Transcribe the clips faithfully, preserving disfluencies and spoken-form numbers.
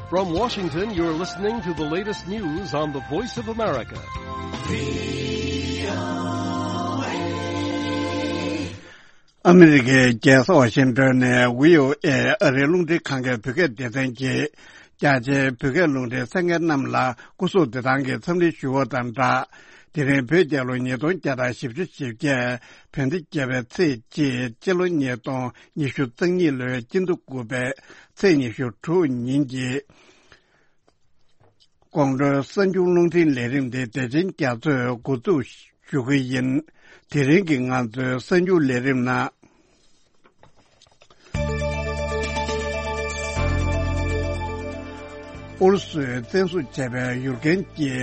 From Washington, you're listening to the latest news on the Voice of America. ཨ་མི་རི་ཀའི་རྒྱལ་ས་ཝ་ཤིང་ཏོན་ནས་བྷི་ཨོ་ཨེ་ཨ་རིའི་རླུང་འཕྲིན་ཁང་གི་བོད་སྐད་སྡེ་ཚན་གྱིས་རྒྱ་ཆེའི་བོད་སྐད་རླུང་འཕྲིན་གསན་མཁན་རྣམས་ལ་སྐུ་གཟུགས་བདེ་ཐང་གི་འཚམས་འདྲི་ཞུ་བ་དང་སྦྲགས། དེ་རིང་བོད་རྒྱལ་ལོ་ཉིས་སྟོང་བརྒྱ་དང་བཞི་བཅུ་ཞེ་བརྒྱད། བོད་ཟླ་བརྒྱད་པའི་ཚེས་གཅིག། སྤྱི་ལོ་ཉིས་སྟོང་ཉི་ཤུ་རྩ་གཉིས་ལོའི་སྤྱི་ཟླ་དགུ་པའི་ཚེས་ཉི་ཤུ་དྲུག་ཉིན་གྱི་ཀོང་སྤྲུལ་གསར་འགྱུར་རླུང་འཕྲིན་ལས་རིམ་དེ་བདེ་ཆེན་རྒྱ་མཚོས་འགོ་འཛུགས་ཞུ་གི་ཡིན། དེ་རིང་གི་ང་ཚོའི་གསར་འགྱུར་ལས་རིམ་ནང་། ཨུ་རུ་སུས་བཙན་བཟུང་བྱས་པའི་ཡུཀ་རེན་གྱི་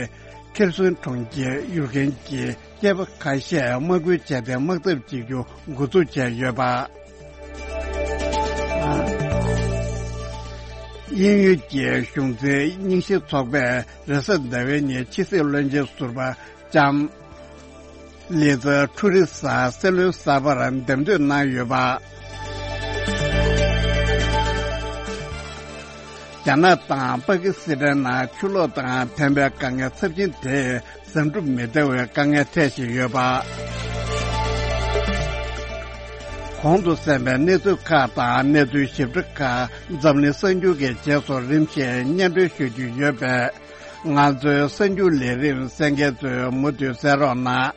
ཁེར་སོན་གྲོང་ཁྱེར་ཡུཀ་རེན་གྱི་སྐྱེས་པ་ཁ་ཤས་དམག་འཁྲུག་བྱས་ཏེ་དམག་འཐབ་བྱེད་རྒྱུ་འགོ་འཛུགས་བྱས་ཡོད་པ། དབྱིན་ཡུལ་གྱི་གཞུང་འཛིན་རྙིང་ཞེན་ཚོགས་པས་རེས་གཟའ་ཟླ་བའི་ཉིན་ཕྱི་སྲིད་བློན་ཆེན་ཟུར་པ་ལྕམ་ལི་ཛ་ཁྲུ་རི་ས་སྲིད་བློན་གསར་པར་འདེམས་ཐོན་གནང་ཡོད་པ། རྒྱ་ནག་དང་པ་ཀི་སི་ཐན་ནང་ཆུ་ལོག་དང་ཐན་པའི་དཀའ་ངལ་ཚབས་ཆེན་དེས་བཟང་སྒྲུབ་མི་ཐེབས་པའི་དཀའ་ངལ་འཕྲད་བཞིན་ཡོད་པ། གོང་དུ་གསན་པའི་གནས་ཚུལ་ཁག་དང་གནས་ཚུལ་ཞིབ་ཕྲ་ཁག་འཛམ་གླིང་གསར་འགྱུར་གྱི་རྗེས་སུ་རིམ་བཞིན་སྙན་སྒྲོན་ཞུ་རྒྱུ་ཡོད་པས། ང་ཚོའི་གསར་འགྱུར་ལས་རིམ་གསན་མཁན་ཚོས་མུ་མཐུད་གསན་རོགས་གནང་།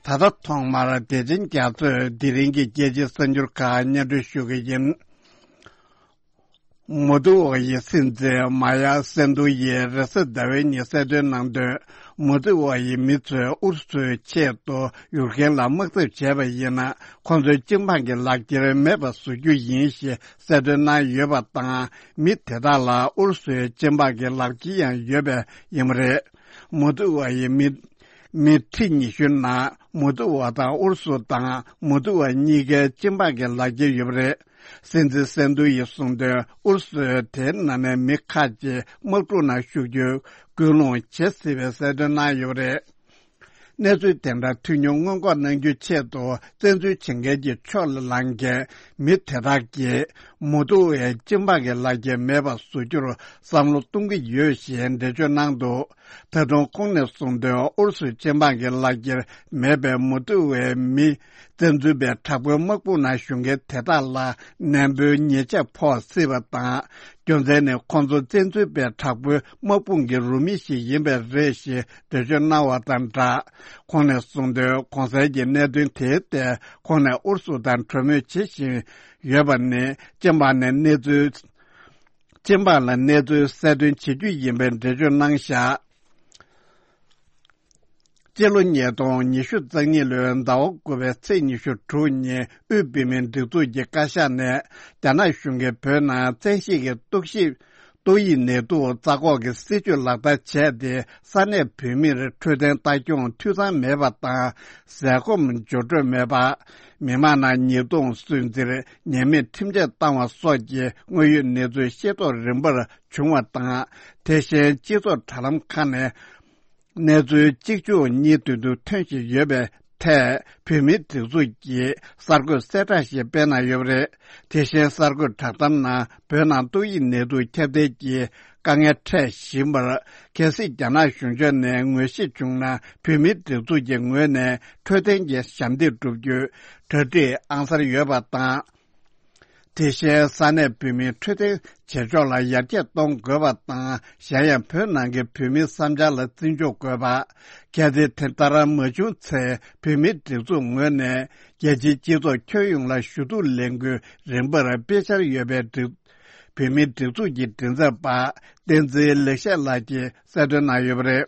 ད་ལྟ་ཐོག་མར་བདེ་ཆེན་རྒྱ་མཚོས་དེ་རིང་གི་རྒྱལ་སྤྱིའི་གསར་འགྱུར་ཁག་སྙན་སྒྲོན་ཞུ་གི་ཡིན། མོ་ཏུ་ཝ་ཡི་སྲིད་འཛིན་མ་ཡ་སན་དུ་ཡིས་རེས་གཟའ་ཟླ་བའི་ཉིན་གསལ་སྟོན་གནང་དོན། མོ་ཏུ་ཝ་ཡི་མི་ཚོས་ཨུ་རུ་སུའི་ཆེད་དུ་ཡུཀ་རེན་ལ་དམག་འཐབ་བྱས་པ་ཡིན་ན། ཁོང་ཚོའི་སྤྱི་འབངས་ཀྱི་ལག་འཁྱེར་མེད་པར་བཟོ་རྒྱུ་ཡིན་ཞེས་གསལ་སྟོན་གནང་ཡོད་པ་དང་། མི་དེ་དག་ལ་ཨུ་རུ་སུའི་སྤྱི་འབངས་ཀྱི་ལག་འཁྱེར་ཡང་ཡོད་པ་ཡིན་པ་རེད། མོ་ཏུ་ཝ་ཡི་མི་མི་ཁྲི་ཉི་ཤུ་ནང་མོ་ཏུ་ཝ་དང་ཨུ་རུ་སུ་དང་མོ་ཏུ་ཝ་གཉིས་ཀའི་སྤྱི་འབངས་ཀྱི་ལག་འཁྱེར་ཡོད་པ་རེད། སྲིད་འཛིན་སན་དུ་ཡིས་གསུངས་དོན། ཨུ་རུ་སུས་དེའི་ནང་ནས་མི་ཁག་ཅིག་དམག་འཁྲུག་ནང་ཞུགས་རྒྱུའི་སྐུལ་སློང་བྱེད་སྲིད་པའི་གསལ་སྟོན་གནང་ཡོད་པ་རེད། གནས་ཚུལ་དེ་འདྲ་ཐོན་མྱོང་སྔོན་འགོག་གནང་རྒྱུའི་ཆེད་དུ། བཙན་འཛུལ་བྱེད་མཁན་གྱི་ཕྱོགས་ལ་ལངས་མཁན་མི་དེ་དག་གིས་མོ་ཏུ་ཝའི་སྤྱི་འབངས་ཀྱི་ལག་འཁྱེར་མེད་པར་བཟོ་རྒྱུར་བསམ་བློ་གཏོང་གི་ཡོད་ཞེས་འགྲེལ་བརྗོད་གནང་འདུག། ད་དུང་ཁོང་ནས་གསུངས་དོན། ཨུ་རུ་སུའི་སྤྱི་འབངས་ཀྱི་ལག་འཁྱེར་མེད་པའི་མོ་ཏུ་ཝའི་མི། བཙན་འཛུལ་པའི་དྲག་པོའི་དམག་དཔུང་ནང་ཞུགས་མཁན་དེ་དག་ལ་ནན་པོའི་ཉེས་ཆད་ཕོག་སྲིད་པ་དང་། རྒྱུ་མཚན་ནི། ཁོང་ཚོ་བཙན་འཛུལ་པའི་དྲག་པོའི་དམག་དཔུང་གི་རུ་མི་ཞིག་ཡིན་པས་རེད་ཞེས་འགྲེལ་བརྗོད་གནང་བ་དང་སྦྲགས། ཁོང་ནས་གསུངས་དོན། གོང་གསལ་གྱི་གནད་དོན་དེའི་ཐད་ཁོང་ནས་ཨུ་རུ་སུ་དང་གྲོས་མོལ་བྱེད་བཞིན་ཡོད་པ་ནི། སྤྱི་འབངས་ནས་གནས་ཚུལ། སྤྱི་འབངས་ལ་གནས་ཚུལ་གསལ་སྟོན་བྱེད་རྒྱུ་ཡིན་པའི་འགྲེལ་བརྗོད་གནང་བཞག། སྤྱི་ལོ་ཉིས་སྟོང་ཉི་ཤུ་རྩ་གཉིས་ལོའི་ཟླ་བ་དགུ་པའི་ཚེས་ཉི་ཤུ་དྲུག་ཉིན། དབུས་བོད་མིའི་སྒྲིག་འཛུགས་ཀྱི་བཀའ་ཤག་ནས་རྒྱ་ནག་གཞུང་གིས་བོད་ནང་བཙན་ཤེད་ཀྱིས་གཏོར་བཤིག་ཏོག་དབྱིབས་ནད་དུག་རྩ་འགོག་གི་སྲིད་ཇུས་ལག་བསྟར་བྱས་ཏེ། ས་གནས་བོད་མིར་འཕྲོད་བསྟེན་ལྟ་སྐྱོང་འཐུས་ཚང་མེད་པ་དང་། ཟས་སྐོམ་འབྱོར་འཕྲོད་མེད་པ། མི་མང་ནང་ཉེས་རྡུང་སུན་གཙེར། ཉེས་མེད་ཁྲིམས་ཆད་བཏང་བ་སོགས་ཀྱི་དངོས་ཡོད་གནས་ཚུལ་ཤེས་རྟོགས་རིམ་པར་བྱུང་བ་དང་། དེ་བཞིན་སྤྱི་ཚོགས་དྲ་ལམ་ཁག་ནས། གནས་ཚུལ་གཅིག་མཇུག་གཉིས་མདུན་དུ་ཐོན་བཞིན་ཡོད་པའི་ཐད། བོད་མིའི་སྒྲིག་འཛུགས་ཀྱིས་གསར་འགོད་གསལ་བསྒྲགས་ཤིག་སྤེལ་གནང་ཡོད་པ་རེད། དེ་བཞིན་གསར་འགོད་བསྒྲགས་གཏམ་ནང་། བོད་ནང་ཏོག་དབྱིབས་ནད་དུག་ཁྱབ་གདལ་གྱི་དཀའ་ངལ་འཕྲད་བཞིན་པར། གལ་སྲིད་རྒྱ་ནག་གཞུང་ཕྱོགས་ནས་ངོས་བཞེས་བྱུང་ན། བོད་མིའི་སྒྲིག་འཛུགས་ཀྱི་ངོས་ནས་འཕྲོད་བསྟེན་གྱི་ཞབས་འདེགས་སྒྲུབ་རྒྱུའི་གྲ་སྒྲིག་ཨང་གསར་ཡོད་པ་དང་། དེ་བཞིན་ས་གནས་བོད་མིའི་འཕྲོད་བསྟེན་བྱེད་ཕྱོགས་ལ་ཡར་རྒྱས་གཏོང་དགོས་པ་དང་། གཞན་ཡང་བོད་ནང་གི་བོད་མིའི་བསམ་འཆར་ལ་བརྩི་འཇོག་དགོས་པ། གལ་སྲིད་དེ་ལྟར་མ་བྱུང་ཚེ། བོད་མིའི་སྒྲིག་འཛུགས་ངོས་ནས་རྒྱལ་སྤྱིའི་སྤྱི་ཚོགས་ཁྱོན་ཡོངས་ལ་ཞུ་གཏུག་ལས་འགུལ་རིམ་པར་སྤེལ་འཆར་ཡོད་པའི་སྒྲིག་བོད་མིའི་སྒྲིག་འཛུགས་ཀྱི་མགྲིན་ཚབ་པ་བསྟན་འཛིན་ལེགས་བཤད་ལགས་ཀྱིས་གསལ་སྟོན་གནང་ཡོད་པ་རེད།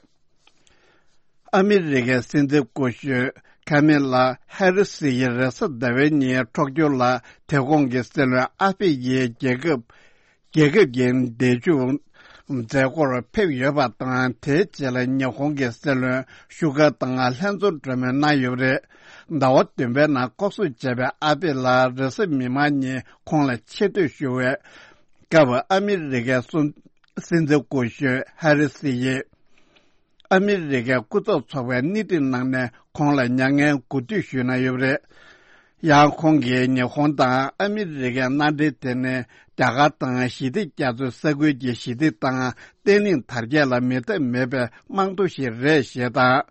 ཨ་མི་རི་ཀའི་སྲིད་འཛིན་སྐུ་ཞབས་ཁ་མི་ལ་ཧེ་རི་སི་ཡིས་རེས་གཟའ་ཟླ་བའི་ཉིན་འཁྲོག་སྦྱོར་ལ་དེ་གོང་གི་སྲིད་བློན་ཨ་ཕི་ཡིས་རྒྱལ་ཁབ་རྒྱལ་ཁབ་ཀྱི་འདས་མཇུག་མཛད་སྒོར་ཕེབས་ཡོད་པ་དང་། དེའི་རྗེས་ལ་ཉི་ཧོང་གི་སྲིད་བློན་ཤུ་ག་དང་ལྷན་འཛོམས་གྲོས་མོལ་གནང་ཡོད་པ་རེད། ཟླ་བ་བདུན་པའི་ནང་ལྐོག་ཟ་བྱས་པའི་ཨ་ཕི་ལ་རེས་གཟའ་མིག་དམར་ཉིན་ཁོང་ལ་ཆེ་བསྟོད་ཞུ་བའི་སྐབས། ཨ་མི་རི་ཀའི་སྲིད་འཛིན་སྐུ་ཞབས་ཧེ་རི་སི་ཡིས། ཨ་མི་རི་ཀའི་སྐུ་ཚབ་ཚོགས་པའི་སྣེ་ཁྲིད་གནང་ནས་ཁོང་ལ་མྱ་ངན་གུས་འདུད་ཞུས་གནང་ཡོད་པ་རེད། ཡང་ཁོང་གིས་ཉི་ཧོང་དང་ཨ་མི་རི་ཀའི་མནའ་འབྲེལ་དེ་ནི་རྒྱ་གར་དང་ཞི་བདེ་རྒྱ་མཚོའི་ས་ཁུལ་གྱི་ཞི་བདེ་དང་བརྟན་ལྷིང་དར་རྒྱས་ལ་མི་ལྟ་མེད་པའི་རྨང་རྡོ་ཞིག་རེད་ཞེས་དང་།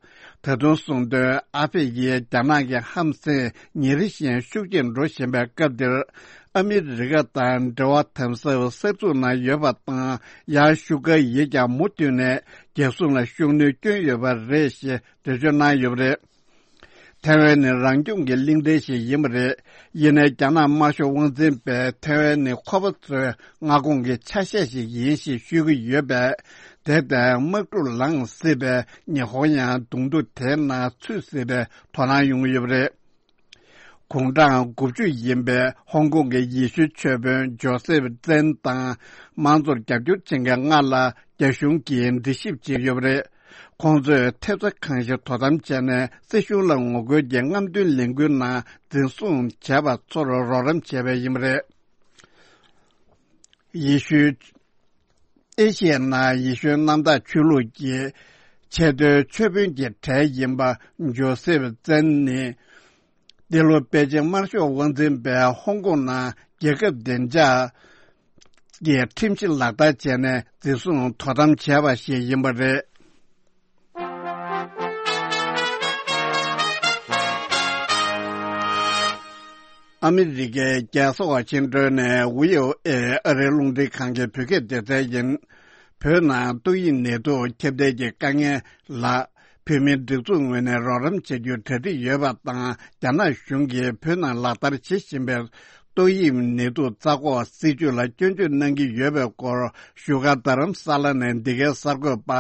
ད་དུང་གསུངས་དོན། ཨ་ཕེ་ཡིས་རྒྱ་ནག་གི་ཧམ་སེམས་ཉིན་རེ་བཞིན་ཤུགས་ཆེར་འགྲོ་བཞིན་པའི་སྐབས་འདིར། ཨ་མི་རི་ཀ་དང་འབྲེལ་བ་དམ་ཟབ་གསར་འཛུགས་གནང་ཡོད་པ་དང་། ཡང་ཤུ་ཀ་ཡིས་ཀྱང་མུ་མཐུད་ནས་རྒྱལ་སྲུང་ལ་ཤུགས་སྣོན་བསྐྱོན་ཡོད་པ་རེད་ཞེས་འགྲེལ་བརྗོད་གནང་ཡོད་པ་རེད། ཐའེ་ཝན་ནི་རང་སྐྱོང་གི་གླིང་ཕྲན་ཞིག་ཡིན་པ་རེད། ཡིན་ནའི་རྒྱ་ནག་དམར་ཤོག་དབང་འཛིན་པས་ཐའེ་ཝན་ནི་ཁོ་པ་ཚོའི་མངའ་ཁོངས་ཀྱི་ཆ་ཤས་ཤིག་ཡིན་ཞེས་ཤོད་ཀྱི་ཡོད་པས། དེ་ལྟར་དམག་འཁྲུག་ལངས་སྲིད་པས་ཉི་ཧོང་ཡང་གདོང་ཐུག་དེའི་ནང་ཚུད་སྲིད་པའི་དོ་སྣང་ཡོང་གི་ཡོད་པ་རེད། དགུང་གྲངས་དགུ་བཅུ་ཡིན་པའི་ཧོང་ཀོང་གི་ཡེ་ཤུའི་ཆོས་དཔོན་ཇོ་སེབ་ཙན་དང་། མང་གཙོར་རྒྱབ་སྐྱོར་བྱེད་མཁན་ལྔ་ལ་རྒྱ་གཞུང་གིས་འདྲི་ཞིབ་བྱེད་ཀྱི་ཡོད་པ་རེད། ཁོང་ཚོས་ཐེབས་རྩ་གང་ཞིག་དོ་དམ་བྱས་ནས། སྲིད་གཞུང་ལ་ངོ་རྒོལ་གྱི་རྔམ་སྟོན་ལས་འགུལ་ནང་འཛིན་བཟུང་བྱས་པ་ཚོར་རོགས་རམ་བྱས་པ་ཡིན་པ་རེད། ཡེ་ཤུའི། ཨེ་ཤི་ཡའི་ནང་ཡེ་ཤུའི་གནམ་བདག་ཆོས་ལུགས་ཀྱི་ཆེས་མཐོའི་ཆོས་དཔོན་གྱི་གྲས་ཡིན་པ་ཇོ་སེབ་ཙན་ནི། འདི་ལོ་པེ་ཅིང་དམར་ཤོག་དབང་འཛིན་པས་ཧོང་ཀོང་ནང་རྒྱལ་ཁབ་བདེ་འཇགས་ཀྱི་ཁྲིམས་གཞི་ལག་བསྟར་བྱས་ནས་འཛིན་བཟུང་དོ་དམ་བྱས་པ་ཞིག་ཡིན་པ་རེད། ཨ་མི་རི་ཀའི་རྒྱལ་ས་ཝ་ཤིང་ཏོན་ནས་བྷི་ཨོ་ཨེ་ཨ་རིའི་རླུང་འཕྲིན་ཁང་གི་བོད་སྐད་སྡེ་ཚན་ཡིན། བོད་ནང་ཏོག་དབྱིབས་ནད་དུག་ཁྱབ་གདལ་གྱི་དཀའ་ངལ་ལ། བོད་མིའི་སྒྲིག་འཛུགས་ངོས་ནས་རོགས་རམ་བྱ་རྒྱུའི་གྲ་སྒྲིག་ཡོད་པ་དང་། རྒྱ་ནག་གཞུང་གིས་བོད་ནང་ལག་བསྟར་བྱེད་བཞིན་པའི་ཏོག་དབྱིབས་ནད་དུག་རྩ་འགོག་སྲིད་ཇུས་ལ་སྐྱོན་བརྗོད་གནང་གི་ཡོད་པའི་སྐོར། བཞུགས་སྒར་རྡ་རམ་ས་ལ་ནས་འདི་གའི་གསར་འགོད་པ་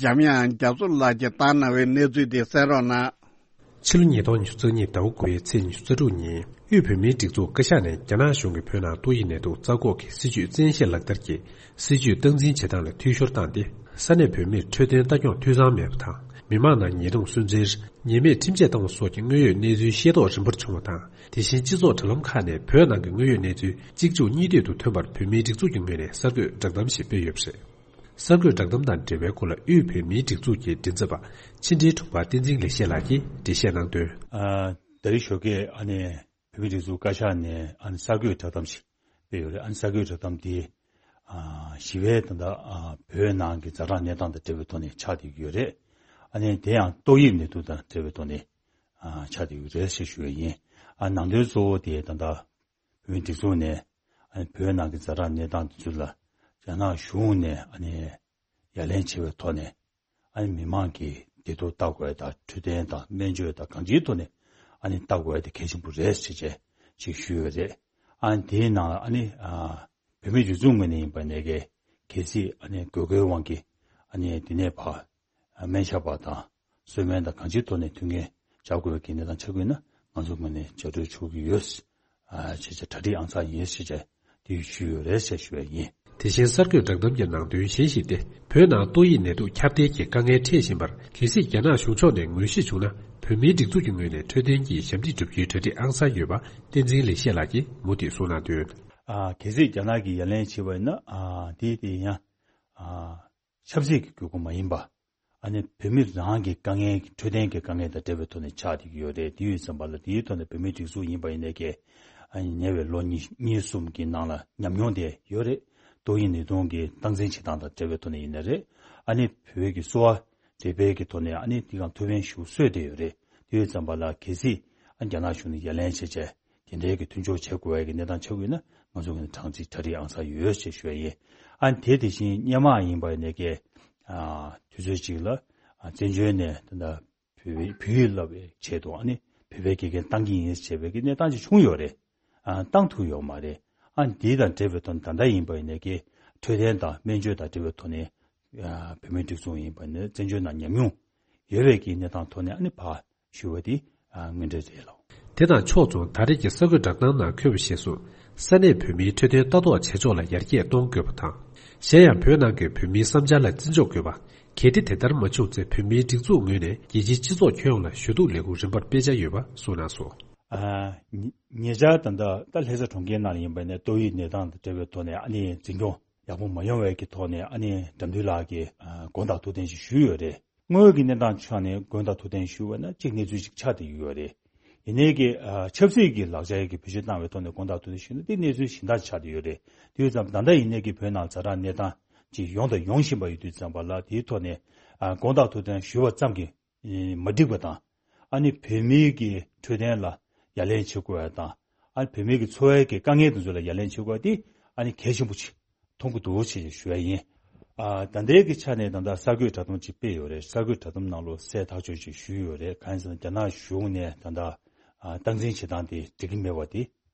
འཇམ་དབྱངས་རྒྱ་མཚོ་ལགས་ཀྱིས་བཏང་གནང་བའི་གནས་ཚུལ་འདི་གསན་རོགས་གནང་། ཕྱི་ལོ་ཉིས་སྟོང་ཉི་ཤུ་རྩ་གཉིས་ཟླ་བ་དགུ་པའི་ཚེས་ཉི་ཤུ་རྩ་དྲུག་ཉིན། དབུས་བོད་མིའི་སྒྲིག་འཛུགས་བཀའ་ཤག་ནས་རྒྱ་ནག་གཞུང་གིས་བོད་ནང་ཏོག་དབྱིབས་ནད་དུག་རྩ་འགོག་གི་སྲིད་ཇུས་བཙན་ཤེད་ལག་བསྟར་གྱིས་སྲིད་ཇུས་སྟངས་འཛིན་བྱེད་སྟངས་ལ་འཐུས་ཤོར་བཏང་སྟེ། ས་གནས་བོད་མིར་འཕྲོད་བསྟེན་ལྟ་སྐྱོང་འཐུས་ཚང་མེད་པ་དང་། མི་མང་ནང་ཉེས་རྡུང་སུན་གཙེར། ཉེས་མེད་ཁྲིམས་ཆད་བཏང་བ་སོགས་ཀྱི་དངོས་ཡོད་གནས་ཚུལ་ཤེས་རྟོགས་རིམ་པར་བྱུང་བ་དང་། དེ་བཞིན་སྤྱི་ཚོགས་དྲ་ལམ་ཁག་ནས་བོད་ནང་གི་དངོས་ཡོད་གནས་ཚུལ་གཅིག་མཇུག་གཉིས་མཐུད་དུ་ཐོན་པར་བོད་མིའི་སྒྲིག་འཛུགས་ཀྱི་ངོས་ནས་གསར་འགོད་བསྒྲགས་གཏམ་ཞིག་སྤེལ་ཡོད་པ་རེད། གསར་འགོད་བསྒྲགས་གཏམ་དང་འབྲེལ་བའི་སྐོར་ལ་དབུས་བོད་མིའི་སྒྲིག་འཛུགས་ཀྱི་མགྲིན་ཚབ་པ་ཕྱི་འབྲེལ་དྲུང་འཕར་བསྟན་འཛིན་ལེགས་བཤད་ལགས་ཀྱིས་འགྲེལ་བཤད་གནང་དོན། ཨ། ད་རེས་ཞོགས་ཀས་ཨ་ནི་བོད་མིའི་སྒྲིག་འཛུགས་བཀའ་ཤག་ནས་ཨ་ནི་གསར་འགོད་བསྒྲགས་གཏམ་ཞིག་སྤེལ་ཡོད་རེད། ཨ་ནི་གསར་འགོད་བསྒྲགས་གཏམ་དེ། ཨ། ཞི་བའི་ད་ལྟ་ཨ་བོད་ནང་གི་ཛ་དྲག་གནས་སྟངས་དང་འབྲེལ་བའི་ཐོག་ནས་ཆགས་བསྡད་ཀྱི་ཡོད་རེད། ཨ་ནི་དེ་ཡང་ཏོག་དབྱིབས་ནད་དུག་དང་འབྲེལ་བའི་ཐོག་ནས་ཨ་ཆགས་བསྡད་ཀྱི་ཡོད་རེད་ཞེས་ཞུ་ཡ་ཡིན། ཨ། ནང་དོན་གཙོ་བོ་དེ་ད་ལྟ་བོད་མིའི་སྒྲིག་འཛུགས་ནས་ཨ་ནི་བོད་ནང་གི་ཛ་དྲག་གནས་སྟངས་དེ་ཚོ་ལ་རྒྱ་ནག་གཞུང་ནས་ཨ་ནི་ཡ་ལན་བྱེད་པའི་ཐོག་ནས། ཨ་ནི་མི་མང་གི་བདེ་སྡུག་ལྟ་དགོས་དང་། འཕྲོད་བསྟེན་དང་སྨན་བཅོས་དང་གང་ཅིའི་ཐོག་ནས་ཨ་ནི་ལྟ་དགོས་དེ་གལ་ཆེན་པོ་རེད་ཟེར་བྱས་ཅིག་ཞུས་ཡོད་རེད། ཨ་ནི་དེའི་ནང་ཨ་ནི་ཨ་བོད་མིའི་སྒྲིག་འཛུགས་ངོས་ནས་ཡིན་པ་ནས་གལ་སྲིད་ཨ་ནི་དགོས་མཁོའི་དབང་གིས་ཨ་ནི་དེ་ནས་ཕར་སྨན་ཞབས་པ་དང་གསོལ་སྨན་དང་གང་ཅིའི་ཐོག་ནས་མཐུན་རྐྱེན་སྦྱར་དགོས་ཀྱི་གནས་སྟངས་ཆགས་ཀྱི་ཡོད་ན་ང་ཚོ་ངོས་ནས་རྒྱབ་སྐྱོར་ཞུ་གི་ཡོད། ཨ། ཞེས་བྱ་གྲ་སྒྲིག་ཨང་གསར་ཡིན་ཞེས་བྱ་དེ་ཞུས་ཡོད་རེད་ཞེས་ཞུ་བ་ཡིན། དེ་བཞིན་གསར་འགོད་བསྒྲགས་གཏམ་གྱི་ནང་དོན་གཞན་ཞིག་སྟེ། བོད་ནང་ཏོག་དབྱིབས་ནད་དུག་ཁྱབ་གདལ་གྱི་དཀའ་ངལ་འཕྲད་བཞིན་པར། གལ་སྲིད་རྒྱ་ནག་གཞུང་ཕྱོགས་ནས་ངོས་བཞེས་བྱུང་ན། བོད་མིའི་སྒྲིག་འཛུགས་ཀྱི་ངོས་ནས་འཕྲོད་བསྟེན་གྱི་ཞབས་འདེགས་སྒྲུབ་རྒྱུའི་གྲ་སྒྲིག་ཨང་གསར་ཡོད་པ་བསྟན་འཛིན་ལེགས་བཤད་ལགས་ཀྱིས་མུ་མཐུད་གསུངས་གནང་དོན། ཨ། གལ་སྲིད་རྒྱ་ནག་གིས་ཡ་ལན་བྱས་པ་ཡིན་ན། ཨ། དེ་དེ་ཡང་། ཨ། ཆབ་སྲིད་ཀྱི་དགོས་མཁོ་མ་ཡིན་པ། ཨ་ནི་བོད་མི་རང་གི་དཀའ་ངལ། འཕྲོད་བསྟེན་གྱི་དཀའ་ངལ་དང་འབྲེལ་བའི་ཐོག་ནས་ཆགས་བསྡད་ཀྱི་ཡོད་རེད། དེ་ཡོད་ཙམ་པ་ལ་དེའི་ཐོག་ནས་བོད་མིའི་སྒྲིག་འཛུགས་ཡིན་པ་ཡིན་ནའི་ཀྱེ། ཨ་ནི་ཉེ་བའི་ལོ་གཉིས་གཉིས་གསུམ་གྱི་ནང་ལ་ཉམས་མྱོང་དེ་ཡོད་རེད། ཏོག་དབྱིབས་ནད་དུག་གི་སྟངས་འཛིན་བྱེད་སྟངས་དང་འབྲེལ་བའི་ཐོག་ནས་ཡིན་ནའི་རེད། ཨ་ནི་བོད་ཀྱི་གསོ་བ་འདེབས་པའི་གི་ཐོག་ནས་ཨ་ནི་དེ་གང་ཐུགས་ཕན་ཞུ་སྲོལ་དེ་ཡོད་རེད། དེ་ཡོད་ཙམ་པ་ལ་གལ་སྲིད་ཨ་རྒྱ་ནག་གཞུང་ནས་ཡ་ལན་བྱས་བྱས། དེ་འདྲའི་གི་མཐུན་སྦྱོར་བྱེད་དགོས་ཡ་གི་གནས་སྟངས་ཆགས་ཀྱི་ཡོད་ན་ང་ཚོ་གི་ནི་གྲ་སྒྲིག་གྲ་སྒྲིག་ཨང་གསར་ཡོད་ཅེས་ཞུ་ཡ་ཡིན། ཨ་ནི་དེ་དེ་བཞིན་སྔོན་མ་ཡིན་པ་ཡིན་ནའི་ཀྱེ། ཨ། དུས་ཚོད་ཅིག་ལ་ཨ་བཙན་བྱོལ་ནས་ད་ལྟ་བོད་པའི་བོད་ཡིག་བསླབ་པའི་ཆེད་དུ་ཨ་ནི་བོད་པའི་དགེ་རྒན་བཏང་གི་ཡིན་ཅེས་པའི་གི་གནས་སྟངས་ཅིག་བྱུང་ཡོད་རེད། ཨ། བཏང་ཐུབ་ཡོད་མ་རེད། ཨ་ནི་དེ་དང་འབྲེལ་བའི་ཐོག་ནས་ད་ལྟ་ཡིན་པ་ཡིན་ནའི་ཀྱེ་འཕྲོད་བསྟེན་དང་སྨན་བཅོས་དང་འབྲེལ་བའི་ཐོག་ནས། ཨ། བོད་མིའི་སྒྲིག་འཛུགས་ཡིན་པ་ནི་བཙན་བྱོལ་ནང་ཉམས་མྱོང་ཡོད་པའི་གི་གནས་སྟངས་ཐོག་ནས་ཨ་ནི་ཕར་ཞུ་བ་དེ་ཨ་དངོས་འབྲེལ་རེད་ལགས། དེ་དང་ཕྱོགས་མཚུངས། ད་རེས་ཀྱི་གསར་འགོད་བསྒྲགས་གཏམ་ནང་འཁོད་པ་བཞིན་སུ། ས་གནས་བོད་མིའི་འཕྲོད་བསྟེན་ལྟ་རྟོག་བྱེད་ཕྱོགས་ལ་ཡར་རྒྱས་གཏོང་དགོས་པ་དང་། གཞན་ཡང་བོད་ནང་གི་བོད་མིའི་བསམ་འཆར་ལ་བརྩི་འཇོག་དགོས་པ། གལ་ཏེ་དེ་ལྟར་མ་བྱུང་ཚེ་བོད་མིའི་སྒྲིག་འཛུགས་ངོས་ནས་རྒྱལ་སྤྱིའི་སྤྱི་ཚོགས་ཁྱོན་ཡོངས་ལ་ཞུ་གཏུག་ལས་འགུལ་རིམ་པར་སྤེལ་འཆར་ཡོད་པ་གསུངས་གནང་སོང་། ཨ། ཉེ་ཉེ་ཆར་ད་ལྟ་ད་ལྷ་ས་གྲོང་ཁྱེར་ནང་ལ་ཡིན་པ་ནས་ཏོག་དབྱིབས་ནད་དང་དང་འབྲེལ་བའི་ཐོག་ནས་ཨ་ནི་འཛིན་སྐྱོང་ཡག་པོ་མ་ཡོང་བའི་གི་ཐོག་ནས་ཨ་ནི་དགྲ་འདུལ་ལགས་ཀྱིས་ཨ་དགོངས་དག་ཐུགས་བདེན་ཞིག་ཞུས་ཡོད་རེད། དངོས་ཀྱི་གནས་སྟངས་ཆ་ནས་དགོངས་དག་ཐུགས་བདེན་ཞུ་བ་ན་གཅིག་གནས་ཚུལ་ཅིག་ཆགས་བསྡད་ཡོད་རེད། ཡིན་ནའི་གི་ཨ་ཆབ་སྲིད་ཀྱི་ལག་ཆ་གི་བེད་སྤྱོད་བཏང་བའི་ཐོག་ནས་དགོངས་དག་ཐུགས་བདེན་ཞུས་ན་དེ་གནས་ཚུལ་གཞན་དག་ཆགས་བསྡད་ཡོད་རེད། དེ་ཡོད་ཙང་ད་ལྟ་ཡིན་ནའི་གི་བོད་ནང་ཛ་དྲག་གནས་སྟངས་ཅིག་ཡོང་དང་ཡོང་བཞིན་པ་ཡོད་དུས་ཙམ་པ་ལ་དེའི་ཐོག་ནས་ཨ་དགོངས་དག་ཐུགས་བདེན་ཞུས་པ་ཙམ་གྱིས་མ་འགྲིག་པ་དང་། ཨ་ནི་བོད་མིའི་གི་འཕྲོད་བསྟེན་ལ་ཡ་ལན་བྱེད་དགོས་པ་དང་། ཨ་ནི་བོད་མིའི་གི་འཚོ་བའི་གི་དཀའ་ངལ་དེ་ཚོ་ལ་ཡ་ལན་བྱེད་དགོས་པ་དེ་ཨ་ནི་གལ་ཆེན་པོ་ཅིག་མཐོང་གི་འདུག་ཅེས་ཞུ་ཡ་ཡིན། ཨ་ད་ལྟའི་གི་ཆ་ནས་ད་ལྟ་གསར་འགོད་བསྒྲགས་གཏམ་ཅིག་སྤེལ་ཡོད་རེད། གསར་འགོད་བསྒྲགས་གཏམ་ནང་ལོགས་གསལ་ཐག་ཆོད་ཅིག་ཞུས་ཡོད་རེད། གང་ཡིན་ཟེར་ན་རྒྱ་ནག་གཞུང་ནས་ད་ལྟ་ཨ་སྟངས་འཛིན་བྱེད་སྟངས་དེ་འགྲིག་གི་མེད་པ་དེ།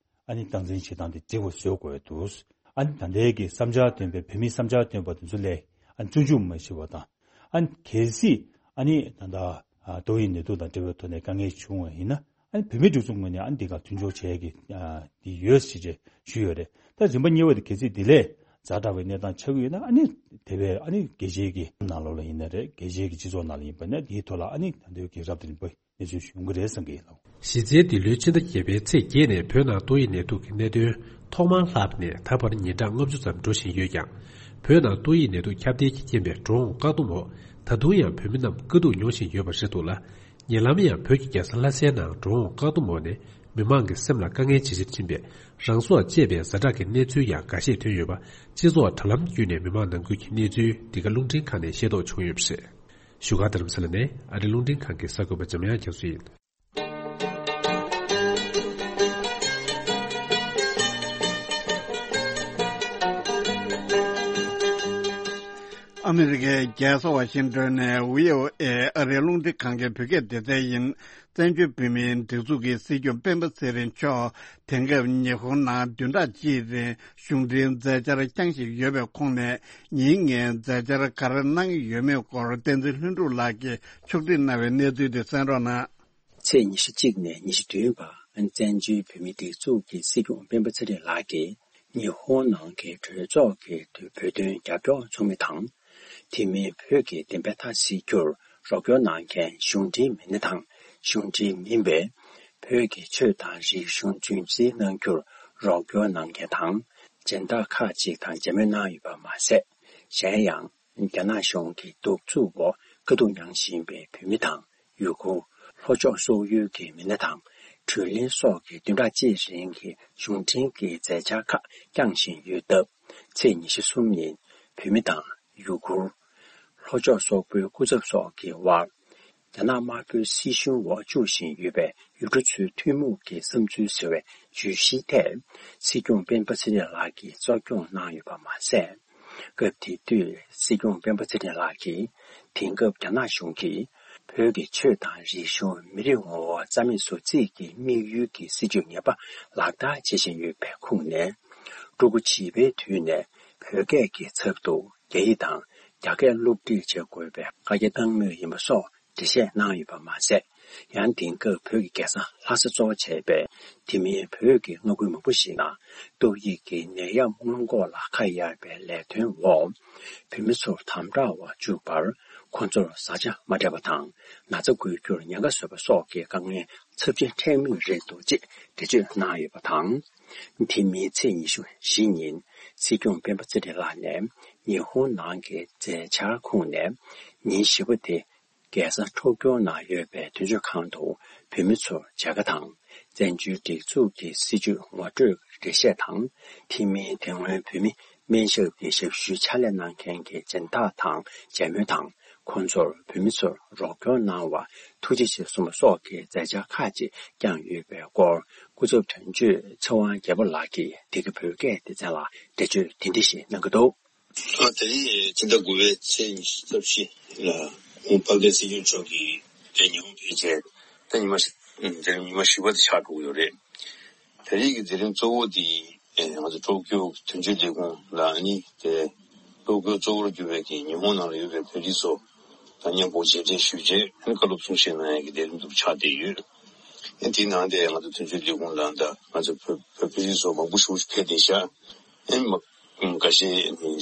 ཨ་ནི་སྟངས་འཛིན་བྱེད་སྟངས་དེ་འགྲིག་པ་བཟོ་དགོས་འདུག་ཨ་ནི་ད་ལྟའི་གི་བསམ་འཆར་བཏོན་པའི་བོད་མིའི་བསམ་འཆར་བཏོན་པ་དེ་ཚོ་ལས་ཨ་ནི་བཙོན་འཇུག་མ་བྱེད་པ་དང་། ཨ་ནི་གལ་སྲིད་ཨ་ནི་ད་ལྟ་ཨ་ཏོག་དབྱིབས་ནད་དུག་དང་འབྲེལ་བའི་ཐོག་ནས་དཀའ་ངལ་བྱུང་བ་ཡིན་ན། ཨ་ནི་བོད་མིའི་སྒྲིག་འཛུགས་ངོས་ནས་ཨ་ནི་འདི་ག་མཐུན་སྦྱོར་བྱེད་ཡ་གི་ཨ་འདི་ཡོད་ཞེས་བཅས་ཞུས་ཡོད་རེད། ད་རིམ་པ་གཉིས་པ་དེ་གལ་སྲིད་འདི་ལས་ཛ་དྲག་པའི་གནས་སྟངས་ཆགས་ཀྱི་ཡོད་ན། ཨ་ནི་དེ་བས་ཨ་ནི་རྒྱལ་སྤྱིའི་གི་ནང་ལོགས་ལ་ཡིན་ན་རེད། རྒྱལ་སྤྱིའི་གི་སྤྱི་ཚོགས་ནང་ལ་ཡིན་པ་ན་དེའི་ཐོག་ལ་ཨ་ནི་ད་ལྟའི་གི་རབ་དང་རིམ་པ་གནས་ཚུལ་ཞིག་ཡོང་གི་རེད་བསམ་གི་ཡིན། གཞི་རྩའི་འདི་ལོའི་ཕྱི་ཟླ་བརྒྱད་པའི་ཚེས་བརྒྱད་ནས་བོད་ནང་ཏོག་དབྱིབས་ནད་དུག་གི་གནད་དོན་ཐོག་མར་ལྷགས་པ་ནས་ད་བར་ཉིན་གྲངས་ལྔ་བཅུ་ཙམ་འགྲོ་བཞིན་ཡོད་ཀྱང་། བོད་ནང་ཏོག་དབྱིབས་ནད་དུག་ཁྱབ་གདལ་གྱི་རྐྱེན་པས་འགྲོ་འོང་བཀག་སྡོམ་འོག་ད་དུང་ཡང་བོད་མི་རྣམས་དཀའ་སྡུག་མྱོང་བཞིན་ཡོད་པ་རེད་འདུག་ལ། ཉེ་ལམ་ཡང་བོད་ཀྱི་རྒྱལ་ས་ལྷ་སའི་ནང་འགྲོ་འོང་བཀག་སྡོམ་འོག་ནས་མི་མང་གི་སེམས་ལ་དཀའ་ངལ་ཇེ་ཆེར་ཕྱིན་པས་རང་སྲོག་བཅད་པའི་ཛ་དྲག་གི་གནས་ཚུལ་ཡང་འགའ་ཤས་ཐོན་ཡོད་པ། སྤྱི་ཚོགས་དྲ་ལམ་བརྒྱུད་ནས་མི་མང་ནང་ཁུལ་གྱི་གནས་ཚུལ་འདི་ག་རླུང་འཕྲིན་ཁང་ནས་ཤེས་རྟོགས་བྱུང་ཡོད་པ་རེད། བཞུགས་སྒར་རྡ་རམ་ས་ལ་ནས་ཨ་རི་རླུང་འཕྲིན་ཁང་གི་གསར་འགོད་པ་འཇམ་དབྱངས་རྒྱ་མཚོ་ཡིན། ཨ་མི་རི་ཀའི་རྒྱལ་ས་ཝ་ཤིང་ཏོན་ནས་བྷི་ཨོ་ཨེ་ཨ་རིའི་རླུང་འཕྲིན་ཁང་གི་བོད་སྐད་སྡེ་ཚན་ཡིན། བཙན་བྱོལ་བོད་མིའི་སྒྲིག་འཛུགས་ཀྱི་སྲིད་སྐྱོང་སྤེན་པ་ཚེ་རིང་མཆོག་དེང་སྐབས་ཉི་ཧོང་ནང་བདུན་ཕྲག་གཅིག་རིང་གཞུང་འབྲེལ་མཛད་འཆར་བསྐྱངས་བཞིན་ཡོད་པའི་ཁོངས་ནས། ཉིན་ངས་མཛད་འཆར་ག་རེ་གནང་གི་ཡོད་མེད་སྐོར་བསྟན་འཛིན་ལྷུན་གྲུབ་ལགས་ཀྱིས་ཕྱོགས་སྒྲིག་གནང་བའི་གནས་ཚུལ་དེ་གསན་རོགས་གནང་། ཚེས་ཉི་ཤུ་གཅིག་ནས་ཉི་ཤུ་བདུན་བར་བཙན་བྱོལ་བོད་མིའི་སྒྲིག་འཛུགས་ཀྱི་སྲིད་སྐྱོང་སྤེན་པ་ཚེ་རིང་ལགས་ཀྱིས་ཉི་ཧོང་ནང་གི་གྲོས་ཚོགས་ཀྱི་བོད་དོན་རྒྱབ་སྐྱོར་ཚོགས་མི་དང་། དེ་མིན་བོད་ཀྱི་བདེན་པ་མཐའ་གསལ་རྒྱུར་རོགས་སྐྱོར་གནང་མཁན་གཞུང་འབྲེལ་མི་སྣ་དང་། གཞུང་འབྲེལ་མིན་པའི་བོད་ཀྱི་ཆོས་དང་རིག་གཞུང་རྒྱུན་འཛིན་གནང་རྒྱུར་རོགས་སྐྱོར་གནང་མཁན་དང་། སྦྱིན་བདག་ཁག་ཅིག་དང་མཇལ་མོལ་གནང་ཡོད་པ་མ་ཟད། གཞན་ཡང་། རྒྱ་ནག་གཞུང་གི་གདུག་རྩུབ་འོག་དཀའ་སྡུག་མྱངས་བཞིན་པའི་བོད་མི་དང་། ཡུ་གུར། ལྷོ་ཕྱོགས་སོག་ཡུལ་གྱི་མི་སྣ་དང་། བགྲོ་གླེང་སོགས་ཀྱི་བདུན་ཕྲག་གཅིག་རིང་གི་གཞུང་འབྲེལ་གྱི་མཛད་འཆར་ཁག་བསྐྱངས་བཞིན་ཡོད་སྟབས། ཚེས་ཉི་ཤུ་གསུམ་ཉིན་བོད་མི་དང་ཡུ་གུར། ལྷོ་ཕྱོགས་སོག་པོའི་སྐུ་ཚབ་སོགས་ཀྱི་དབར། རྒྱ་ནག་དམར་པོའི་སྲིད་གཞུང་འོག་བཅུག་བཞིན་ཡོད་པའི་ཡུལ་གྲུ་ཚོའི་ཐུན་མོང་གི་བསམ་ཚུལ་ཟེར་བའི་བརྗོད་གཞིའི་ཐད། སྲིད་སྐྱོང་སྤེན་པ་ཚེ་རིང་ལགས་ཀྱིས་གཙོ་སྐྱོང་གནང་ཡོད་པ་མ་ཟད། སྐབས་དེ་དུས་སྲིད་སྐྱོང་སྤེན་པ་ཚེ་རིང་ལགས་ཀྱིས། དེང་སྐབས་རྒྱ་ནག་གཞུང་གིས་བོད་ཀྱི་ཆོས་དང་རིག་གཞུང་། མི་རིགས་ངོ་བོ་རྩ་མེད་བཟོ་རྩིས་ཀྱི་དམིགས་ཡུལ་གྱི་སྲིད་བྱུས་ངེས་པ་ལག་བསྟར་བྱེད་བཞིན་ཡོད་པའི་ཁུངས་ནས། ཕྲུ་གུ་བྱིས་པའི་དུས་ནས་བོད་སྐད་ཀྱི་ཚབ་ཏུ་རྒྱ་ཡིག་དང་རྒྱ་སྐད་སློབ་ཁྲིད་བྱེད་དགོས་པའི་བཀའ་རྒྱ་བཏང་མུས་ཡིན་པ་སོགས། འགྲེལ་བཤད་གནང་ཡོད་པ་མ་ཟད། ཡང་དེང་སྐབས་བོད་ཀྱི་རྒྱལ་ས་ལྷ་ས་གཙོ་བོ་བྱས་པའི་དེ་མིན་བོད་ཀྱི་མངའ་ཁུལ་མང་པོ་ཞིག་ནང་ཏོག་དབྱིབས་ཀྱི་ནད་ཡམས་སྔོན་འགོག་ལ་ཁ་གཡར་བའི་ལས་དོན་འོག་བོད་མི་ཚོར་དམ་དྲག་འོག་བཅུག་པར། ཁོང་ཚོར་བཟའ་བཅའ་མ་སྤྲད་པ་དང་། ན་ཚ་འགོས་རྒྱུར་ཉེན་ཁ་བཟོས་པ་སོགས་ཀྱི་དཀའ་ངལ་ཚབས་ཆེན་འཕྲད་མུས་རེད་འདུག་ཅེས་འགྲེལ་བརྗོད་གནང་ཡོད་པ་དང་། དེ་མིན་ཚེས་ཉི་ཤུ་བཞི་ཉིན་སྲིད་སྐྱོང་སྤེན་པ་ཚེ་རིང་ལགས་ནས་ཉི་ཧོང་ནང་གི་མཛད་འཆར་ཁོངས་ནས་ཉིན་བཞི་པ་དེ། རྒྱལ་ས་ཊོ་ཀྱོ་ནང་ཡོད་པའི་དོན་གཅོད་ཁང་དུ་བོད་མི་ཚོར་མཇལ་ཁ་དང་། བཙན་བྱོལ་སྒྲིག་འཛུགས་ཀྱི་སྲིད་བྱུས་ངོ་སྤྲོད་འགྲེལ་བཤད་དང་། དེ་མིན་དེ་སྔོན་བོད་མི་སྨན་ཞབས་ཀྱི་ཞབས་ཞུའི་ཕྱག་ལས་གནང་མཁན་གྱི་སྦྱིན་བདག་དང་མཇལ་མོལ་དང་། ཁོང་ཚོར་བོད་མི་ཚོར་རོགས་སྐྱོར་གནང་བར་ཐུགས་རྗེ་ཆེ་གསུངས་པ་སོགས་ཀྱི་མཛད་འཆར་ཁག་ཅིག་བསྐྱངས་ཡོད་པའི་སྐོར། སྐུ་ཚབ་དོན་གཅོད་ཚེ་དབང་རྒྱལ་པོ་ལགས་ཀྱིས་འདི་ག་བོད་སྐད་སྡེ་ཚན་ལ་འགྲེལ་བརྗོད་འདི་འདྲ་ཞིག་གནང་གི་འདུག་ཨ། དེ་རིང་ཕྱི་ཟླ་དགུ་པའི་ཚེས་ཉི་ཤུ་རྩ་བཞི་ལ་ཧོང་ཕ་གི་སྲིད་སྐྱོང་མཆོག་གིས་དེ་ཉི་ཧོང་ཕེབས་རྗེས་ད་ཉི་མ་ཞིག་དེ་རིང་ཉི་མ་བཞི་པ་དེ་ཆགས་འགྲོ་གི་ཡོད་རེད། དེ་རིང་གི་མཛད་རིམ་གཙོ་བོ་དེ་ང་ཚོ་ཊོ་ཀྱོ་དོན་གཅོད་ལས་ཁུངས་ལ་ནི་དེ་ཊོ་ཀྱོ་གཙོ་བོར་གྱུར་པའི་གི་ཉི་ཧོང་ནང་ལ་ཡོད་པའི་བོད་རིགས་ཚོ་དང་མཉམ་པོ་མཇལ་འཕྲད་ཞུས་རྗེས་བཀའ་སློབ་གསུང་བཤད་གནང་ཡག་གི་མཛད་རིམ་དེ་ཆགས་བསྡད་ཡོད། དེའི་ནང་དེ་ང་ཚོ་དོན་གཅོད་ལས་ཁུངས་ལ་ད་ང་ཚོ་བོད་བོད་བོད་རིགས་ཚོ་མང་པོ་ཞིག་ཕེབས་བསྡད་ཤག་ཨེ་མ། ཁ་ཤས་ནི་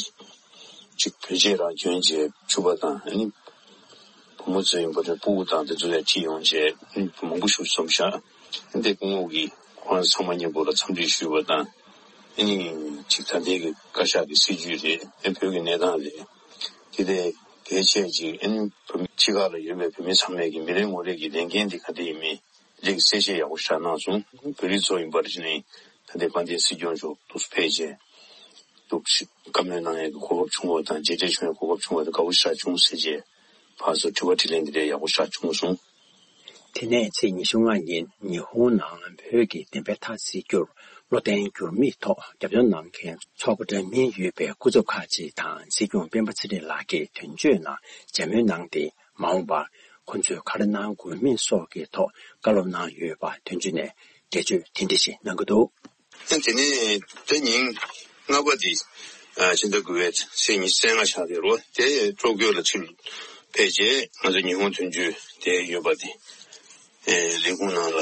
ཅིག་བོད་ཆས་རང་གྱོན་བྱས་ཕྱུ་པ་དང་ཨ་ནི་བུ་མོ་ཚོ་ཡིན་པ་དང་ཕྲུ་གུ་དང་དེ་ཚོ་ཡང་ཁྲིད་ཡོང་བྱས་ཨ་ནི་མང་པོ་ཞིག་འཛོམས་ཤག་ཨ་ནི་སྐུ་ངོ་གིས་ཁོང་རང་ཚང་མ་མཉམ་པོ་ལ་འཚམས་འདྲི་ཞུས་པ་དང་ཨ་ནི་ཅིག་ད་ལྟའི་གི་བཀའ་ཤག་གི་སྲིད་བྱུས་རེད། ཨ་ནི་བོད་ཀྱི་གནས་སྟངས་རེད། དེ་ལས་གལ་ཆེ་ཅིག་ཨ་ནི་བོད་མི་ཕྱི་ཁག་ལ་ཡོད་པའི་བོད་མི་ཚང་མས་ཀྱི་མི་རེ་ངོ་རེ་གི་ལས་འགན་དེ་ག་དེ་ཡིན་མིན། རིགས་གསལ་བཤད་ཡག་པོ་ཞིག་གནང་སོང་། བོད་རིགས་ཚོ་ཡིན་པར་བྱས་ནས་ད་ལྟའི་དཔལ་ལྡན་སྲིད་སྐྱོང་མཆོག་ཏུ་ཕེབས་རྗེས་འདུག་བཀའ་མོལ་གནང་ཡག་གི་གོ་སྐབས་བྱུང་བ་དང་མཇལ་འཕྲད་བྱུང་ཡག་གོ་སྐབས་བྱུང་བ་དེ་དགའ་པོ་ཞེ་དྲག་བྱུང་ཟེར་རྗེས་ཕར་ཚུར་དྲི་བ་དྲིས་ལན་འདི་འདྲའི་ཡག་པོ་ཞེ་དྲག་བྱུང་སོང་། དེ་ནས་ཚེས་ཉི་ཤུ་ལྔ་ཉིན་ཉི་ཧོང་ནང་བོད་ཀྱི་བདེན་པའི་མཐའ་གསལ་རྒྱུར་བློ་བརྟན་འགྱུར་མེད་ཐོག་རྒྱབ་སྐྱོར་གནང་མཁན་ཚོགས་པ་འདྲ་མིན་ཡོད་པའི་སྐུ་ཚབ་ཁག་ཅིག་དང་སྲིད་སྐྱོང་སྤེན་པ་ཚེ་རིང་ལགས་ཀྱིས་དོན་གཅོད་ནང་མཇལ་མོལ་གནང་སྟེ། མ་འོངས་པར་ཁོ་ཚོས་ག་རེ་གནང་དགོས་མིན་སོགས་ཀྱི་ཐོག་བཀའ་སློབ་གནང་ཡོད་པ་དོན་གཅོད་ནས་འགྲེལ་བརྗོད་དེ་འདྲ་ཞིག་གནང་གི་འདུག། དེ་ནས་དེ་ཉིན་ལྔ་པ་དེ་ཕྱི་ཟླ་དགུ་པའི་ཚེས་ཉི་ཤུ་རྩ་ལྔ་ཆགས་བསྡད་རོ། དེ་ཀྲོ་ཀྱོ་ལ་ཕྱིར་ཕེབས་རྗེས་ང་ཚོ་ཉི་ཧོང་དོན་གཅོད་དེ་ཡོད་པ་དེ་ལས་ཁུངས་ནང་ལ་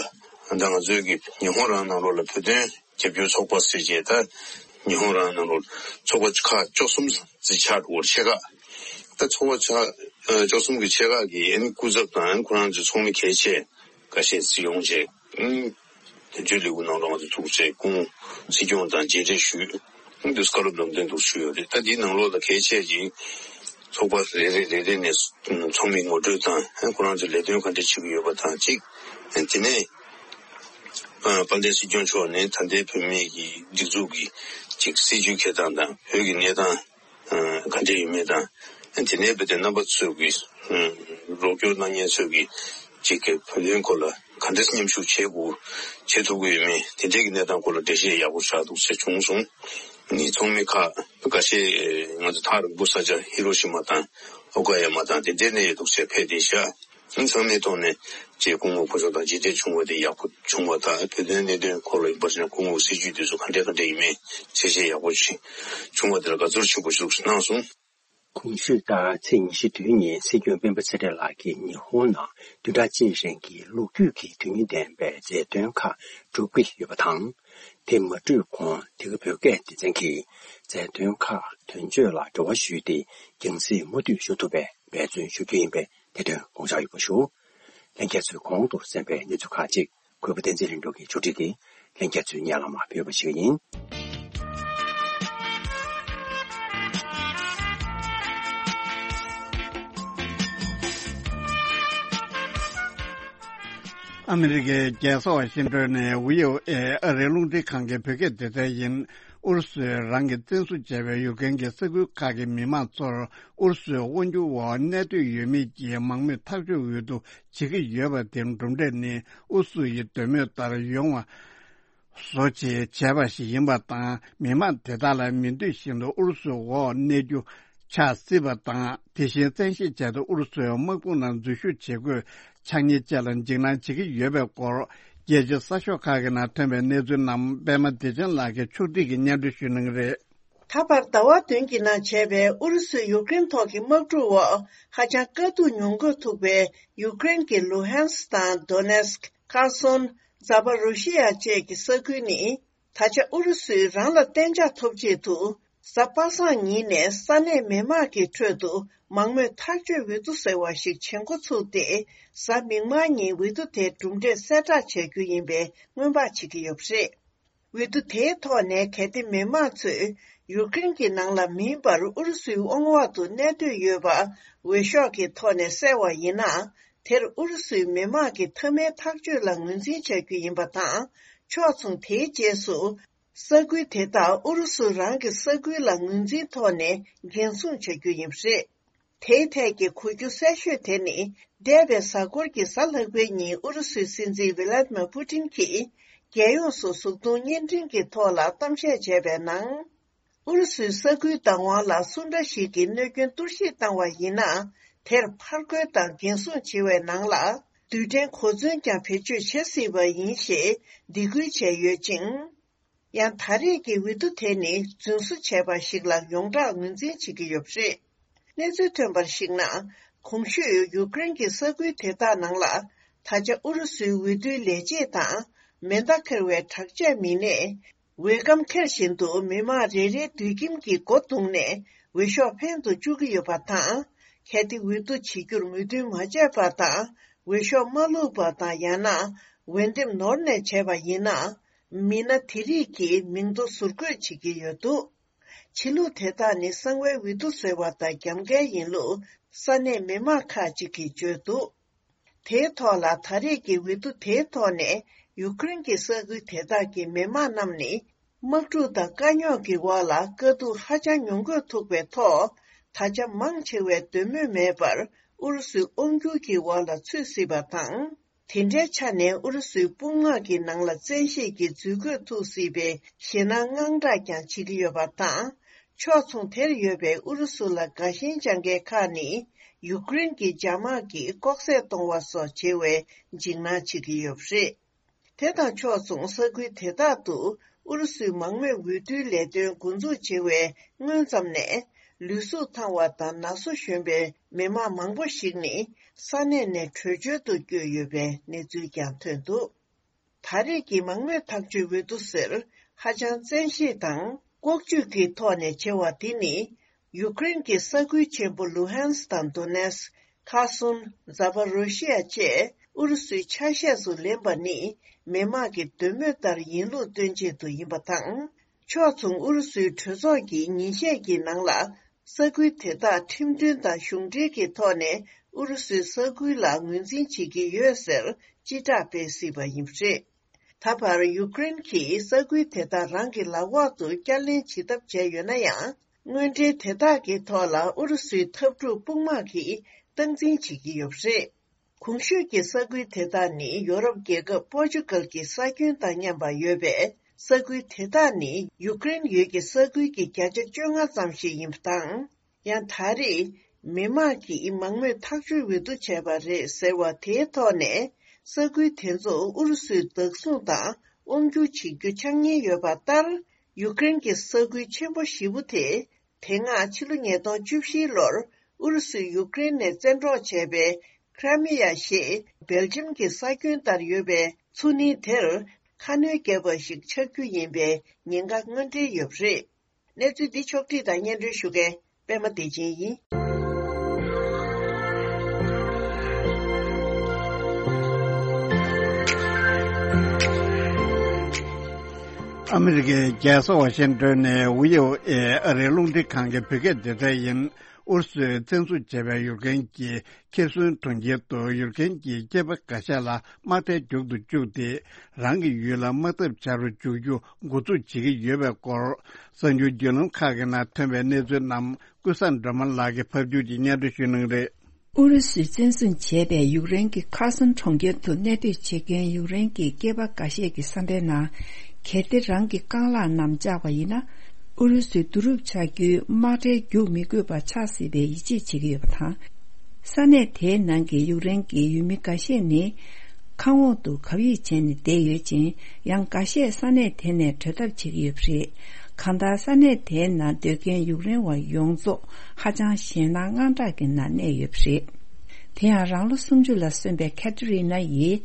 ད་ང་ཚོའི་གི་ཉི་ཧོང་རང་ནང་ལོགས་ལ་བོད་དོན་རྒྱབ་སྐྱོར་ཚོགས་པ་ཟེར་བྱས་ད་ཉི་ཧོང་རང་ནང་ལོགས་ཚོགས་པ་ཁག་བཅུ་གསུམ་ཙམ་ཆགས་འགྲོ་བར་ཆེ་ཁག་ད་ཚོགས་པ་ཆགས་བཅུ་གསུམ་གྱི་ཆེ་ཁག་གི་ཨ་ནི་སྐུ་ཚབ་དང་ཁོ་རང་ཚོའི་ཚོགས་མི་གལ་ཆེ་འགའ་ཤས་ཅིག་ཡོང་བྱས་དོན་གཅོད་ལས་ཁུངས་ནང་ལོགས་ང་ཚོ་ཐུག་བྱས་སྐུ་ངོ་སྲིད་སྐྱོང་དང་མཇལ་འཕྲད་ཞུས་འདུག། བཀའ་སློབ་ལམ་སྟོན་འདུག་ཞུས་ཡོད་རེད། ད་འདིའི་ནང་ལོགས་ལ་གལ་ཆེ་ཅིག་ཚོགས་པ་རེ་རེ་རེ་རེ་ནས་ཚོགས་མི་ངོ་སྤྲོད་དང་ཁོ་རང་ཚོའི་ལས་དོན་ག་འདྲ་བྱེད་ཀྱི་ཡོད་པ་དང་གཅིག་དེ་ནས། ཨ་དཔལ་ལྡན་སྲིད་སྐྱོང་མཆོག་ནས་ད་ལྟའི་བོད་མི་གི་སྒྲིག་འཛུགས་ཀྱི་ཅིག་སྲིད་བྱུས་འཁྱེར་སྟངས་དང་བོད་ཀྱི་གནས་སྟངས་ཨ་ག་འདྲ་ཡོད་མེད་དང་། ཨ་དེ་ནས་བོད་དོན་རྣམ་པ་ཚོས་ཀྱི་ཨ་རོགས་སྐྱོར་གནང་མཁན་ཚོས་ཀྱི་ཅིག་གི་བོད་དོན་སྐོར་ལ་ག་འདྲ་མཉམ་ཞུགས་བྱེད་དགོས་བྱེད་ཐུབ་ཀྱི་ཡོད་མེད་དེ་འདྲའི་གི་གནས་སྟངས་སྐོར་ལ་འགྲེལ་བཤད་ཡག་པོ་ཞིག་འདུག་ཟེར་བྱུང་སོང་། ནི་ཚོགས་མི་ཁག་འགའ་ཤས་ང་ཚོ་ཐག་རིང་པོ་ས་ཆ་ཧི་རོ་ཤི་མ་དང་ཨོ་ཀ་ཡ་མ་དང་དེ་འདྲའི་གནས་ཡོད་འདུག་ཟེར་ཕེབས་བསྡད་ཤག། ཚང་མའི་ཐོག་ནས་ཅེས་སྐུ་ངོ་ཁོ་ཚོ་དང་མཇལ་འཕྲད་བྱུང་བ་དེ་ཡག་པོ་བྱུང་བ་དང་བོད་དོན་གནད་དོན་སྐོར་ལ་ཡིན་པར་བྱས་ན་སྐུ་ངོ་སྲིད་བྱུས་དེ་ཚོ་ག་འདྲ་ག་འདྲ་ཡིན་མིན་གསལ་བཤད་ཡག་པོ་ཞིག་བྱུང་བ་དེ་ལ་དགའ་ཚོར་ཆེན་པོ་ཞིག་གནང་སོང་། གོང་ཞུས་ལྟར་ཚེས་ཉི་ཤུ་བདུན་ཉིན་སྲིད་སྐྱོང་སྤེན་པ་ཚེ་རིང་ལགས་ཀྱིས་ཉི་ཧོང་ནང་བདུན་ཕྲག་གཅིག་རིང་གི་ལོ་རྒྱུས་ཀྱི་དོན་སྙིང་ལྡན་པའི་མཛད་དོན་ཁག་སྒྲུབ་ཀྱི་ཡོད་པ་དང་། དེ་མ་གྲུབ་གོང་དེ་ག་བོད་སྐད་སྡེ་ཚན་གྱིས་མཛད་དོན་ཁག་དོན་གཅོད་ལ་འབྲེལ་བ་ཞུས་ཏེ་རྒྱང་སྲིང་མུ་མཐུད་ཞུ་ཐུབ་པའི་འབད་བརྩོན་ཞུ་རྒྱུ་ཡིན་པས། དེ་དོན་དགོངས་འཇགས་ཡོད་པ་ཞུ། ལྷན་རྒྱས་ཚོས་གོང་དུ་གསན་པའི་གནས་ཚུལ་ཁག་ཅིག་གུས་པ་བསྟན་འཛིན་ལྷུན་གྲུབ་ཀྱིས་ཕྱོགས་སྒྲིག་གིས་ལྷན་རྒྱས་ཚོའི་སྙན་ལམ་ཕུལ་བ་ཞིག་ཡིན། ཨ་མི་རི་ཀའི་རྒྱལ་ས་ཝ་ཤིང་ཏོན་ནས་བྷི་ཨོ་ཨེ་ཨ་རིའི་རླུང་འཕྲིན་ཁང་གི་བོད་སྐད་སྡེ་ཚན་ཡིན། ཨུ་རུ་སུས་རང་གིས་བཙན་བཟུང་བྱས་པའི་ཡུཀ་རེན་གྱི་ས་ཁུལ་ཁག་གི་མི་མང་ཚོར་ཨུ་རུ་སུའི་དབང་སྒྱུར་འོག་གནས་སྡོད་ཡོད་མེད་ཀྱི་མང་མོས་ཐག་གཅོད་འོས་བསྡུ་བྱེད་ཀྱི་ཡོད་པ་དེའི་གྲུབ་འབྲས་ནི་ཨུ་རུ་སུ་ཡི་འདོད་མོས་ལྟར་ཡོང་བ་བཟོ་ཆེད་བྱས་པ་ཞིག་ཡིན་པ་དང་། མི་མང་དེ་དག་ལ་མི་འདོད་བཞིན་དུ་ཨུ་རུ་སུའི་འོག་གནས་རྒྱུ་ཆགས་སྲིད་པ་དང་། དེ་བཞིན་བཙན་ཤེད་བྱས་ཏེ་ཨུ་རུ་སུའི་དམག་དཔུང་ནང་འཛུལ་ཞུགས་བྱེད་དགོས་ཆགས་ཉེན་བཅས་ལ་འཇིགས་སྣང་བྱེད་ཀྱི་ཡོད་པའི་སྐོར། རྒྱལ་སྤྱིའི་གསར་ཤོག་ཁག་གི་ནང་ཐོན་པའི་གནས་ཚུལ་རྣམས་པད་མ་བདེ་ཆེན་ལགས་ཀྱིས་ཕྱོགས་སྒྲིག་གིས་སྙན་སྒྲོན་ཞུ་གནང་གི་རེད། ད་བར་ཟླ་བ་བདུན་གྱི་ནང་བྱས་པའི་ཨུ་རུ་སུས་ཡུཀ་རེན་ཐོག་གི་དམག་འཁྲུག་འོག་ཧ་ཅང་དཀའ་སྡུག་མྱོང་དགོས་ཐུག་པའི་ཡུཀ་རེན་གྱི་ལུ་ཧན་སི་དང་དོ་ནེ་སི་ཀི། ཁར་སོན། ཛ་པ་རུ་ཤི་ཡ་བཅས་ཀྱི་ས་ཁུལ་ནི། ད་ཆ་ཨུ་རུ་སུས་རང་ལ་གཏན་འཇགས་ཐོབ་ཆེད་དུ། གཟའ་པ་སངས་ཉིན་ནས་ས་གནས་མི་མང་གི་ཁྲོད་དུ་མང་མོས་ཐག་གཅོད་འོས་བསྡུ་ཟེར་བ་ཞིག་བྱེད་འགོ་ཚུགས་ཏེ། གཟའ་མིག་དམར་ཉིན་འོས་བསྡུ་དེའི་གྲུབ་འབྲས་གསལ་བསྒྲགས་བྱ་རྒྱུ་ཡིན་པའི་སྔོན་དཔག་བྱེད་ཀྱི་ཡོད་པ་རེད། འོས་བསྡུ་དེའི་ཐོག་ནས་གལ་ཏེ་མི་མང་ཚོས་ཡུཀ་རེན་གྱི་ནང་ལ་མིན་པར་ཨུ་རུ་སུའི་དབང་འོག་ཏུ་གནས་སྡོད་ཡོད་པ་འོས་ཤོག་གི་ཐོག་ནས་གསལ་བ་ཡིན་ན། དེར་ཨུ་རུ་སུའི་མི་མང་གི་མཐའ་མའི་ཐག་གཅོད་ལ་ངོས་འཛིན་བྱ་རྒྱུ་ཡིན་པ་དང་། ཕྱོགས་མཚུངས་དེའི་རྗེས་སུ། ས་ཁུལ་དེ་དག་ཨུ་རུ་སུ་རང་གི་ས་ཁུལ་ལ་ངོས་འཛིན་ཐོག་ནས་འགན་སྲུང་བྱ་རྒྱུ་ཡིན་པ་རེད། དེའི་ཐད་ཀྱི་གོ་རྒྱུ་གསལ་ཤོས་དེ་ནི། འདས་པའི་གཟའ་འཁོར་གྱི་གཟའ་ལྷག་པའི་ཉིན་ཨུ་རུ་སུའི་སྲིད་འཛིན་ཝི་ལ་ཏི་མ་པུ་ཏིན་གྱིས། རྒྱལ་ཡོངས་སུ་གཟུགས་མཐོང་བརྙན་འཕྲིན་གྱི་ཐོག་ལ་གཏམ་བཤད་བྱས་པའི་ནང་། ཨུ་རུ་སུའི་ས་ཁུལ་བདག་དབང་ལ་སུ་འདྲ་ཞིག་གིས་གནོད་སྐྱོན་གཏོར་བཤིག་བཏང་བ་ཡིན་ན། དེར་ཕར་རྒོལ་དང་འགན་སྲུང་བྱེད་པའི་ནང་ལ། རྡུལ་ཕྲན་གོ་མཚོན་ཀྱང་བེད་སྤྱོད་བྱེད་སྲིད་པ་ཡིན་ཞེས་སྡིགས་སྐུལ་བྱས་ཡོད་ཅིང་། ཡང་ད་རེས་ཀྱི་འོས་བསྡུ་དེ་ནི་རྫུན་བཟོ་བྱས་པ་ཞིག་ལ་ཡོངས་གྲགས་ངོས་འཛིན་བྱེད་ཀྱི་ཡོད་པ་རེད། གནས་ཚུལ་ཐོན་པར་གཞིགས་ན། གོང་ཞུས་ཡུཀ་རེན་གྱི་ས་ཁུལ་དེ་དག་ནང་ལ། ད་ཆ་ཨུ་རུ་སུའི་འོས་བསྡུའི་ལས་བྱེད་དང་། མེ་མདའ་འཁྱེར་བའི་དྲག་ཆས་མི་སྣས། འོས་སྒམ་འཁྱེར་བཞིན་དུ་མི་མང་རེ་རེའི་མདུད་ཁྱིམ་གྱི་སྒོ་བརྡུངས་ནས་འོས་ཤོག་འཕེན་དུ་བཅུག་གི་ཡོད་པ་དང་། གལ་ཏེ་འོས་བསྡུ་བྱེད་རྒྱུར་མོས་མཐུན་མ་བྱས་པ་དང་། འོས་ཤོག་མ་བླུགས་པ་དང་། ཡང་ན། འོས་འདེམས་ནོར་ནས་བྱས་པ་ཡིན་ན། མི་སྣ་དེ་རིགས་ཀྱི་མིང་ཐོ་ཟུར་བཀོད་བྱེད་ཀྱི་ཡོད་འདུག། ཕྱི་ལུགས་དེ་དག་ནི་གསང་བའི་འོས་བསྡུ་བཟོས་པ་དང་རྒྱབ་འགལ་ཡིན་ལུགས་ས་གནས་མི་མང་ཁག་ཅིག་གིས་བརྗོད་འདུག། དེའི་ཐོག་ལ་ད་རེས་ཀྱི་འོས་བསྡུ་དེའི་ཐོག་ནས་ཡུ་ཀེ་རེན་གྱི་ས་ཁུལ་དེ་དག་གི་མི་མང་རྣམས་ནི། དམག་འཁྲུག་དང་དཀའ་རྙོག་གི་འོག་ལ་དཀའ་སྡུག་ཧ་ཅང་མྱོང་དགོས་ཐུག་པའི་ཐོག་ད་ཆ་མང་ཆེ་བས་འདོད་མོས་མེད་པར་ཨུ་རུ་སུའི་དབང་སྒྱུར་གྱི་འོག་ལ་ཚུད་སྲིད་པ་དང་། དེ་འདྲའི་ཆ་ནས་ཨུ་རུ་སུའི་དཔུང་དམག་གི་ནང་ལ་བཙན་ཤེད་ཀྱིས་འཛུལ་འཁོར་ཐུག་སྲིད་པའི་ཞེད་སྣང་དངངས་སྐྲག་ཀྱང་བྱེད་ཀྱི་ཡོད་པ་དང་། ཕྱོགས་མཚུངས་དེར་ཡོད་པའི་ཨུ་རུ་སུ་ལ་དགའ་ཞེན་བཅངས་མཁན་ཁག་ནི་ཡུ་ཀེ་རེན་གྱི་འཇབ་དམག་གིས་ལྐོག་ཟ་གཏོང་བ་སོགས་བྱེད་པའི་འཇིགས་སྣང་བྱེད་ཀྱི་ཡོད་པ་རེད། དེ་དང་ཕྱོགས་མཚུངས་ས་ཁུལ་དེ་དག་ཏུ་ཨུ་རུ་སུའི་མང་མོས་འོས་བསྡུའི་ལས་དོན་འགོ་འཛུགས་བྱེད་པའི་སྔོན་ཙམ་ནས། ལུས་གཟུགས་ཐང་བ་དང་ན་སོ་གཞོན་པའི་མི་མང་མང་པོ་ཞིག་ནི་ས་གནས་ནས་བྲོས་བྱོལ་དུ་བསྐྱོད་ཡོད་པའི་གནས་ཚུལ་ཀྱང་ཐོན་འདུག་ད་རེས་ཀྱི་མང་མོས་ཐག་གཅོད་འོས་བསྡུ་ཟེར་ཧ་ཅང་བཙན་ཤེད་དང་ལྐོག་ཇུས་ཀྱི་ཐོག་ནས་བྱེད་པ་དེ་ནི། ཡུ་ཀེ་རེན་གྱི་ས་ཁུལ་ཆེན་པོ་ལུ་ཧན་སི་དང་དོ་ནེ་སི། ཁ་སུན། ཛ་པ་རོ་ཤི་ཡ་བཅས་ཨུ་རུ་སུའི་ཆ་ཤས་སུ་ལེན་པ་ནི་མི་དམངས་ཀྱི་འདོད་མོས་ལྟར་ཡིན་ལུགས་སྟོན་ཆེད་དུ་ཡིན་པ་དང་། ཕྱོགས་མཚུངས་ཨུ་རུ་སུའི་གྲོས་ཚོགས་ཀྱི་ཉིན་ཤས་ཀྱི་ནང་ལ་ས་ཁུལ་དེ་དག་ཁྲིམས་མཐུན་དང་གཞུང་འབྲེལ་གྱི་ཐོག་ནས་ཨུ་རུ་སུའི་ས་ཁུལ་ལ་ངོས་འཛིན་བྱེད་ཀྱི་ཡོད་ཟེར་སྤྱི་བསྒྲགས་སྤེལ་སྲིད་པ་ཡིན་པ་རེད། ད་བར་ཡུ་ཀེ་རེན་གྱིས་ས་ཁུལ་དེ་དག་རང་གི་ལག་འོག་ཏུ་བསྐྱར་ལེན་བྱེད་ཐབས་བྱས་ཡོད་ན་ཡང་། དངོས་འབྲེལ་དེ་དག་གི་ཐོག་ལ་ཨུ་རུ་སུའི་འཐབ་འཁྲུག་དཔུང་དམག་གིས་སྟངས་འཛིན་བྱེད་ཀྱི་ཡོད་པ་རེད། གོང་ཞུས་ཀྱི་ས་ཁུལ་དེ་དག་ནི་ཡོ་རོབ་རྒྱལ་ཁབ་པོར་ཅུ་གལ་གྱི་ས་ཁྱོན་དང་མཉམ་པ་ཡོད་པས། ས་ཁུལ་དེ་དག་ནི་ཡུ་ཀེ་རེན་ཡུལ་གྱི་ས་ཁུལ་གྱི་བརྒྱ་ཆ་བཅོ་ལྔ་ཙམ་ཞིག་ཡིན་པ་དང་། ཡང་ད་རེས་མི་མང་གིས་མང་མོས་ཐག་གཅོད་འོས་བསྡུ་བྱས་པ་རེད་ཟེར་བ་དེའི་ཐོག་ནས། ས་ཁུལ་དེ་ཚོ་ཨུ་རུ་སུས་བདག་བཟུང་དང་དབང་སྒྱུར་བྱེད་རྒྱུ་འཆར་ཉེན་ཡོད་པ་ལྟར། ཡུ་ཀེ་རེན་གྱི་ས་ཁུལ་ཆེན་པོ་བཞི་པོ་དེ། དེ་སྔ་ཕྱི་ལོ་ཉིས་སྟོང་བཅུ་བཞི་ལོར་ཨུ་རུ་སུས་ཡུ་ཀེ་རེན་ནས་བཙན་འཕྲོག་བྱས་པའི་ཁྲ་མི་ཡ་ཞེས་སྦེལ་ཇམ་གྱི་ས་ཁྱོན་ལྟར་ཡོད་པའི་མཚོ་གླིང་དེར་ཁ་སྣོན་བརྒྱབ་པ་ཞིག་ཆགས་རྒྱུ་ཡིན་པའི་ཉེན་ཁ་དངོས་འབྲེལ་ཡོད་པ་རེད། གནས་ཚུལ་འདི་ཕྱོགས་བསྒྲིགས་དང་སྙན་སྒྲོན་ཞུ་མཁན་པད་མ་བདེ་ཆེན་ཡིན། ཨ་མི་རི་ཀའི་རྒྱལ་ས་ཝ་ཤིང་ཏོན་ནས་ཝི་ཨོ་ཨེ་ཨ་རིའི་རླུང་འཕྲིན་ཁང་གི་བོད་སྐད་སྡེ་ཚན་ཡིན། ཨུ་རུ་སུས་བཙན་བཟུང་བྱས་པའི་ཡུཀ་རེན་གྱི་ཁེར་སོན་གྲོང་ཁྱེར་དུ་ཡུཀ་རེན་གྱི་སྐྱེས་པ་འགའ་ཤས་ལ་དམག་གྲལ་རྒྱུག་ཏུ་བཅུག་སྟེ། རང་གི་ཡུལ་ལ་དམག་འཐབ་བྱ་རུ་འཇུག་རྒྱུ་འགོ་འཛུགས་བྱེད་ཀྱི་ཡོད་པའི་སྐོར། གསར་འགྱུར་བརྒྱུད་ལམ་ཁག་གི་ནང་ཐོན་པའི་གནས་ཚུལ་རྣམས་ཀུན་བཟང་སྒྲོལ་མ་ལགས་ཀྱིས་ཕབ་སྒྱུར་གྱིས་སྙན་སྒྲོན་ཞུ་གནང་གི་རེད། ཨུ་རུ་སུས་བཙན་བཟུང་བྱས་པའི་ཡུཀ་རེན་གྱི་ཁར་སོན་གྲོང་ཁྱེར་དུ་གནས་སྡོད་བྱེད་མཁན་ཡུཀ་རེན་གྱི་སྐྱེས་པ་འགའ་ཤས་ཀྱི་བསམ་པའི་ནང་། གལ་ཏེ་རང་གི་རྐང་ལག་རྣམས་བཅག་པ་ཡིན་ན། ཨུ་རུ་སུའི་བསྡུ་རུབ་བྱ་རྒྱུའི་དམག་གྲལ་རྒྱུག་མི་དགོས་པ་ཆགས་སྲིད་པའི་ཡིད་ཆེས་བྱེད་ཀྱི་ཡོད་པ་དང་། ས་གནས་དེའི་ནང་གི་ཡུཀ་རེན་གྱི་ཡུལ་མི་འགའ་ཤས་ནི། ཁང་འོག་ཏུ་གབ་ཡིབ་བྱས་ནས་བསྡད་ཡོད་ཅིང་། ཡང་འགའ་ཤས་ས་གནས་དེ་ནས་བྲོས་ཐབས་བྱེད་ཀྱི་ཡོད་པ་རེད། གང་ལྟར་ས་གནས་དེའི་ནང་སྡོད་མཁན་ཡུཀ་རེན་བ་ཡོངས་རྫོགས་ཧ་ཅང་ཞེད་སྣང་དངངས་སྐྲག་གི་ནང་གནས་ཡོད་པ་རེད། དེ་ཡང་རང་ལོ་སུམ་ཅུ་ལ་སོན་པའི་ཁེ་ཐི་རི་ན་ཡིས།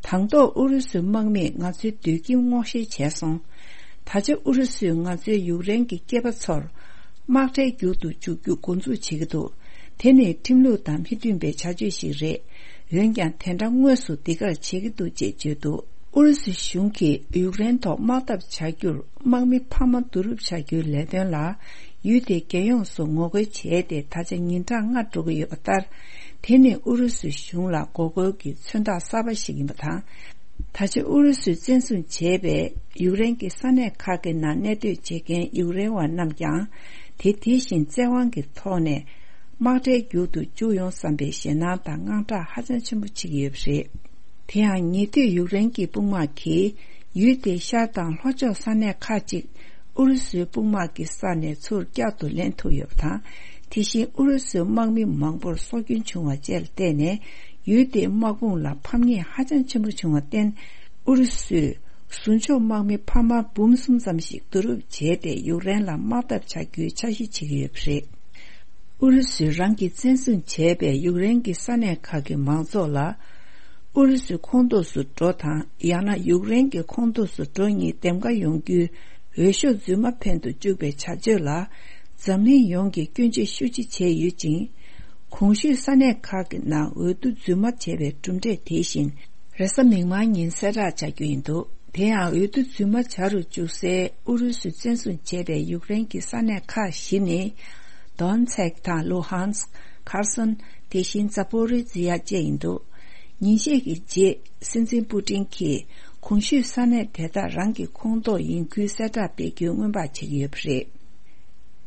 དང་ཐོག་ཨུ་རུ་སུའི་དམག་མིས་ང་ཚོའི་སྡོད་ཁྱིམ་སྔོག་བཤེར་བྱས་སོང་། ད་ཆ་ཨུ་རུ་སུས་ང་ཚོའི་ཡུཀ་རེན་གྱི་སྐྱེས་པ་ཚོར་དམག་གྲལ་རྒྱུག་ཏུ་འཇུག་རྒྱུ་འགོ་འཛུགས་བྱེད་ཀྱི་འདུག་དེ་ནི་ཁྲིམས་ལུགས་དང་མི་མཐུན་པའི་བྱ་སྤྱོད་ཞིག་རེད། འོན་ཀྱང་དེ་འདྲ་དངོས་སུ་འདི་གར་བྱེད་ཀྱི་འདུག་ཅེས་བརྗོད་འདུག་ཨུ་རུ་སུ་གཞུང་གིས་ཡུཀ་རེན་ཐོག་དམག་འཐབ་བྱ་རྒྱུར་དམག་མི་འཕར་མ་བསྡུ་རུབ་བྱ་རྒྱུའི་ལས་དོན་ལ། ཡུལ་དེའི་རྒྱལ་ཡོངས་སུ་ངོ་རྒོལ་བྱས་ཏེ་ད་ཆ་ཉིན་གྲངས་ལྔ་འགྲོ་གི་ཡོད་པ་ལྟར། དེ་ནི་ཨུ་རུ་སུའི་གཞུང་ལ་འགོག་རྒོལ་གྱི་མཚོན་རྟགས་གསར་པ་ཞིག་ཡིན་པ་དང་། ད་ཆ་ཨུ་རུ་སུས་བཙན་བཟུང་བྱས་པའི་ཡུཀ་རེན་གྱི་ས་གནས་ཁག་གི་ནང་གནས་སྡོད་བྱེད་མཁན་ཡུཀ་རེན་བ་རྣམས་ཀྱང་། དེ་དེ་བཞིན་བཙན་དབང་གི་ཐོག་ནས་དམག་གྲལ་རྒྱུག་ཏུ་འཇུག་ཡོང་བསམ་པའི་ཞེད་སྣང་དང་དངངས་སྐྲག་ཧ་ཅང་ཆེན་པོ་བྱེད་ཀྱི་ཡོད་པ་རེད། དེ་ཡང་ཉེ་དུས་ཡུཀ་རེན་གྱི་དཔུང་དམག་གིས་ཡུལ་དེའི་ཤར་དང་ལྷོ་ཕྱོགས་ས་གནས་ཁག་ཅིག་ཨུ་རུ་སུའི་དཔུང་དམག་གི་ས་ནས་ཚུར་བསྐྱར་དུ་ལེན་ཐུབ་ཡོད་པ་དང་། དེ་བཞིན་ཨུ་རུ་སུའི་དམག་མི་མང་པོར་སྲོག་སྐྱོན་བྱུང་བ་བཅས་ལ་བརྟེན་ནས། ཡུལ་དེའི་དམག་དཔུང་ལ་ཕམ་ཉེས་ཧ་ཅང་ཆེན་པོ་བྱུང་བར་བརྟེན། ཨུ་རུ་སུས་ཟུར་འཇོག་དམག་མི་འཕར་མ་འབུམ་གསུམ་ཙམ་ཞིག་བསྡུ་རུབ་བྱས་ཏེ་ཡུཀ་རེན་ལ་དམག་འཐབ་བྱ་རྒྱུའི་འཆར་གཞི་བྱེད་ཀྱི་ཡོད་པ་རེད། ཨུ་རུ་སུས་རང་གིས་བཙན་བཟུང་བྱས་པའི་ཡུཀ་རེན་གྱི་ས་གནས་ཁག་གི་མང་ཚོགས་ལ། ཨུ་རུ་སུའི་ཁོངས་གཏོགས་སུ་འགྲོ་དང་ཡང་ན་ཡུཀ་རེན་གྱི་ཁོངས་གཏོགས་སུ་འགྲོ་གཉིས་འདེམས་ཀ་ཡོང་རྒྱུའི་འོས་ཤོག་རྫུན་མ་འཕེན་དུ་བཅུག་པའི་བྱ་སྤྱོད་ལ། འཛམ་གླིང་ཡོངས་ཀྱིས་སྐྱོན་བརྗོད་ཤུགས་ཆེ་བྱས་ཡོད་ཅིང་། གོང་ཞུས་ས་གནས་ཁག་གི་ནང་འོས་བསྡུ་རྫུན་མ་བྱས་པའི་གྲུབ་འབྲས་དེ་བཞིན། རེས་གཟའ་མིག་དམར་ཉིན་གསལ་བསྒྲགས་བྱ་རྒྱུ་ཡིན་འདུག་དེ་ཡང་འོས་བསྡུ་རྫུན་མ་བྱ་རུ་བཅུག་སའི་ཨུ་རུ་སུས་བཙན་བཟུང་བྱས་པའི་ཡུཀ་རེན་གྱི་ས་གནས་ཁག་བཞི་ནི། དོན་ཚེག་དང་ལུ་ཧན་སི། ཁར་སོན། དེ་བཞིན་ཛ་པོ་རི་ཛི་ཡ་བཅས་ཡིན་འདུག་ཉིན་ཤས་ཀྱི་རྗེས་སྲིད་འཛིན་པུ་ཏིན་གྱིས་གོང་ཞུས་ས་གནས་དེ་དག་རང་གི་ཁོངས་གཏོགས་ཡིན་ཁུལ་གསལ་བསྒྲགས་སྤེལ་རྒྱུའི་སྔོན་དཔག་བྱེད་ཀྱི་ཡོད་པ་རེད།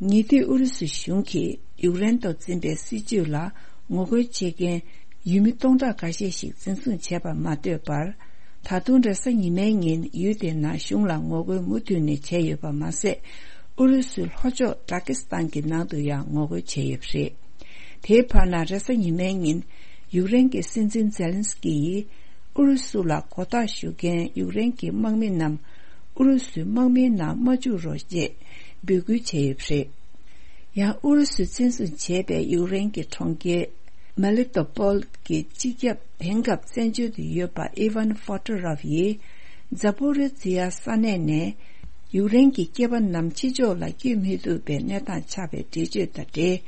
ཉེ་དུས་ཨུ་རུ་སུ་གཞུང་གིས་ཡུཀ་རེན་ཐོག་འཛིན་པའི་སྲིད་བྱུས་ལ་ངོ་རྒོལ་བྱེད་མཁན་ཡུལ་མི་སྟོང་ཕྲག་འགའ་ཤས་ཤིག་འཛིན་བཟུང་བྱས་པར་མ་ལྟོས་པར། ད་དུང་རེས་གཟའ་ཉི་མའི་ཉིན་ཡུལ་དེའི་ནང་གཞུང་ལ་ངོ་རྒོལ་མུ་མཐུད་ནས་བྱས་ཡོད་པ་མ་ཟད། ཨུ་རུ་སུའི་ལྷོ་ཕྱོགས་ཏཱ་ཀི་སི་ཐན་གྱི་ནང་དུ་ཡང་ངོ་རྒོལ་བྱས་ཡོད་པ་རེད། དེའི་བར་ན་རེས་གཟའ་ཉི་མའི་ཉིན་ཡུཀ་རེན་གྱི་སྲིད་འཛིན་ཛེ་ལན་སི་ཀི་ཡིས་ཨུ་རུ་སུ་ལ་མགོ་བཏགས་ཞུ་མཁན་ཡུཀ་རེན་གྱི་དམག་མི་རྣམས་ཨུ་རུ་སུའི་དམག་མིའི་ནང་མ་བཅུག་རོགས་ཅེས་འབོད་སྐུལ་བྱས་ཡོད་པ་རེད། ཡང་ཨུ་རུ་སུས་འཛིན་བཟུང་བྱས་པའི་ཡུཀ་རེན་གྱི་གྲོང་ཁྱེར་མེ་ལི་ཏོ་པོལ་གྱི་སྤྱི་ཁྱབ་དེང་སྐབས་བཙན་བྱོལ་དུ་ཡོད་པ་ཨི་ཝན་ཧྥོ་ཏོ་རོབ་ཡིས་ཛ་པོ་རི་ཛི་ཡ་ས་གནས་ནས་ཡུཀ་རེན་གྱི་སྐྱེས་པ་རྣམས་ཕྱི་ཕྱོགས་ལ་བསྐྱོད་མི་ཐུབ་པའི་གནས་སྟངས་ཆགས་པའི་འགྲེལ་བརྗོད་དང་འབྲེལ།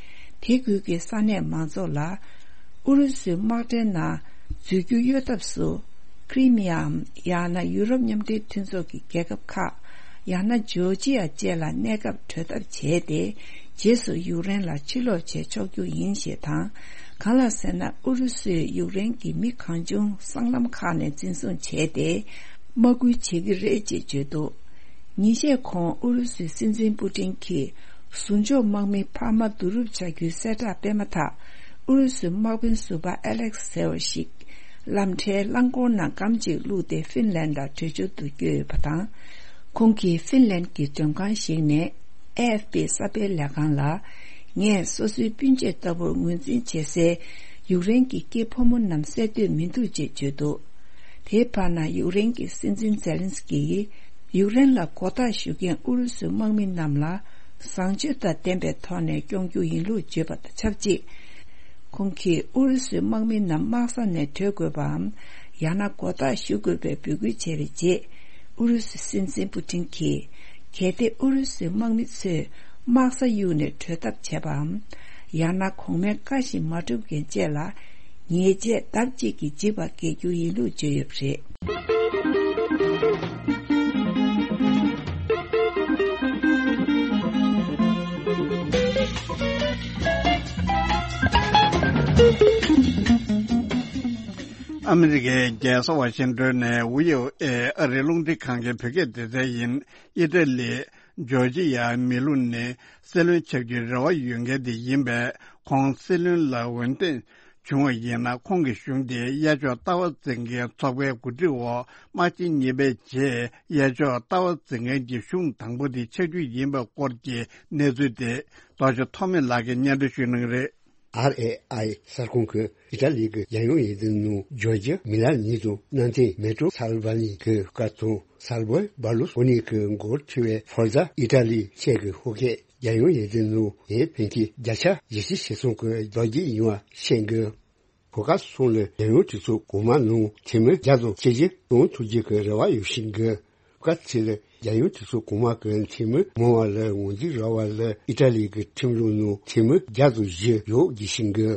དེ་ཁུལ་གྱི་ས་གནས་མང་ཚོགས་ལ་ཨུ་རུ་སུའི་དམག་གྲལ་ནང་འཛུལ་རྒྱུ་གཡོལ་ཐབས་སུ་ཁི་རི་མི་ཡའམ་ཡང་ན་ཡུ་རོབ་མཉམ་འབྲེལ་མཐུན་ཚོགས་ཀྱི་རྒྱལ་ཁབ་ཁག་ཡང་ན་ཇོར་ཇི་ཡ་བཅས་ལ་གནས་སྐབས་བགྲོད་ཐབས་བྱས་ཏེ། རྗེས་སུ་ཡུཀ་རེན་ལ་ཕྱིར་ལོག་བྱས་ཆོག་རྒྱུ་ཡིན་ཞེས་དང་། གང་ལགས་ཟེར་ན་ཨུ་རུ་སུས་ཡུཀ་རེན་གྱི་མི་གང་བྱུང་སྲང་ལམ་ཁག་ནས་འཛིན་བཟུང་བྱས་ཏེ། དམག་སྐུལ་བྱེད་ཀྱི་རེད་ཅེས་བརྗོད་འདུག་ཉིན་ཤས་གོང་ཨུ་རུ་སུའི་སྲིད་འཛིན་པུ་ཏིན་གྱིས་ཟུང་འཇོག་དམག་མི་འཕར་མ་བསྡུ་རུབ་བྱ་རྒྱུའི་གསལ་བསྒྲགས་སྤེལ་མ་ཐག་ཨུ་རུ་སུའི་དམག་དཔོན་ཟུར་པ་ཨ་ལེག་སེ་ཝར་ཞིག་ལམ་ཁྲལ་རླངས་འཁོར་ནང་སྒམ་གཅིག་བླུགས་ཏེ་ཧྥིན་ལན་ལ་བྲོས་བྱོལ་དུ་བསྐྱོད་ཡོད་པ་དང་། ཁོང་གིས་ཧྥིན་ལན་གྱི་མགྲོན་ཁང་ཞིག་ནས་ཨེ་ཨེཕ་པི་གསར་སྤེལ་ལས་ཁང་ལ། ངས་སོ་སོའི་སྤུན་མཆེད་ལྟ་བུར་ངོས་འཛིན་བྱེད་སའི་ཡུཀ་རེན་གྱི་སྐྱེས་ཕོ་མོ་རྣམས་བསད་འདོད་མི་འདུག་ཅེས་བརྗོད་འདུག་དེའི་བར་ན་ཡུཀ་རེན་གྱི་སྲིད་འཛིན་ཛེ་ལན་སི་ཀི་ཡིས་ཡུཀ་རེན་ལ་མགོ་བཏགས་ཞུ་མཁན་ཨུ་རུ་སུའི་དམག་མི་རྣམས་ལ་བཟང་སྤྱོད་དང་ལྡན་པའི་ཐོག་ནས་སྐྱོང་རྒྱུ་ཡིན་ལུགས་བརྗོད་པ་དང་ཆབས་ཅིག་ཁོང་གིས་ཨུ་རུ་སུའི་དམག་མི་རྣམས་དམག་ས་ནས་བྲོས་དགོས་པའམ། ཡང་ན་མགོ་བཏགས་ཞུ་དགོས་པའི་འབོད་སྐུལ་བྱས་པའི་རྗེས། ཨུ་རུ་སུའི་སྲིད་འཛིན་པུ་ཏིན་གྱིས། གལ་ཏེ་ཨུ་རུ་སུའི་དམག་མི་ཚོས་དམག་ས་གཡུགས་ནས་བྲོས་ཐབས་བྱས་པའམ། ཡང་ན་གོང་མའི་བཀའ་བཞིན་མ་བསྒྲུབ་མཁན་བཅས་ལ། ཉེས་ཆད་ལྡབ་གཅིག་གི་འཇིགས་པ་འགེལ་རྒྱུ་ཡིན་ལུགས་བརྗོད་ཡོད་པ་རེད། ཨ་མི་རི་ཀའི་རྒྱལ་ས་ཝ་ཤིང་ཏོན་ནས་ཝི་ཨོ་ཨེ་ཨ་རིའི་རླུང་འཕྲིན་ཁང་གི་བོད་སྐད་སྡེ་ཚན་ཡིན། ཨི་ཏྲ་ལི། ཇོར་ཇི་ཡ་མི་ལུང་ནས་སྲིད་བློན་ཆགས་རྒྱུའི་རེ་བ་ཡོད་མཁན་དེ་ཡིན་པས། ཁོང་སྲིད་བློན་ལ་འོས་འདེམས་བྱུང་བ་ཡིན་ན། ཁོང་གི་གཞུང་དེ་གཡས་ཕྱོགས་ལྟ་བ་འཛིན་མཁན་ཚོགས་པའི་གོ་སྒྲིག་འོག་དམག་ཆེན་གཉིས་པའི་རྗེས་གཡས་ཕྱོགས་ལྟ་བ་འཛིན་མཁན་གྱི་གཞུང་དང་པོ་དེ་ཆགས་རྒྱུ་ཡིན་པའི་སྐོར་གྱི་གནས་ཚུལ་དེ་རྡོ་རྗེ་ཐོགས་མེད་ལགས་ཀྱིས་སྙན་སྒྲོན་ཞུ་གནང་གི་རེད། ཨར་ཨེ་ཨའི་གསར་ཁང་གིས་ཨི་ཏྲ་ལི་གི་རྒྱལ་ཡོངས་འོས་བསྡུ་ནང་ཇོར་ཇི་མེ་ལ་ནི་དང་གནམ་བསྟན་མེ་ཏྲོ་སལ་ཝ་ནི་གི་ཧུ་ཀ་དང་སལ་བོ་བྷར་ལུ་སི་ནི་གི་མགོར་ཁྲིད་པའི་ཧྥོར་ཛ་ཨི་ཏྲ་ལི་ཞེས་ཀྱི་ཧུ་ཀས་རྒྱལ་ཡོངས་འོས་བསྡུ་ནང་ཡང་ཕན་ཆད་བརྒྱ་ཆ་བཞི་བཅུ་ཞེ་གསུམ་གྱི་རྡོག་རྒྱག་ཡོང་བ་བཤད་འདུག་ཧུ་ཀ་གསུམ་ལ་རྒྱལ་ཡོངས་གྲོས་ཚོགས་གོང་མ་ནང་འཐུས་མི་བརྒྱ་དང་ཆིག་བརྒྱ་གཏོང་ཐུབ་རྒྱུ་གི་རེ་བ་ཡོད་བཞིན་གི། ཧུ་ཀ་གཅིག་ལ་རྒྱལ་ཡོངས་གྲོས་ཚོགས་གོང་མ་གི་འཐུས་མི་མང་བ་ལ་ངོས་འཛིན་རག་པ་ལ་ཨི་ཏྲ་ལི་གི་ཁྲིམས་ལུགས་ནང་འཐུས་མི་བརྒྱ་དང་བཞི་ཡོད་རྒྱུ་བཞིན་གི།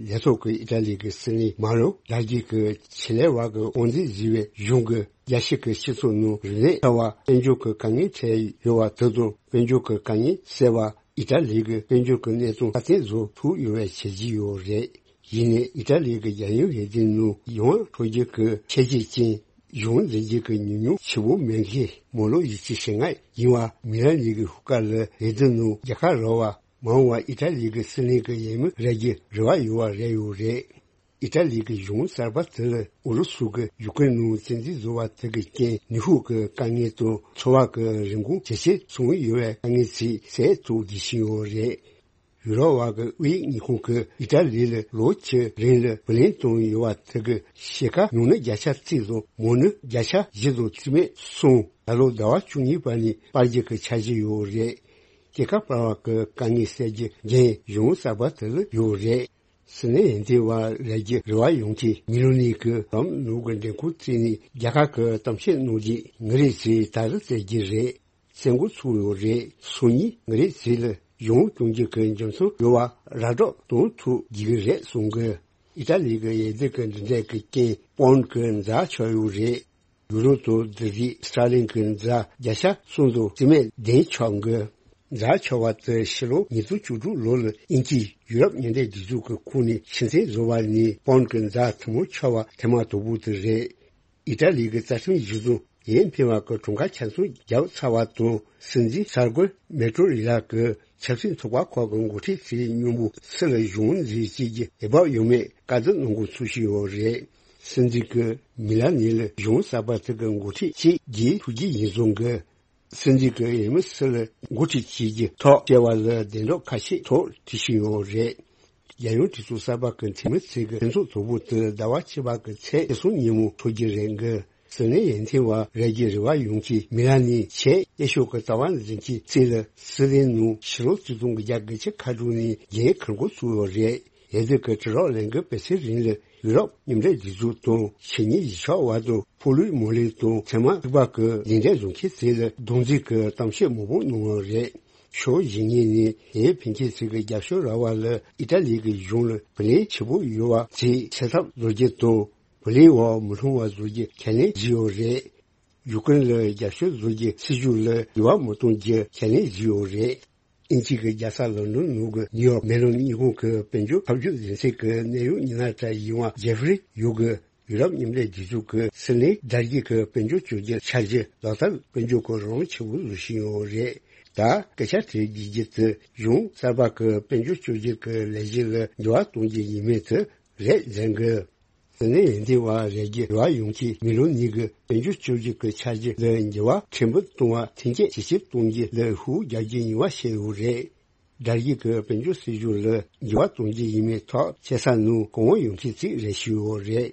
ལས་ཐོག་གི་ཨི་ཏྲ་ལི་གི་སྲིད་བློན་མ་རོ་དྲ་རྒྱའི་གི་ཆེད་ལས་བར་གི་དབང་འཛིན་བཟོས་པའི་གཞུང་གི་རྒྱལ་སྤྱི་གི་སྤྱི་ཚོགས་ནང་རིག་གནས་འཕར་བ་དཔལ་འབྱོར་གི་དཀའ་ངལ་འཕྲད་ཡོད་པ་དེ་དང་དཔལ་འབྱོར་གི་དཀའ་ངལ་སེལ་བ་ཨི་ཏྲ་ལི་གི་དཔལ་འབྱོར་གི་གནས་སྟངས་སྲ་བརྟན་བཟོ་ཐུབ་ཡོད་པའི་བྱས་རྗེས་ཡོད་རེད། ཡིན་ནའི་ཨི་ཏྲ་ལི་གི་རྒྱལ་ཡོངས་འོས་བསྡུ་ནང་ཡོང་འགྲོ་རྒྱུ་གི་ཁྱད་ཆོས་ཅན། གཞུང་འཛིན་རྒྱུ་གི་ཉམས་མྱོང་ཆེ་བོ་མེད་མཁན་མོ་ལོ་ཡི་ཅི་ཞེ་ལྔ་ཡིན་པ་མི་རང་ཉིད་ཀྱི་ཧུ་ཀ་ལ་འོས་བསྡུ་ནང་རྒྱལ་ཁ་རག་པ་མ་འོངས་པ་ཨི་ཏྲ་ལི་གི་སྲིད་བློན་གྱི་འོས་མི་རག་རྒྱུ་རེ་བ་ཡོད་པ་རེད་ཡོད་རེད། ཨི་ཏྲ་ལི་གི་གཞུང་གསར་པ་དེ་ལ་ཨུ་རུ་སུ་གི་ཡུཀ་རེན་ནང་བཙན་འཛུལ་བཟོ་བ་དེ་གི་རྐྱེན་ནུས་ཤུགས་ཀྱི་དཀའ་ངལ་དང་འཚོ་བ་གི་རིན་གོང་ཇེ་ཆེར་སོང་ཡོད་པའི་དཀའ་ངལ་ཚིག་སེལ་ཐུབ་རྒྱུ་ཞིག་ཡོད་རེད། ཡུ་རོབ་པ་གི་དབུས་ཉིན་གུང་གི་ཨི་ཏྲ་ལི་ལ་ལོ་བཅུ་རིང་ལ་བུ་ལོན་བཏང་ཡོད་པ་དེ་གི་ཕྱེད་ཀ་ཉུང་ན་བརྒྱ་ཆ་གཅིག་དང་མང་ན་བརྒྱ་ཆ་བཞི་དང་རྩིས་མེད་སོང་། ད་ལོ་ཟླ་བ་བཅུ་གཉིས་པ་ནས་སྤར་རྒྱུ་གི་འཆར་གཞི་ཡོད་རེད། སྐྱེད་ཀ་སྤར་བ་གི་དཀའ་ངལ་སེལ་རྒྱུ་འགན་གཞུང་གསར་པ་དེ་ལ་ཡོད་རེད། སྲིད་ནས་འོས་བསྡུ་བ་རག་རྒྱུ་རེ་བ་ཡོད་མཁན་མི་ལོ་ནི་གི་ལམ་ནོར་གི་འདེམས་ཁོངས་བརྩིས་ནས་རྒྱལ་ཁབ་གི་གཏམ་བཤད་གནང་རྒྱུ་ངེད་རེ་ཚོས་ད་རེས་བཙལ་རྒྱུ་རེད། གསལ་འགོད་ཚུགས་ཡོད་རེད། སང་ཉིན་ངེད་རེ་ཚོ་ལ་གཞུང་སྐྱོང་རྒྱུ་གི་འཇམ་སོང་ཡོད་པ་ར་སྤྲོད་གཏོང་ཐུབ་རྒྱུ་རེད་གསུང་གི། ཨི་ཏ་ལི་གི་ཡས་སྡེ་གི་འདི་འདྲས་ཀྱི་རྐྱེན་པོན་གི་འཛའ་ཆགས་ཡོད་རེད། ཡུ་རོ་དང་འདི་རིགས་སི་ཊར་ལིང་གི་འཛའ་བརྒྱ་ཆ་གསུམ་དང་རྩིས་མེད་བདུན་ཆགས་གི། མཛའ་ཆེ་བ་དེ་ཕྱི་ལོ་ཉིས་སྟོང་བཅུ་དྲུག་ལོ་ལ་དབྱིན་ཇིས་ཡུ་རོབ་མཉམ་འབྲེལ་སྒྲིག་འཛུགས་ཀྱི་ཁོངས་ནས་ཕྱིར་འཐེན་བཟོ་བ་ནི་པོན་གྱི་མཛའ་ཐུན་མོང་ཆེ་བ་ཐེངས་མ་དང་པོ་དེ་རེད། ཨི་ཏྲ་ལི་གི་རྩ་ཁྲིམས་གཞི་བཟུང་ཡས་འཕེན་པ་གི་གྲངས་ཀ་ཆ་ཚང་བརྒྱབ་ཚར་བ་དང་། སྲིད་འཛིན་གསར་འགོད་མེ་ཀྲོ་རི་ལ་གི་ཆབ་སྲིད་ཚོགས་པ་ཁག་གི་འགོ་ཁྲིད་ཚོའི་མཉམ་པོ་སུད་ལ་གཞུང་འཛིན་བྱེད་ཀྱི་འོས་བབ་ཡོད་མེད་བཀའ་བསྡུར་གནང་འགོ་ཚུགས་བཞིན་ཡོད་རེད། སྲིད་འཛིན་གྱིས་མི་ལ་ནི་ལ་གཞུང་གསར་པ་དེ་གི་འགོ་ཁྲིད་ཅིག་གི་ཐུགས་རྗེ་ཡིན་གསུང་གི། སྲིད་འཛིན་གྱིས་ཡུལ་མི་སུད་ལ་འགོ་ཁྲིད་བྱེད་ཀྱི་ཐོག་བཅར་བ་ལ་གདན་དྲངས་ཁ་ཤས་ཐོག་བྲིས་བཞིན་ཡོད་རེད། རྒྱལ་ཡོངས་གྲོས་ཚོགས་གསར་པ་གི་འཐུས་མི་ཚོས་ཀྱི་ལྷན་ཚོགས་དང་པོ་དེ་ཟླ་བ་བཅུ་པ་གི་ཚེས་ཉི་ཤུ་ཉིན་མོ་འཚོགས་རྒྱུ་རེད་འགི། སྲིད་བློན་འོས་ཐོན་པ་རེད་ཀྱི་རེ་བ་ཡོང་གི་མི་ལ་ནི་ཆེས་ཡག་ཤོས་ཀྱི་རྩ་བ་འཛིན་གྱི་ཚིག་ལ་སྲིད་བློན་ནང་ཕྱི་ལོ་ཆིག་སྟོང་དགུ་བརྒྱ་དགུ་བཅུ་ཁ་དྲུག་ནས་འགན་འཁུར་འགོ་ཚུགས་ཡོད་རེད། འོས་བསྡུ་གི་དྲི་རོགས་ལེན་གི་དཔེ་ཆའི་རིང་ལ་ཡུ་རོབ་མཉམ་འབྲེལ་སྒྲིག་འཛུགས་དང་ཕྱི་ཉིན་གཞིས་ཆགས་བར་དུ་ཕོ་ལུས་མོ་ལུས་དང་ཚད་མ་རིག་པ་གི་ལས་འབྲས་བཟོ་མཁན་ཚོ་ལ་རྡོག་རྫིས་ཀྱི་གཏམ་བཤད་མང་པོ་གནང་བ་རེད། ཕྱོགས་གཞན་ངོས་ནས་འོས་འཕེན་མཁན་ཚོ་གི་རྒྱབ་སྐྱོར་རག་པ་ལ་ཨི་ཏཱ་ལི་གི་གཞུང་ལ་བུ་ལོན་ཆེ་པོ་ཡོད་པ་ཚོའི་སེལ་ཐབས་བཟོ་རྒྱུ་དང་། བུ་ལོན་བར་མི་མཐུན་པ་བཟོ་རྒྱུ་ཁས་ལེན་བྱས་ཡོད་རེད། ཡུ་ཀེ་རེན་ལ་རྒྱབ་སྐྱོར་བཟོ་རྒྱུའི་སྲིད་ཇུས་ལ་འགྱུར་བ་མི་གཏོང་རྒྱུ་ཁས་ལེན་བྱས་ཡོད་རེད། དབྱིན་ཇི་གི་རྒྱལ་ས་ལོན་ཌོན་ནང་གི་ནིའུ་ཡོག་མེ་ལོན་གཉིས་ཁང་གི་དཔལ་འབྱོར་འཐབ་ཇུས་འཛིན་ཚན་གྱི་གནད་ཡོད་ཉི་ན་ཏྲ་ཡིན་པ་ཇེ་ཧྥི་རི་ཡུ་གིས་ཡུ་རོབ་མཉམ་འབྲེལ་རྒྱལ་ཚོགས་ཀྱི་སྲིད་བློན་དར་རྒྱས་ཀྱི་དཔལ་འབྱོར་བཅོས་བསྒྱུར་འཆར་གཞི་ལག་བསྟར་དཔལ་འབྱོར་གྱི་རང་དབང་ཆེ་བོ་བཟོ་བཞིན་ཡོད་རེད། ད་སྐད་ཆ་དྲི་རྒྱུ་དེ་གཞུང་གསར་པ་གི་དཔལ་འབྱོར་བཅོས་བསྒྱུར་གྱི་ལས་གཞི་ལ་འགྱུར་བ་གཏོང་རྒྱུ་ཡིན་མིན་དེ་རེད་ཟེར་གི། དེ་ནས་འོས་ཐོན་པ་རེད་ཀྱི་རེ་བ་ཡོང་གི་མི་ལོ་གཉིས་ཀྱི་དཔལ་འབྱོར་བཅོས་བསྒྱུར་གྱི་འཆར་གཞི་ལ་འགྱུར་བ་ཕྲན་བུ་གཏོང་བ་ཐོན་སྐྱེད་ཇེ་ཆེར་གཏོང་རྒྱུ་ལ་ཤུགས་རྒྱག་རྒྱུ་ཡིན་པ་བཤད་ཡོད་རེད། དར་རྒྱས་ཀྱི་དཔལ་འབྱོར་སྲིད་ཇུས་ལ་འགྱུར་བ་གཏོང་རྒྱུ་ཡིན་མིན་ཐག་བཅད་ས་ནང་གོང་འོག་ཡོང་མཁན་ཅིག་རེད་ཞུས་ཡོད་རེད།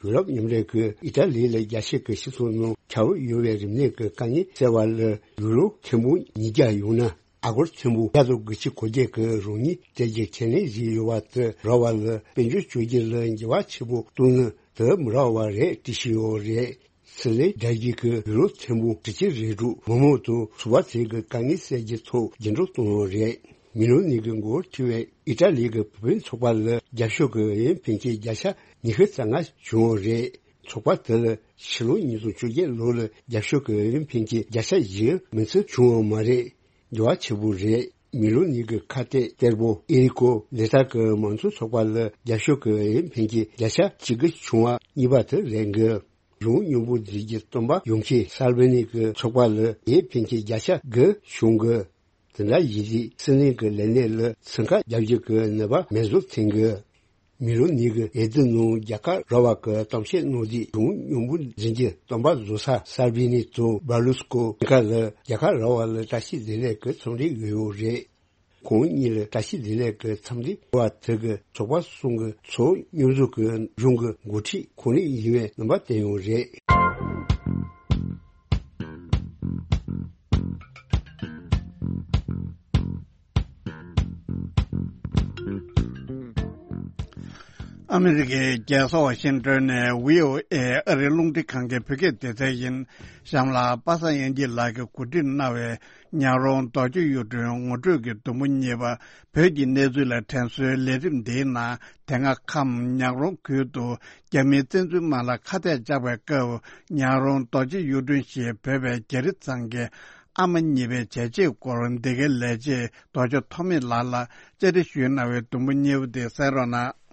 ཡུ་རོབ་མཉམ་འབྲེལ་གྱིས་ཨི་ཏཱ་ལི་ལ་རྒྱལ་སྤྱི་གི་སྤྱི་ཚོགས་ནང་ཁྱབ་ཡོད་པའི་རིམས་ནད་ཀྱི་དཀའ་ངལ་སེལ་བ་ལ་ཡུ་རོ་ཐེར་འབུམ་ཉིས་བརྒྱ་ཡོང་ན། ཨ་སྒོར་ཐེར་འབུམ་བརྒྱ་དང་དགུ་བཅུ་གོ་བརྒྱད་ཀྱི་རོགས་དངུལ་སྤྲད་རྒྱུ་ཁས་ལེན་བྱས་ཡོད་པ་དེ་རག་པ་ལ་དཔལ་འབྱོར་བཅོས་བསྒྱུར་ལ་འགྱུར་བ་ཆེན་པོ་གཏོང་ནི་དེ་མི་རག་པ་རེད་བྲིས་བཞིན་ཡོད་རེད། སྲིད་བློན་དར་རྒྱས་ཀྱིས་ཡུ་རོ་ཐེར་འབུམ་དྲུག་ཅུ་རེ་དྲུག་མི་མང་དང་ཚོགས་པ་ཚོའི་གི་དཀའ་ངལ་སེལ་རྒྱུའི་ཐོག་རྒྱུན་འགྲོ་གཏོང་ཡོད་རེད། མི་ལོ་གཉིས་ཀྱི་འགོ་ཁྲིད་པའི་ཨི་ཏཱ་ལི་གི་བུ་སྤུན་ཚོགས་པ་ལ་རྒྱབ་སྐྱོར་གྱི་འོས་འཕེན་མཁན་བརྒྱ་ཆ་ཉི་ཤུ་རྩ་ལྔ་བྱུང་ཡོད་རེད། ཚོགས་པ་དེ་ལ་ཕྱི་ལོ་ཉིས་སྟོང་བཅོ་བརྒྱད་ལོ་ལ་རྒྱབ་སྐྱོར་གྱི་འོས་འཕེན་མཁན་བརྒྱ་ཆ་བཞི་མིན་ཚོད་བྱུང་ཡོད་མ་རེད། འགྱུར་བ་ཆེ་པོ་རེད། མི་ལོ་གཉིས་ཀྱི་ཁ་གཏད་གཏེར་པོ་ཨེ་རི་ཀོ་ལེ་ཏཱ་གི་མང་གཙོ་ཚོགས་པ་ལ་རྒྱབ་སྐྱོར་གྱི་འོས་འཕེན་མཁན་བརྒྱ་ཆ་གཅིག་གི་བྱུང་བ་གཉིས་པ་དེ་རེད་འགི། གཞུང་སྙོམས་པོ་འཛིན་གྱི་སྟོན་པ་ཡོང་མཁན་སལ་བི་ནི་གི་ཚོགས་པ་ལ་འོས་འཕེན་མཁན་བརྒྱ་ཆ་དགུ་བྱུང་གི། དེ་འདྲ་ཡིན་དུས་སྲིད་བློན་གྱི་ལས་གནས་ལ་སེམས་ཁྲལ་རྒྱག་རྒྱུ་གི་ནུས་པ་མེད་བཟོ་ཐེངས་གི། མི་ལོ་གཉིས་ཀྱི་འོས་བསྡུ་ནང་རྒྱལ་ཁ་རག་པ་གི་གཏམ་བཤད་གནང་དུས་གཞུང་སྙོམས་པོ་འཛིན་གྱི་སྟོན་པ་བཟོ་ས་སལ་བི་ནི་དང་བར་ལུ་སི་ཀོ་གཉིས་ཀ་ལ་རྒྱལ་ཁ་རག་པ་ལ་བཀྲ་ཤིས་བདེ་ལེགས་ཀྱི་འཚམས་འདྲི་ཡོད་ཡོད་རེད། ཁོང་གཉིས་ལ་བཀྲ་ཤིས་བདེ་ལེགས་ཀྱི་འཚམས་འདྲི་ཞུ་བ་དེ་གི་ཚོགས་པ་གསུམ་གྱི་ཚོགས་སྙོམས་ཟུར་གྱི་གཞུང་གི་འགོ་ཁྲིད་ཁོང་རང་ཡིན་པའི་རྣམ་པ་བསྟན་ཡོད་རེད། ཨ་མི་རི་ཀའི་རྒྱལ་ས་ཝ་ཤིང་ཏོན་ནས་བྷི་ཨོ་ཨེ་ཨ་རིའི་རླུང་འཕྲིན་ཁང་གི་བོད་སྐད་སྡེ་ཚན་ཡིན། གཤམ་ལ་པ་སངས་དབྱངས་སྐྱིད་ལགས་ཀྱིས་གོ་སྒྲིག་གནང་བའི་ཉག་རོང་རྡོ་རྗེ་གཡུ་སྒྲོན་ངོ་སྤྲོད་ཀྱི་དུམ་བུ་གཉིས་པ། བོད་ཀྱི་གནས་ཚུལ་ལ་དྲན་གསོའི་ལས་རིམ་འདིའི་ནང་དེ་སྔ་ཁམས་ཉག་རོང་ཁུལ་དུ་རྒྱ་མིའི་བཙན་འཛུལ་དམག་ལ་ཁ་གཏད་བཅག་པའི་སྐབས། ཉག་རོང་རྡོ་རྗེ་གཡུ་སྒྲོན་ཞེས་འབོད་པའི་རྒྱ་རི་ཚང་གི་ཨ་མ་གཉིས་པའི་བྱས་རྗེས་སྐོར་འདི་གའི་ལས་བྱེད་རྡོ་རྗེ་ཐོགས་མེད་ལགས་ལ་བཅར་འདྲི་ཞུས་གནང་བའི་དུམ་བུ་གཉིས་པ་དེ་གསན་རོགས་གནང་།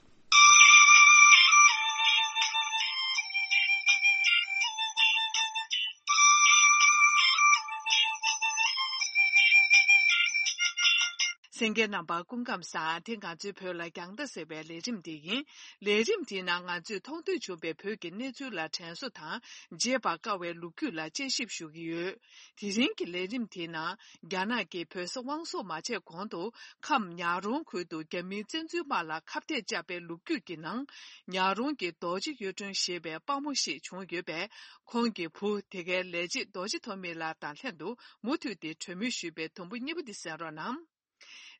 གསན་མཁན་རྣམ་པ་སྐུ་ཁམས་བཟང་། དེ་ང་ཚོའི་བོད་ལ་རྒྱང་ལྟ་ཟེར་བའི་ལས་རིམ་འདི་ཡིན། ལས་རིམ་འདིའི་ནང་ང་ཚོས་མཐོང་ཐོས་བྱུང་བའི་བོད་ཀྱི་གནས་ཚུལ་ལ་དྲན་གསོ་དང་བརྗེད་པར་དཀའ་བའི་ལོ་རྒྱུས་ལ་དཔྱད་ཞིབ་ཞུ་གི་ཡོད། དེ་རིང་གི་ལས་རིམ་དེའི་ནང་རྒྱ་ནག་གིས་བོད་ས་དབང་སོར་མ་ཆད་གོང་དུ་ཁམས་ཉག་རོང་ཁུལ་དུ་རྒྱ་མིའི་བཙན་འཛུལ་དམག་ལ་ཁ་གཏད་བཅག་པའི་ལོ་རྒྱུས་ཀྱི་ནང་ཉག་རོང་གི་རྡོ་རྗེ་གཡུ་སྒྲོན་ཞེས་པའི་དཔའ་མོ་ཞིག་བྱུང་ཡོད་པས། ཁོང་གི་བུ་དེ་གའི་ལས་བྱེད་རྡོ་རྗེ་ཐོགས་མེད་ལགས་དང་ལྷན་དུ་མུ་མཐུད་དེ་གྲོས་མོལ་ཞུས་པའི་དུམ་བུ་གཉིས་པ་འདི་གསན་རོགས་གནང་།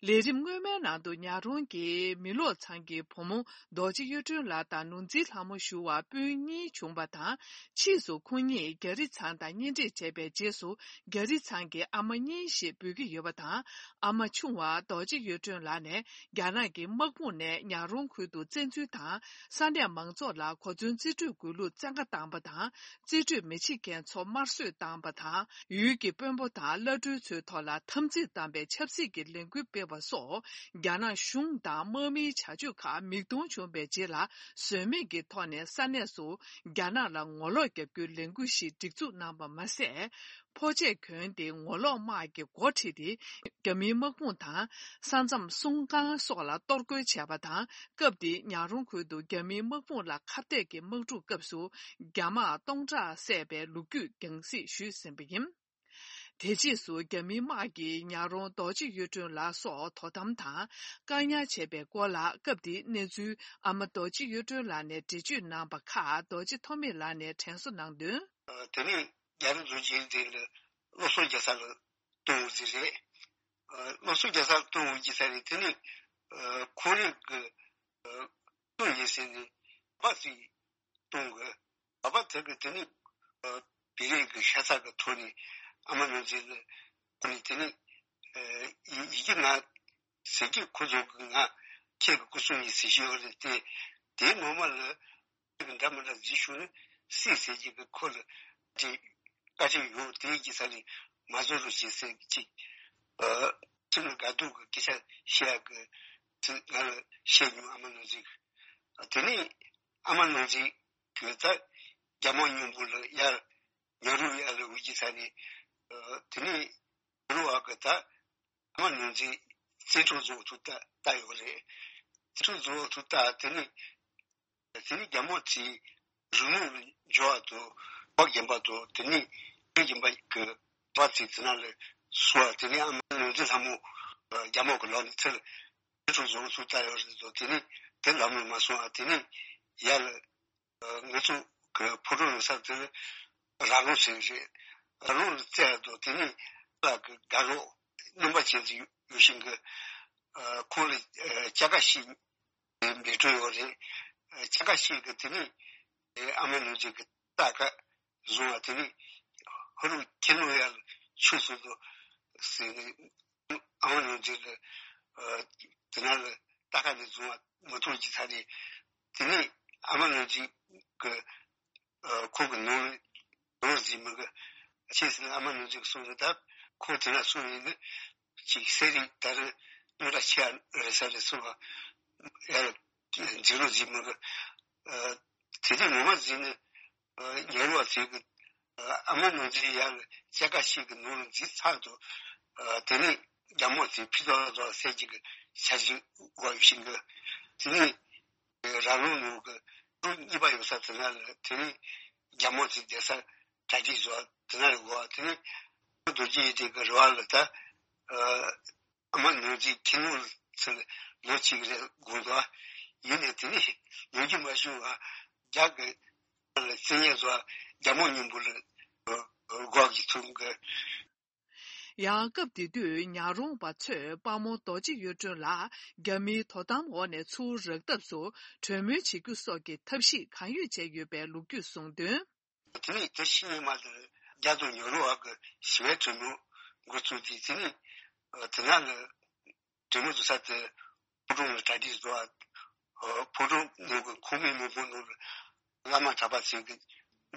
ལས་རིམ་སྔོན་མའི་ནང་དུ་ཉག་རོང་གི་མི་ལོག་ཚང་གི་བུ་མོ་རྡོ་རྗེ་གཡུ་སྒྲོན་ལགས་དང་ནོར་འཛིན་ལྷ་མོ་ཞུ་བ་སྤུན་གཉིས་བྱུང་བ་དང་། ཕྱིས་སུ་ཁོང་གཉིས་རྒྱ་རི་ཚང་དང་གཉེན་སྒྲིག་བྱས་པའི་རྗེས་སུ། རྒྱ་རི་ཚང་གི་ཨ་མ་གཉིས་ཞེས་འབོད་ཀྱི་ཡོད་པ་དང་། ཨ་མ་ཆུང་བ་རྡོ་རྗེ་གཡུ་སྒྲོན་ལགས་ནས་རྒྱ་ནག་གི་དམག་དཔུང་ནས་ཉག་རོང་ཁུལ་དུ་བཙན་འཛུལ་དང་། ས་གནས་མང་ཚོགས་ལ་གོ་མཚོན་རྩིས་སྤྲོད་དགོས་ལུགས་བཙན་བཀའ་བཏང་བ་དང་། རྩིས་སྤྲོད་མི་བྱེད་མཁན་ཚོ་དམར་གསོད་བཏང་བ་དང་། ཡུལ་གྱི་དཔོན་པོ་དང་བླ་སྤྲུལ་ཚོའི་ཐོག་ལ་འཐབ་འཛིང་བཏང་བའི་ཆབ་སྲིད་ཀྱི་ལས་འགུལ་སྤེལ་བ་སོགས། རྒྱ་ནག་གཞུང་དང་དམག་མིའི་བྱ་སྤྱོད་ཁག་མིག་མཐོང་བྱུང་བའི་རྗེས་ལ། ཟོལ་མེད་ཀྱི་ཐོག་ནས་ས་གནས་སུ་རྒྱ་ནག་ལ་ངོ་ལོག་རྒྱབ་རྒྱུའི་ལས་འགུལ་ཞིག་སྒྲིག་འཛུགས་གནང་བ་མ་ཟད། ཕོ་ཆས་གྱོན་ཏེ་ངོ་ལོག་དམག་གི་འགོ་ཁྲིད་དེ། རྒྱ་མིའི་དམག་དཔུང་དང་། ས་མཚམས་སྲུང་ཁང་སོགས་ལ་གཏོར་རྒོལ་བྱས་པ་དང་། སྐབས་དེའི་ཉག་རོང་ཁུལ་དུ་རྒྱ་མིའི་དམག་དཔུང་ལ་ཁ་གཏད་ཀྱི་དམག་འཁྲུག་སྐབས་སུ། རྒྱ་དམག་སྟོང་ཕྲག་བསད་པའི་ལོ་རྒྱུས་རྒྱང་སྲིང་ཞུས་ཟིན་པ་ཡིན། དེ་རྗེས་སུ་རྒྱ་མིའི་དམག་གིས་ཉག་རོང་རྡོ་རྗེ་གཡུ་སྒྲོན་ལགས་སོགས་དོ་དམ་དང་བཀག་ཉར་བྱས་པའི་སྐོར་ལ། སྐབས་དེའི་གནས་ཚུལ་ཨ་མ་རྡོ་རྗེ་གཡུ་སྒྲོན་ལགས་ནས་འགྲེལ་བརྗོད་གནང་པ་ཁག་རྡོ་རྗེ་ཐོགས་མེད་ལགས་ནས་དྲན་གསོ་གནང་དོན། དེ་ནས་རྒྱ་རི་རྡོ་རྗེ་དེ་ལ་སློབ་གསོ་རྒྱག་ས་ལ་གཏོང་བ་ཟིག་རེད། སློབ་གསོ་རྒྱག་ས་ལ་གཏོང་བ་ཟིག་ས་རེད། དེ་ནས་ཁོང་རང་གི་གསུང་ཡིན་ཟེར་ནས་པ་ཟིག་གཏོང་གི། ཨ་ཕ་དེ་གི་དེ་ནི་ཨ་བི་རེ་གི་ཤ་ཚ་གི་ཐོག་ནས་ཨ་མ་ནོར་འཛིན་ལ་ཁོ་ནི་དེ་ནི་ཨ་ཡི་ཡི་གེ་ང་ཟེར་གྱི་ཁོ་ཚོ་གི་ང་ཁྱེད་ཀྱི་སྐུ་སྲུང་ཡིན་ཟེར་ཞིག་ཡོད་རེད་དེ། དེ་ངོ་མ་ལ་ཁྱེད་ཀྱི་འདྲ་མི་འདྲ་ཟིག་ཞུ་ནི་སྲིད་ཟེར་གྱི་གི་ཁོ་ལ་དེ་བཀའ་དྲིན་ཡོད་དེ་གི་ས་ནས་མ་བཟོ་རུ་བྱེད་ཟེར་གྱི་ཅིག་ཨ་ཁྱིམ་ལ་དགའ་སྡུག་གི་སྐད་ཆ་བཤད་གི་དེ་ང་ལ་བཤད་མྱོང་ཨ་མ་ནོར་འཛིན་གི་དེ་ནི། ཨ་མ་ནོར་འཛིན་གྱིས་ད་རྒྱ་དམག་མཉམ་པོ་ལ་ཡར་ཉོ་རུ་ཡར་ལ་འུ་ཅི་ས་ནས་དེ་ནས་ཉོ་རུ་བ་གི་ད་ཨ་མ་ནོར་འཛིན་བཙན་འཕྲོག་བཟོ་ཐུབ་ད་ད་ཡོད་རེད། བཙན་འཕྲོག་བཟོ་ཐུབ་ད་དེ་ནས་དེ་ནས་རྒྱ་དམག་ཚོས་རི་ལུང་ལ་འབྱོར་བ་དང་བ་རྒན་པ་དང་དེ་ནས་བ་རྒན་པ་གི་བ་ཚོས་དེ་ན་ལ་སོང་བ་དེ་ནས་ཨ་མ་ནོར་འཛིན་ལྷ་མོ་རྒྱ་དམག་གི་ལག་ནས་ཚུར། ཁྲུང་བཟོ་སུ་ལྟ་ཡོད་རེད་དོ། དེ་ནི་དེ་ལམ་ལ་མ་སོང་ཨ། དེ་ནི་ཡར་ལ་ང་ཚོ་གི་ཕོ་བྲང་ཡོད་ས་དེ་ལ་ར་ལུང་ཟེར་རེད། ར་ལུང་ལ་བཙལ་དོ། དེ་ནི་ལ་གི་དགའ་རོགས་རྣམ་པ་ཅན་ཅིག་ཡོད་བཞིན་གི་ཁོང་ལ་ཅ་ག་ཤིག་འབད་སྤྲོད་ཡོད་རེད། ཅ་ག་ཤིག་གི་དེ་ནི་ཨ་མ་ནུ་ཅིག་གི་ལྟ་ག་བཟུང་བ་དེ་ནི་ཧ་རུ་ཁྱེད་ནོ་ཡ་ལ་ཆུ་སོ་དོ་ཟེར་ནས་ཨ་མ་ནོར་འཛིན་ལ་དེ་ན་ལ་ལྟ་ཁ་ནས་བཟུང་བ་མ་ཐུག་ཅི་ཚ་ནས་དེ་ནི་ཨ་མ་ནོར་འཛིན་གི་ཁོ་གི་ནོར་ནོར་ཟིན་མི་གི་ཅི་ཟེར་ཨ་མ་ནོར་འཛིན་གི་གསུང་གི་ད་ཁོ་དེ་ན་གསུང་ཡིན་ནི་ཅིག་སེ་རི་ད་རི་ནོར་ལ་ཆེ་རེ་ས་རེ་གསུང་བ་ཡ་འཛིན་རོགས་ཟིན་མི་གི་དེ་དུས་ངོ་མ་ཟིན་ནི། ཉེ་རུ་བ་ཚོས་ཀྱི་ཨ་མ་ནོར་འཛིན་ཡར་ལ་ཅ་ག་ཤིག་གི་ནོར་འཛིན་ཚར་དུ་དེ་ནས་རྒྱ་མོ་ཚོས་ཕི་ཏོག་ཏོག་སད་ཅིག་གི་ཆ་ཞིག་དགོས་བཞིན་གི་དེ་ནས་ར་ལུང་ནོར་གི་གྲུ་གཉིས་པ་ཡོད་ས་དེ་ན་ལ་དེ་ནས་རྒྱ་མོ་ཚོས་བསྡད་ས་གྲ་སྒྲིག་བཟོ་བ་དེ་ན་ལ་དགོས་བ་དེ་ནས་རྡོ་རྗེ་ཡི་དེ་གི་རུ་བ་ལ་ད། ཨ་མ་ནོར་འཛིན་ཁྱིམ་ནོར་ཚུར་ལོ་གཅིག་རེ་དགོངས་དོ། ཡིན་ནས་དེ་ནས་ལོ་རྒྱུས་མ་བྱུང་བ་རྒྱ་གི་བཙན་ཉེ་བཟོ་རྒྱ་མོ་མཉམ་པོ་ལ་སྒོ་གི་ཐུང་གི། ཡང་སྐབས་དེ་དུས་ཉག་རོང་བ་ཚོས་དཔའ་མོ་རྡོ་རྗེ་གཡུ་སྒྲོན་ལགས་རྒྱ་མིའི་དོ་དམ་འོག་ནས་ཚུར་རག་ཐབས་སུ་གྲོས་མོལ་བྱེད་རྒྱུ་སོགས་ཀྱི་ཐབས་ཤེས་གང་ཡོད་བྱས་ཡོད་པའི་ལོ་རྒྱུས་གསུངས་དོན། དེ་ནས་དེ་ཕྱི་ཉིན་མ་དེར་རྒྱ་དང་ཉོ་རུ་བ་གི་ཞི་བའི་གྲོས་མོལ་འགོ་བཙུགས་ཏེ་དེ་ནས་དེ་ན་ལ་གྲོས་མོལ་བཙུགས་ས་དེ་ཕོ་བྲང་ལ་གྲ་སྒྲིག་བཟོ་བ། ཕོ་བྲང་ནང་གི་ཁང་མིག་མང་པོ་ནང་ལ་བླ་མ་གྲྭ་པ་ཚོས་ཀྱི་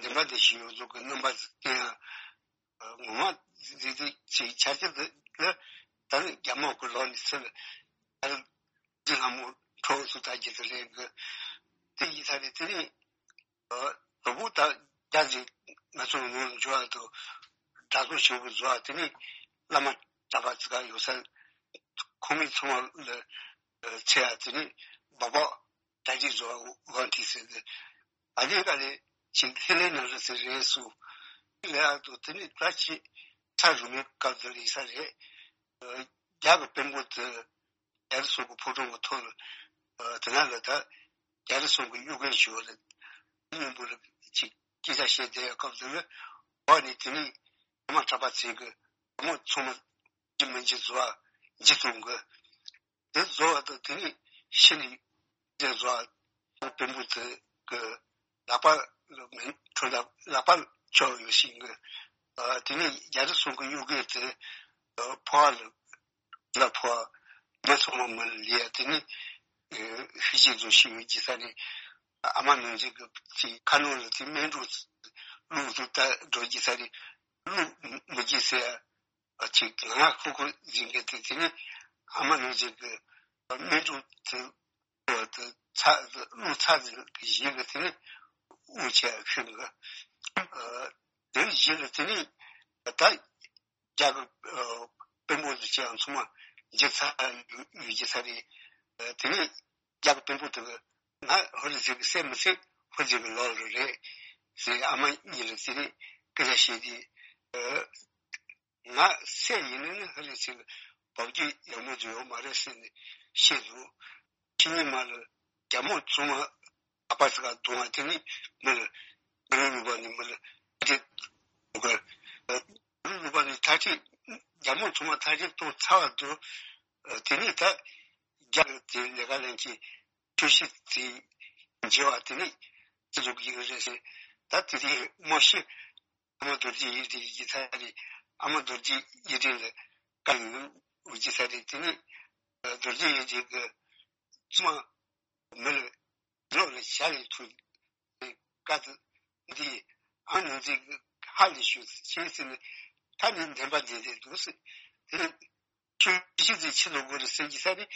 འདི་འདྲ་འདི་ཞིག་ཡོད་ཟོག་གི་རྣམ་པ་བསྟན་ཡ། ངོ་མ་འདི་འདི་ཅིག་ཆ་རྐྱེན་འདི་ལ་ད་ནི་རྒྱ་དམག་གི་ལོག་ནས་ཚུར་ཨ་རི་འདི་ལྷ་མོ་ཁྲོ་བོ་ཚོ་ལྟ་རྒྱུ་དེ་ལས་གི་དེ་ཡིན་ས་རེད། དེ་ནས་ཨ་དོ་པོ་ད་རྒྱ་ཟིག་ང་ཚོ་ངོ་འཇོག་ཨ་དོ་དྲ་ཚོགས་ཆེན་པོ་བཟོ་ཨ་དེ་ནས་བླ་མ་གྲྭ་པ་ཚོ་ག་ཡོད་ས་ཁང་མིག་ཚང་མ་ལ་ཚེ་ཨ་དེ་ནས་སྦག་སྦག་གྲ་སྒྲིག་བཟོ་ཨ་དབང་ཐིག་ཟེར་ཏེ་ཨ་ནི་ག་ལས་ཅིག་ལྷན་ལྷན་ན་རེ་ཟེར་རེད་སུ་ལས་ཨ་དོ་དེ་ནས་ད་ཅི་ཚ་རུ་མའི་སྐབས་དེ་ལ་ཡིན་ས་རེད། རྒྱ་གི་དཔོན་པོ་དེ། རྒྱ་རི་སོགས་ཀྱི་ཕོ་བྲང་གི་ཐོག་ལ་དེ་ན་ལ་ད་རྒྱ་རི་སོགས་ཀྱི་གཡོ་འགུལ་ཞུ་བ་རེད། མཉམ་པོ་ལ་ཅིག་སྐད་ཆ་བཤད་བསྡད་ཡ་སྐབས་དེ་ལ་འོག་ནས་དེ་ནས་ཨ་མ་གྲྭ་པ་ཚོས་ཀྱི་ཨ་མ་ཚང་མ་ཇི་མི་འཇི་བཟོ་བ་འཇི་གཏོང་གི་ དེ་བཟོ་བ་དང་དེ་ནས་ཤི་ནས་དེ་བཟོ་བ་དཔོན་པོ་དེ་གི་ལག་པ་ལ་མེ་འཁྲུད་ལ་ལག་པ་འཁྱོག་ཡོད་ཤིང་གི་དེ་ནས་རྒྱ་རི་སོང་གི་གཡུག་གེ་དེ་ཕོ་བ་ལ་ལ་ཕོ་བ་མི་ཚང་མ་མི་ལ་ལས་དེ་ནས་ཤི་ཅིག་བཟོ་ཤི་ཡོད་ཀྱི་ས་ནས་ཨ་མ་ནང་ཅིག་གི་ཁ་ནང་ལ་དེ་སྨན་འགྲོ་བླུགས་དུ་ལྟ་འགྲོ་ཀྱི་ས་ནས་བླུགས་མི་ཀྱི་ཟེར། ཅིག་ང་ཁུ་ཁུ་ཟིན་གི་དེ་དེ་ནི་ཨ་མ་ནུ་ཟིན་གི་སྨན་ཕྲུག་དེ་དེ་ཚ་དེ་གླུ་ཚ་ཟིན་གི་ཡིན་གི་དེ་ནི་དབུ་ཆད་ཤིང་གི་དེ་ཡིན་གི་དེ་ནི་ད་རྒྱ་གི་དཔོན་པོ་དེ་ཅི་ཡང་ཚང་མ་འཇིག་ཚ་ཡོད་ཀྱི་ས་རེད། དེ་ནི་རྒྱ་གི་དཔོན་པོ་དེ་གི་ང་ཧོ་ལི་ཟིན་གི་སེ་མི་སེ་ཧོ་ཟིན་གི་ལོག་རེད་ཟེར་ཨ་མ་གཉིས་ལ་ཟེར་ནས་སྐད་ཆ་བཤད་དེ། ང་སེ་ཡིན་ནི་ནི་ཧ་ལས་ཟིན་བབ་ཀྱི་ཡག་མོ་ཟིག་ཡོད་མ་རེད་ཟེར་ནས་བཤད་འདུག་ཕྱི་ཉིན་མ་ལ་རྒྱ་མོ་ཚང་མ་ཨ་ཕ་ཟིག་ག་གཏོང་བ་དེ་ནི་མི་ལ་མི་ལ་ལུས་པ་ནི་མི་ལ་དེ་འདུག་ག་ལུས་པ་ནི་ཐ་ཆད་རྒྱ་མོ་ཚང་མ་ཐ་ཆད་གཏོང་ཚར་བ་འདུག་དེ་ནི་ད་རྒྱ་གི་དེ་ལས་ཀ་ལེན་གྱི་ཆུ་ཤི་དེ་འཇེ་བ་དེ་ནི་ཅི་ཟུག་གི་རེད་ཟེར་ད་དེ་དེ་མོ་ཤི། ཨ་མ་རྡོ་རྗེ་ཡིད་བདེ་ཡི་ཚ་རེད། ཨ་མ་རྡོ་རྗེ་ཡིད་བདེ་ལ་བཀའ་ཡོད་འུ་ཅི་ཚ་རེད། དེ་ནི་རྡོ་རྗེ་ཡིད་བདེ་གི་ཙུ་མ་མི་ལ་ལོ་ལ་ཞྭ་ལས་ཐུག་བཀའ་དུ་འདི་ཨ་ནུ་འཛིན་གི་ཧ་ལས་ཞུ་ཤེས་ཟིན་ནི་ད་ནི་འདན་པ་འདི་འདི་འདུག་ཟེར། དེ་ནི་ཆུ་ཤི་ཚེ་ཕྱི་ལོ་དགོས་རེད་ཟེར་གྱི་ས་རེད།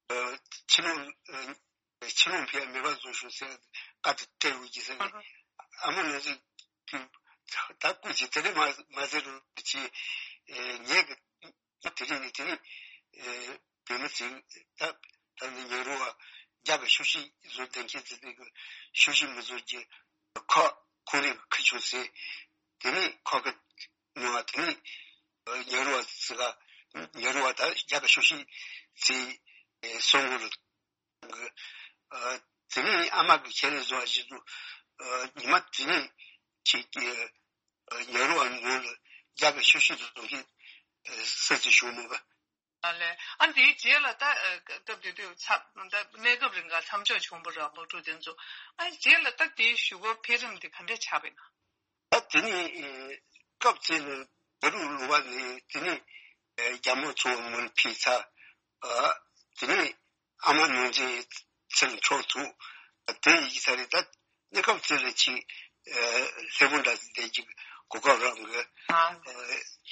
ཕྱི་ལོགས་ཕྱི་ལོགས་ཕེབས་མེད་པ་བཟོ་ཤོག་ཟེར་བཀའ་དེ་སྤྲད་ཡོད་ཀྱི་ཟེར་ནས་ཨ་མ་ང་ཚོས་ད་སྐུ་མཁྱེན་དེ་རིང་མ་མ་ཟེར་རོགས་གྱིས། ངས་གི་དེ་རིང་ནས་དེ་རིང་བོད་མི་ཚོས་ད་ད་ནི་ཉེ་རུ་བ་རྒྱ་གི་ཤུགས་ཤིག་བཟོ་ལྡན་མཁན་ཚོས་དེ་གི་ཤུགས་ཤིག་མི་བཟོ་རྒྱུ་ཁོ་ཁོང་རང་གི་ཁུ་ཆུང་ཟེར་དེ་ནས་ཁོ་གི་ཉོ་བ་དེ་ནས་ཉེ་རུ་བ་ཚོ་ག་ཉེ་རུ་བ་ད་རྒྱ་གི་ཤུགས་ཤིག་ཚོས་གསུང་གི་རེད། གི། ཨ། དེ་ནས་ཨ་མ་གི་ཁྱེད་ལ་བཟོ་བ་ཞིག་འདུག་ཨ། ཉི་མ་དེ་ནས་ཁྱེད་ཀྱི་ཨ། ཉེ་རུ་བ་ངོ་ལ་རྒྱ་གི་ཤུགས་ཤིག་ཏུ་གཏོང་གི་ཨ། ས་ཚིགས་ཞུ་མོ་ག་ཨ་ལས། ཨ་འདིའི་རྗེས་ལ་ད་ཨ། སྐབས་དེ་དུས་ཚབ་ད་གནས་སྐབས་རིང་ག་མཚམས་འཇོག་བྱུང་བ་ར་དམག་འཁྲུག་དེ་ཚོ། ཨ་རྗེས་ལ་ད་དེའི་གཞུག་གུ་འཕེལ་རིམ་དེ་ག་འདྲས་ཆགས་པ་ཡིན་ན། ད་དེ་ནི་ཨེ། སྐབས་དེ་ལ་ད་རུང་ལུང་པ་ནི་དེ་ནི་ཨེ། རྒྱ་མོ་ཚོ་མུན་ཕི་ཚ། ཨ། དེ་ནི་ཨ་མ་ནོར་འཛིན་ཚེ་ལ་འཕྲོག་ཐུག་དེ་ཡི་ས་རེད། ད་གནས་སྐབས་དེ་ལ་ཅིག་ཨེ། ལྷ་བུ་འདྲ་བསྡད་ཀྱི་གོ་སྐབས་རག་གི་ཨ།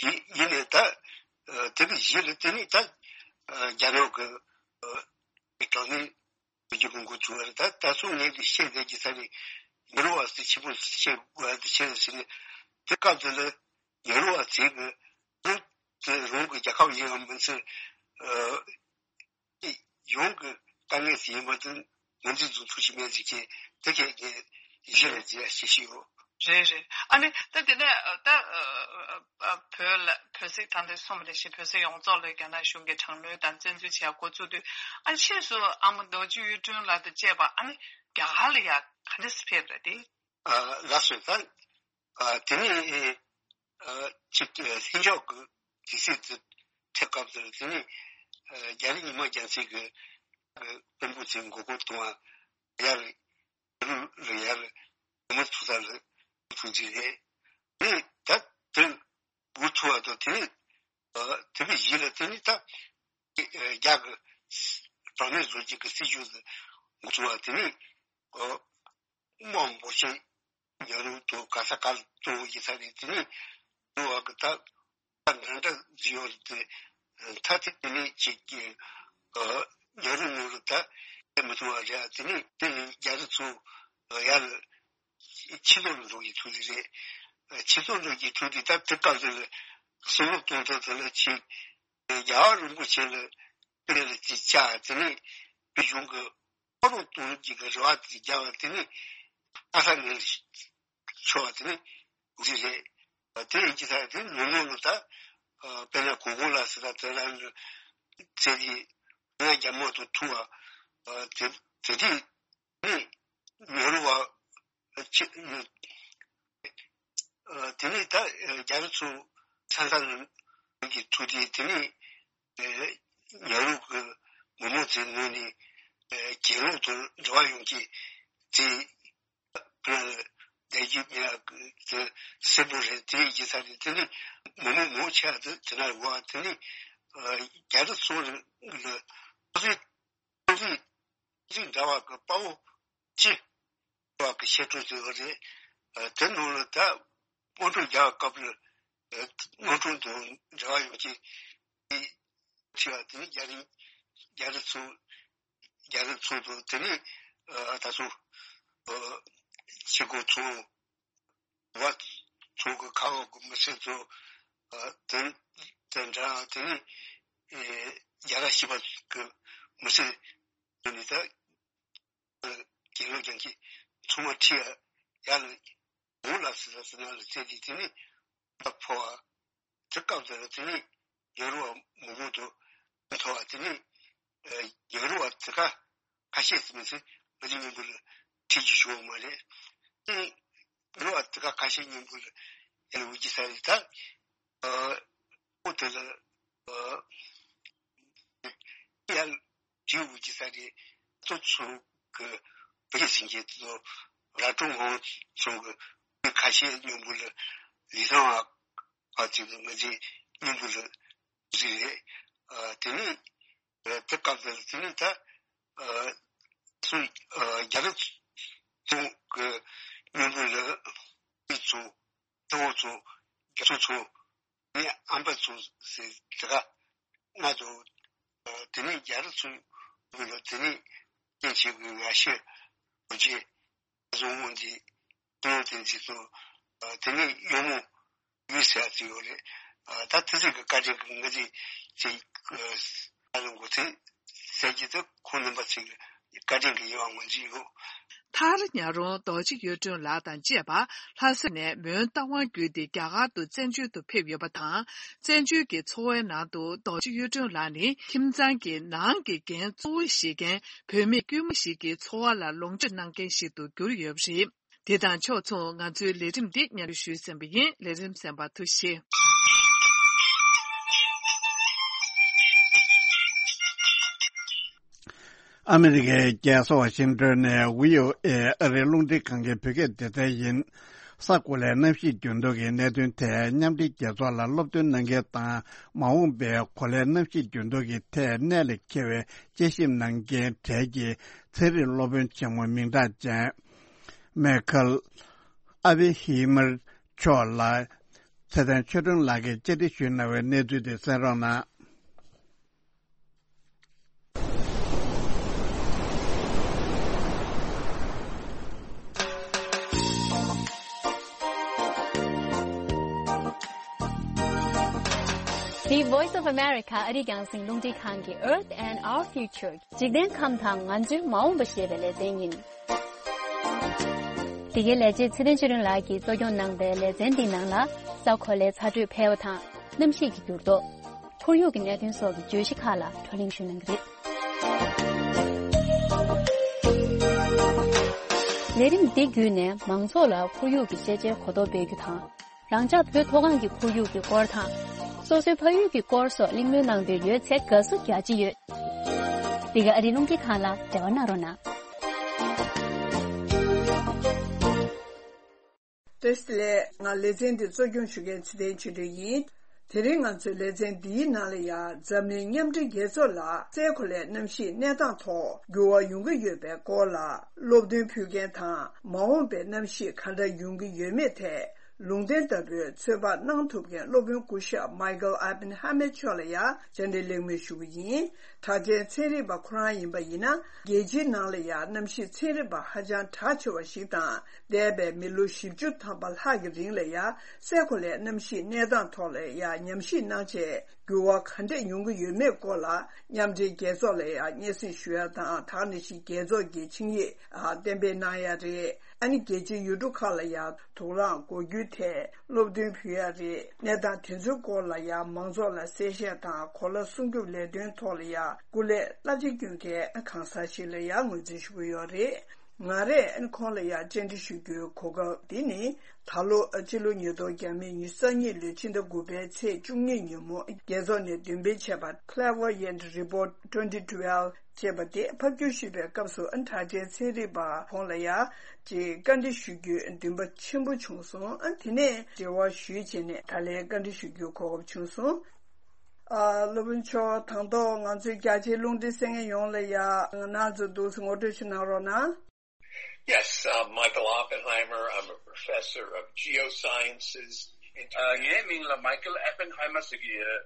ཡིན་ཡིན་ནས་ད་ཨེ། དེ་གི་གཞི་ལ་དེ་ནི་ད་ཨེ། རྒྱ་ནག་གི་ཨེ། གྲངས་ནི། བོད་ཀྱི་གོང་བུ་བྱུང་བ་རེད། ད་ད་སོང་ངས་ཀྱི་བཤད་བསྡད་ཀྱི་ས་རེད། ཉེ་རུ་བ་ཟེར་ཆེན་པོ་བཤད་དགོས་ཡ་དེ་བཤད་ཟེར་ནས་དེ་སྐབས་དེ་ལ་ཉེ་རུ་བ་ཚོས་ཀྱི་རང་དེ་རང་གི་རྒྱལ་ཁབ་ཡིན་ཡང་མིན་ཚེ་ཡོངས་ཀྱི་དཀའ་ངལ་ཟེར་ཡིན་པ་དེ་ངོས་འཛིན་ཚུལ་ཐུགས་ཞིབ་མེད་ཟེར་གྱི་དེ་ཁྱེད་ཀྱི་གཞི་ལ་བརྗེ་ཡ་ཞིག་ཞིག་ཡོད། རེད་རེད། ཨ་ནི་ད་དེ་ནས་ད་བོད་ལ་བོད་སྲིད་ད་ལྟ་གསུངས་པ་ནང་བཞིན་བོད་སྲིད་ཡོངས་རྫོགས་ལ་རྒྱ་ནག་གཞུང་གིས་དྲག་གནོན་དང་བཙན་འཛུལ་བྱས་འགོ་བཙུགས་དུས། ཨ་ནི་ཕྱིས་སུ་ཨ་མ་རྡོ་རྗེ་གཡུ་སྒྲོན་ལགས་དང་བཅས་པ་ཨ་ནི་རྒྱ་གར་ལ་ཡ་ག་འདྲ་སེ་ཕེབས་རེད་དེ། ལགས་སོ། ད་དེ་ནས་ཅིག་ལྷན་ཚོགས་ཀྱི་དུས་ཚོད་དེ་ཐེབས་སྐབས་དེར་དེ་ནས་རྒྱ་རིགས་ཉི་མ་རྒྱལ་མཚན་གྱི་དཔོན་པོ་ཚོས་མགོ་སྐོར་གཏོང་བ་ཡར། རུ་ལ་ཡར་མི་ཐུག་ས་ལ་ཐུག་རྒྱུ་རེད། དེ་ད་དེ་འུ་ཐུག་བ་དང་དེ་ནི་དེ་བས་ཡིད་ལ་དེ་ནི་ད་རྒྱ་གི་དྲག་གནོན་བཟོ་རྒྱུ་གི་སྲིད་ཇུས་འགོ་ཚུགས་པ་དེ་ནི་དམག་འབོར་ཆེན་ཉོ་རུ་དང་ག་ས་ག་ལ་གཏོང་གི་ས་རེད། དེ་ནི་འུ་བ་གི་ད། ད་འདྲ་འདྲ་ཟིན་ཡོད་རེད་དེ། ཐ་དེ་ནས་ཅིག་གི་ཉ་རུ་ཉུ་རུ་ད་དེ་མི་ཐུང་བ་རེད། དེ་ནས་དེ་ནས་རྒྱ་རི་ཚོ་ཡར་ཕྱི་ལོགས་ལ་འགྲོ་གི་ཐུག་དེ་རེད། ཕྱི་ལོགས་འགྲོ་གི་ཐུག་དེ་ད་དེ་སྐབས་དེ་ལ་གསུང་རོགས་གཏོང་ཐབས་དེ་ལ་ཅིག་རྒྱལ་བ་རིན་པོ་ཆེ་ལ་དེ་ལ་ཅིག་བཅར། དེ་ནས་བོད་གཞུང་གི་ཕོ་རོག་གཏོང་རྒྱུ་གི་རེ་བ་དེ་རྒྱག་པ་དེ་ནི་ཨ་ས་ནས་ཆོག་པ་དེ་ནི་འདི་རེད། དེ་ཡིན་གྱི་ད་དེ་ནུ་ནུ་ལ་ད་དཔེར་ན་གོ་གོ་ལ་སི་ད་དེ་རང་ཚེ་གི་ང་རྒྱ་མོ་དང་ཐུག་པ་དེ་དེ་དེ་ནི་ཉོ་རུ་བ་ཆེ་དེ་ནི་ད་རྒྱ་རི་ཚོ་ཚན་ཚན་གྱི་ཐུག་དེ་དེ་ནི། ཉ་རུ་གི་ མི་མང་ཚོའི་ངོས་ནས་ཨ་གྱེན་ལོག་ཏུ་འགྲོ་བ་ཡོང་གི་དེ། ཁོ་རང་ལ་བསྡད་རྒྱུ་མེད་པ་གི་དེ་སེམས་པོ་རེད། དེ་ཡིན་ས་རེད། དེ་ནི་མི་མང་མང་ཆེ་བ་དེ་དེ་ན་ཡོད་པ། དེ་ནི་ཨ་རྒྱ་རི་ཚོ་ལ་ཚོ་རིག་ཚོ་རིག་ཚོ་རིག་འདྲ་བ་གི་དཔའ་བོ་ཅི་བ་གི་བཤད་སྲོལ་དེ་ཡོད་རེད། ཨ་དེ་ནང་ལ་ད་དམག་འཁྲུག་རྒྱག་སྐབས་ལ་ཨ་དམག་འཁྲུག་དང་འབྲེལ་བ་ཡོད་ཀྱི་ཁྲི་བ་དེ་ནི་རྒྱ་རི་རྒྱ་རི་ཚོ་རྒྱ་རི་ཚོ་དང་དེ་ནས་ཨ་ད་སོ་ཨ་ཆེ་གོ་ཚོ་བ་ཚོ་གི་ཁ་འོག་གི་མི་སེར་ཚོ་ཨ་དེ་དེ་འདྲ་དེ་ནས་ཨེ་རྒྱ་ར་ཤི་བ་གི་མི་སེར་ཚོ་ནི་ད་ཨ་གྱེན་ལོག་ཀྱང་གི་ཚོ་མ་ཁྲི་ཡ་ཡ་ལ་འོང་ལ་སི་ལ་སི་ན་ལ་བཙལ་ཏེ་དེ་ནས་ད་ཕོ་བ། དེ་སྐབས་དེར་དེ་ནས་ཡོ་རོབ་མང་པོ་དུ་མཐོ་བ་དེ་ནས་ཡོ་རོབ་བ་དེ་ག་ཁ་ཤས་ཙམ་ཚེ་ང་ཚོའི་མཉམ་པོ་ལ་ཁྲིད་རྒྱུ་བྱུང་བ་མ་རེད། དེ་ཡོ་རོབ་བ་དེ་ག་ཁ་ཤས་མཉམ་པོ་ལ་ཡར་འོང་རྒྱུ་ས་རེད། ད་ཨོ་དེ་ལ་ཨ་ཡར་འོང་རྒྱུ་ས་རེད། ཚོ་ཚོ་གི་བོད་ཀྱི་སེང་གེ་ཚོ་ར་ཀྲུང་ཧོང་ཚོ་གི་ཁ་ཤས་མཉམ་པོ་ལ་ལི་ཐང་བ་ཨ་ཅིག་ང་ཚོའི་མཉམ་དུ་ལ་ཟིག་རེད། ཨ་དེ་ནས་ཨ་དེ་སྐབས་དེར་དེ་ནས་ད་ཨ་སུ་ཨ་རྒྱ་རི་ཚོ་གི་མཉམ་དུ་ལ་མི་ཚོ་ཏི་བོ་ཚོ་རྒྱ་ཚོ་ཚོ་ངའི་ཨམ་པ་ཚོ་ཟེར་དེ་ག་ང་ཚོ་ཨ་དེ་ནས་རྒྱ་རི་ཚོ་གི་ལ་དེ་ནས་སྐྱེ་མཆེད་གི་ཡ་ཤི་བོ་རྗེ་བཟང་མོ་འདི། དེ་ནས་དེ་འདི་ཚོ་ཨ་དེ་ནས་གཡོག་མོ་ཡུལ་ཟེར་ཡ་ཚོ་ཡོད་རེད། ཨ་ད་དེ་ཚོ་གི་བཀའ་དྲིན་གི་ང་ཚོས་ཅིག་ཨ་ཨ་རང་གོ་ཚེ་ཟེར་གྱི་དེ་ཁོང་རྣམ་པ་ཚོ་གི་བཀའ་དྲིན་གི་ཡོད་པ་ང་ཚོས་ཡོད། མཐར་ཉག་རོང་རྡོ་རྗེ་གཡུ་སྒྲོན་ལགས་དང་བཅས་པ་ལྷ་ས་ནས་མོན་རྟ་དབང་བརྒྱུད་དེ་རྒྱ་གར་དུ་བཙན་བྱོལ་དུ་ཕེབས་ཡོད་པ་དང་། བཙན་བྱོལ་གྱི་འཚོ་བའི་ནང་དུ་རྡོ་རྗེ་གཡུ་སྒྲོན་ལགས་ནི་ཁྱིམ་ཚང་གི་ནང་གི་འགན་གཙོ་བོ་བཞེས་མཁན་བུད་མེད་དཀྱུས་མ་ཞིག་གི་འཚོ་བ་ལ་ལོངས་སྤྱོད་གནང་མཁན་ཞིག་ཏུ་གྱུར་ཡོད་པ་རེད། དེ་དང་ཕྱོགས་མཚུངས་ང་ཚོའི་ལས་རིམ་འདི་སྙན་སྒྲོན་ཞུས་ཟིན་པ་ཡིན། ལས་རིམ་གསན་པར་ཐུགས་རྗེ་ཆེ། ཨ་མི་རི་ཀའི་རྒྱལ་ས་ཝ་ཤིང་ཏོན་ནས་བྷི་ཨོ་ཨེ་ཨ་རིའི་རླུང་འཕྲིན་ཁང་གི་བོད་སྐད་སྡེ་ཚན་ཡིན། ས་གོ་ལའི་གནམ་གཤིས་འགྱུར་ལྡོག་གི་གནད་དོན་ཐད་མཉམ་འབྲེལ་རྒྱལ་ཚོགས་ལ་སློབ་སྟོན་གནང་མཁན་དང་། མ་འོངས་པའི་གོ་ལའི་གནམ་གཤིས་འགྱུར་ལྡོག་གི་ཐད་གནད་ལ་འཁེལ་བའི་དཔྱད་ཞིབ་གནང་མཁན་གྲས་ཀྱི་ཚན་རིག་སློབ་དཔོན་ཆེན་མོ་མིང་གྲགས་ཅན། མེ་ཁལ་ཨ་བི་ཧི་མར་མཆོག་ལ་ཚེ་བརྟན་ཆོས་སྒྲོན་ལགས་ཀྱིས་བཅར་འདྲི་ཞུས་གནང་བའི་གནས་ཚུལ་དེ་གསན་རོགས་གནང་། The Voice of America ཨ་རིའི་རྒྱང་སྲིང་རླུང་འཕྲིན་ཁང་གི་Earth and Our Future འཇིག་རྟེན་ཁམས་དང་ང་ཚོའི་མ་འོངས་པ་ཞེས་པའི་ལེ་ཚན་ཡིན། འདི་གའི་ལས་བྱེད་ཚེ་བརྟན་ཆོས་སྒྲོན་ལགས་ཀྱིས་གཙོ་སྐྱོང་གནང་པའི་ལེ་ཚན་འདིའི་ནང་ལ། ས་གོ་ལའི་ཚ་དྲོད་འཕེལ་བ་དང་། གནམ་གཤིས་ཀྱི་འགྱུར་ལྡོག་ཁོར་ཡུག་གི་གནད་དོན་སོགས་ཀྱི་བརྗོད་གཞི་ཁག་ལ་བགྲོ་གླེང་ཞུ་གནང་གི་རེད། ལས་རིམ་འདི་བརྒྱུད་ནས་མང་ཚོགས་ལ་ཁོར་ཡུག་གི་ཤེས་བྱའི་གོ་རྟོགས་སྤེལ་རྒྱུ་དང་། རང་ཅག་བོད་མཐོ་སྒང་གི་ཁོར་ཡུག་གི་སྐོར་དང་། སོ་སོའི་ཕ་ཡུལ་གྱི་སྐོར་སོགས་གླེང་མོལ་གནང་འདོད་ཡོད་ཚེ་དགའ་བསུ་རྒྱ་ཆེ་ཡོད། འདི་ག་ཨ་རིའི་རླུང་འཕྲིན་ཁང་ལ་འབྲེལ་བ་གནང་རོགས་གནང་། བཀྲ་ཤིས་བདེ་ལེགས། ང་ལེ་ཚན་འདི་གཙོ་སྐྱོང་ཞུ་མཁན་ཚེ་བརྟན་ཆོས་སྒྲོན་ཡིན། དེ་རིང་ང་ཚོའི་ལེ་ཚན་འདིའི་ནང་ལ་ཡང་འཛམ་གླིང་མཉམ་འབྲེལ་རྒྱལ་ཚོགས་ལ་སའི་གོ་ལའི་གནམ་གཤིས་གནས་སྟངས་ཐོག་འགྱུར་བ་ཡོང་གི་ཡོད་པའི་སྐོར་ལ་སློབ་སྟོན་ཕུལ་མཁན་དང་། མ་འོངས་པའི་གནམ་གཤིས་ག་འདྲ་ཡོང་གི་ཡོད་མེད་ཐད་ལུང་བསྟན་ལྟ་བུའི་ཚོད་དཔག་གནང་ཐུབ་མཁན་སློབ་དཔོན་སྐུ་ཞབས་མའི་ཀལ་ཨ་པན་ཧ་མེད་མཆོག་ལ་ཡང་བཅར་འདྲི་གླེང་མོལ་ཞུ་གི་ཡིན། གྲགས་ཅན་ཚན་རིག་པ་ཁོ་རང་ཡིན་པ་ཡིན་ན། རྒྱལ་སྤྱིའི་ནང་ལ་ཡང་གནམ་གཤིས་ཚན་རིག་པ་ཧ་ཅང་གྲགས་ཆེ་བ་ཞིག་དང་། འདས་པའི་མི་ལོ་བཞི་བཅུ་ཐམ་པ་ལྷག་གི་རིང་ལ་ཡང་སའི་གོ་ལའི་གནམ་གཤིས་གནས་སྟངས་ཐོག་ལ་ཡང་ཉམས་ཞིབ་གནང་བྱས། འགྱུར་བ་ག་འདྲས་ཡོང་གི་ཡོད་མེད་སྐོར་ལ་མཉམ་འབྲེལ་རྒྱལ་ཚོགས་ལ་ཡང་སྙན་སེང་ཞུ་ཡ་དང་། ད་ག་ནང་བཞིན་རྒྱལ་ཚོགས་ཀྱི་ཆིངས་ཡིག་ཨ་གཏན་འབེབས་གནང་ཡ་རེད། ཨ་ནི་རྒྱལ་སྤྱིའི་ཡུལ་གྲུ་ཁག་ལ་ཡང་དོགས་གླེང་གོ་རྒྱུའི་ཐད་སློབ་སྟོན་ཕུལ་ཡ་རེད། གནས་སྟངས་དེ་ཚོའི་སྐོར་ལ་ཡང་མང་ཚོགས་ལ་གསལ་བཤད་དང་། གོ་ལ་སྲུང་སྐྱོབ་ལས་དོན་ཐོག་ལ་ཡང་སྐུ་ལས་བསླབ་བྱ་སྐྱོན་མཁན་གང་ཟག་ཞིག་ལ་ཡང་ངོས་འཛིན་ཞུ་གི་ཡོད་རེད། ང་རས་ཁོང་ལ་ཡང་བཅར་འདྲི་ཞུ་རྒྱུའི་གོ་སྐབས་འདི་ནི། ད་ལོ་སྤྱི་ལོ་ཉིས་སྟོང་ཉི་ཤུ་རྩ་གཉིས་ལོའི་ཕྱི་ཟླ་དགུ་པའི་ཚེས་བཅུ་གཉིས་ཉིན་མོ་རྒྱལ་ཚོགས་ནས་འདོན་སྤེལ་བྱས་པ་Clairvoyant Report twenty twelve ཅེས་པ་དེ་ཕབ་སྒྱུར་ཞུས་པའི་སྐབས་སུ། ཨ། གྲགས་ཅན་ཚན་རིག་པ་ཁོང་ལ་ཡང་ཅིག་བཀའ་འདྲི་ཞུ་རྒྱུའི་འདུན་པ་ཆེན་པོ་བྱུང་སོང་། ཨ། དེ་ནས་འབྲེལ་བ་ཞུས་བྱས་ནས་ད་ལན་བཀའ་འདྲི་ཞུ་རྒྱུའི་གོ་སྐབས་བྱུང་སོང་། ཨ། སློབ་དཔོན་མཆོག་དང་ཐོག་ང་ཚོའི་རྒྱ་ཆེའི་རླུང་འཕྲིན་གསན་མཁན་ཡོངས་ལ་ཡང་ང་རང་ཚོ་འདུག་སེ་ངོ་སྤྲོད་ཞིག་གནང་རོགས་གནང་། Yes, I'm Michael Oppenheimer. I'm a professor of geosciences. ཨ། ངའི་མིང་ལ་Michael Oppenheimer ཟེར་གྱི་ཡོད།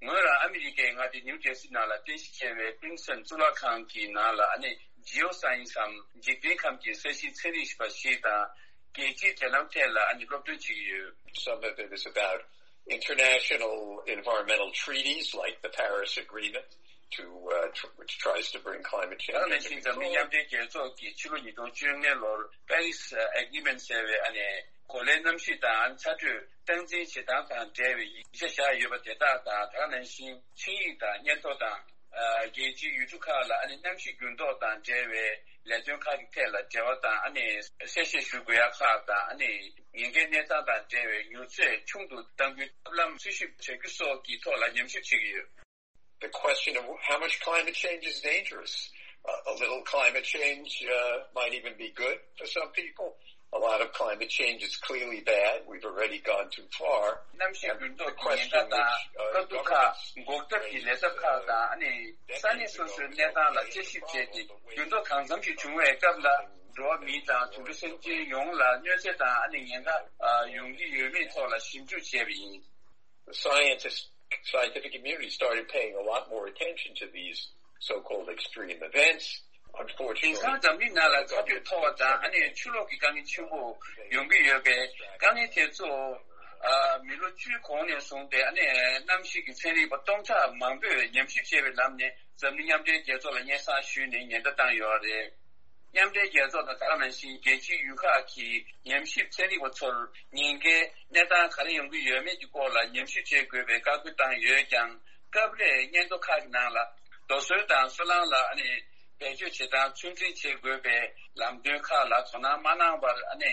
ངོས་རང་ཨ་མི་རི་ཀའི་མངའ་སྡེ་ནིའུ་ཇར་སི་ནང་ལ་རྟེན་གཞི་བྱས་པའི་Princeton གཙུག་ལག་ཁང་གི་ནང་ལ་ཨ་ནི་Geoscience འམ་འཇིག་རྟེན་ཁམས་ཀྱི་ས་གཤིས་ཚན་རིག་པ་ཞིག་དང་། རྒྱལ་སྤྱིའི་འབྲེལ་ལམ་ཐད་ལ་ཨ་ནི་སློབ་སྟོན་བྱེད་ཀྱི་ཡོད། Some of it is about international environmental treaties like the Paris Agreement, to, uh, tr- which tries to bring climate change under control. ད་ནང་བཞིན་འཛམ་གླིང་མཉམ་འབྲེལ་རྒྱལ་ཚོགས་ཀྱི་ཕྱི་ལོ་ཉིས་སྟོང་བཅོ་ལྔ་ལོར་Paris Agreement ཟེར་བའི་ཨ་ནི་གོ་ལའི་གནམ་གཤིས་དང་ཚ་དྲོད་སྟངས་འཛིན་བྱེད་སྟངས་དང་འབྲེལ་བའི་ཡིག་ཆ་བཞག་ཡོད་པ་དེ་དག་དང་། ད་ནང་བཞིན་ཆིངས་ཡིག་དང་སྙན་ཐོ་དང་། ཨ། རྒྱལ་སྤྱིའི་ཡུལ་གྲུ་ཁག་ལ་ཨ་ནི་གནམ་གཤིས་འགྱུར་ལྡོག་དང་འབྲེལ་བའི་ལས་དོན་ཁག་གི་ཐད་ལ་འབྲེལ་བ་དང་། ཨ་ནི་གསལ་བཤད་ཞུ་དགོས་ཡ་ཁག་དང་། ཨ་ནི་ཉེན་ཁའི་གནས་སྟངས་དང་འབྲེལ་བའི་མྱུར་ཚད་ཆུང་དུ་གཏང་རྒྱུའི་ཐབས་ལམ་འཚོལ་ཞིབ་བྱ་རྒྱུ་སོགས་ཀྱི་ཐོག་ལ་ཉམས་ཞིབ་བྱེད་ཀྱི་ཡོད། The question of how much climate change is dangerous. Uh, a little climate change, uh, might even be good for some people. A lot of climate change is clearly bad. We've already gone too far. གནམ་གཤིས་འགྱུར་ལྡོག་གི་ཉེན་ཁ་དང་དཀའ་སྡུག་ཁག་འགོག་ཐབས་ཀྱི་ལས་ཐབས་ཁག་དང་། ཨ་ནི་ས་གནས་སོ་སོའི་གནས་སྟངས་ལ་དཔྱད་ཞིབ་བྱས་ཏེ། འགྱུར་ལྡོག་གང་འཚམ་ཞིག་བྱུང་བའི་སྐབས་ལ་འགྲོ་བ་མི་དང་དུད་འགྲོ་སེམས་ཅན་ཡོངས་ལ་གནོད་འཚེ་དང་ཨ་ནི་ཉེན་ཁ་ཡོང་གི་ཡོད་མེད་ཐོག་ལ་ཞིབ་འཇུག་བྱས་པ་ཡིན། The scientists, scientific community started paying a lot more attention to these so-called extreme events. དེང་སང་འཛམ་གླིང་ནང་ལ་ཚ་དྲོད་མཐོ་བ་དང་ཨ་ནི་ཆུ་ལོག་གི་དཀའ་ངལ་ཆེན་པོ་ཡོང་གི་ཡོད་པས། དཀའ་ངལ་དེ་ཚོ་ཨ་མི་ལོ་བཅུའི་གོང་ནས་བཟུང་སྟེ་ཨ་ནི་གནམ་གཤིས་ཀྱི་ཚན་རིག་པ་སྟོང་ཕྲག་མང་པོས་ཉམས་ཞིབ་བྱས་པའི་ལམ་ནས་འཛམ་གླིང་མཉམ་འབྲེལ་རྒྱལ་ཚོགས་ལ་སྙན་སེང་ཞུས་ནས་ཉེན་བརྡ་བཏང་ཡོད་རེད། མཉམ་འབྲེལ་རྒྱལ་ཚོགས་དང་ད་ག་ནང་བཞིན་རྒྱལ་སྤྱིའི་ཡུལ་ཁག་གི་ཉམས་ཞིབ་ཚན་རིག་པ་ཚོར་ཉེན་ཁའི་གནས་སྟངས་ག་རེ་ཡོང་གི་ཡོད་མེད་ཀྱི་སྐོར་ལ་ཉམས་ཞིབ་བྱེད་དགོས་པའི་བཀའ་བཀོད་བཏང་ཡོད་ཀྱང་། སྐབས་རེ་སྙན་ཐོ་ཁག་གི་ནང་ལ་རྡོ་སོལ་དང་སོལ་རླངས་ལ་ཨ་ནི་བེད་སྤྱོད་བྱེད་སྟངས་ཚོད་འཛིན་བྱེད་དགོས་པའི་ལམ་སྟོན་ཁག་ལ་དོ་སྣང་མ་གནང་བར། ཨ་ནི་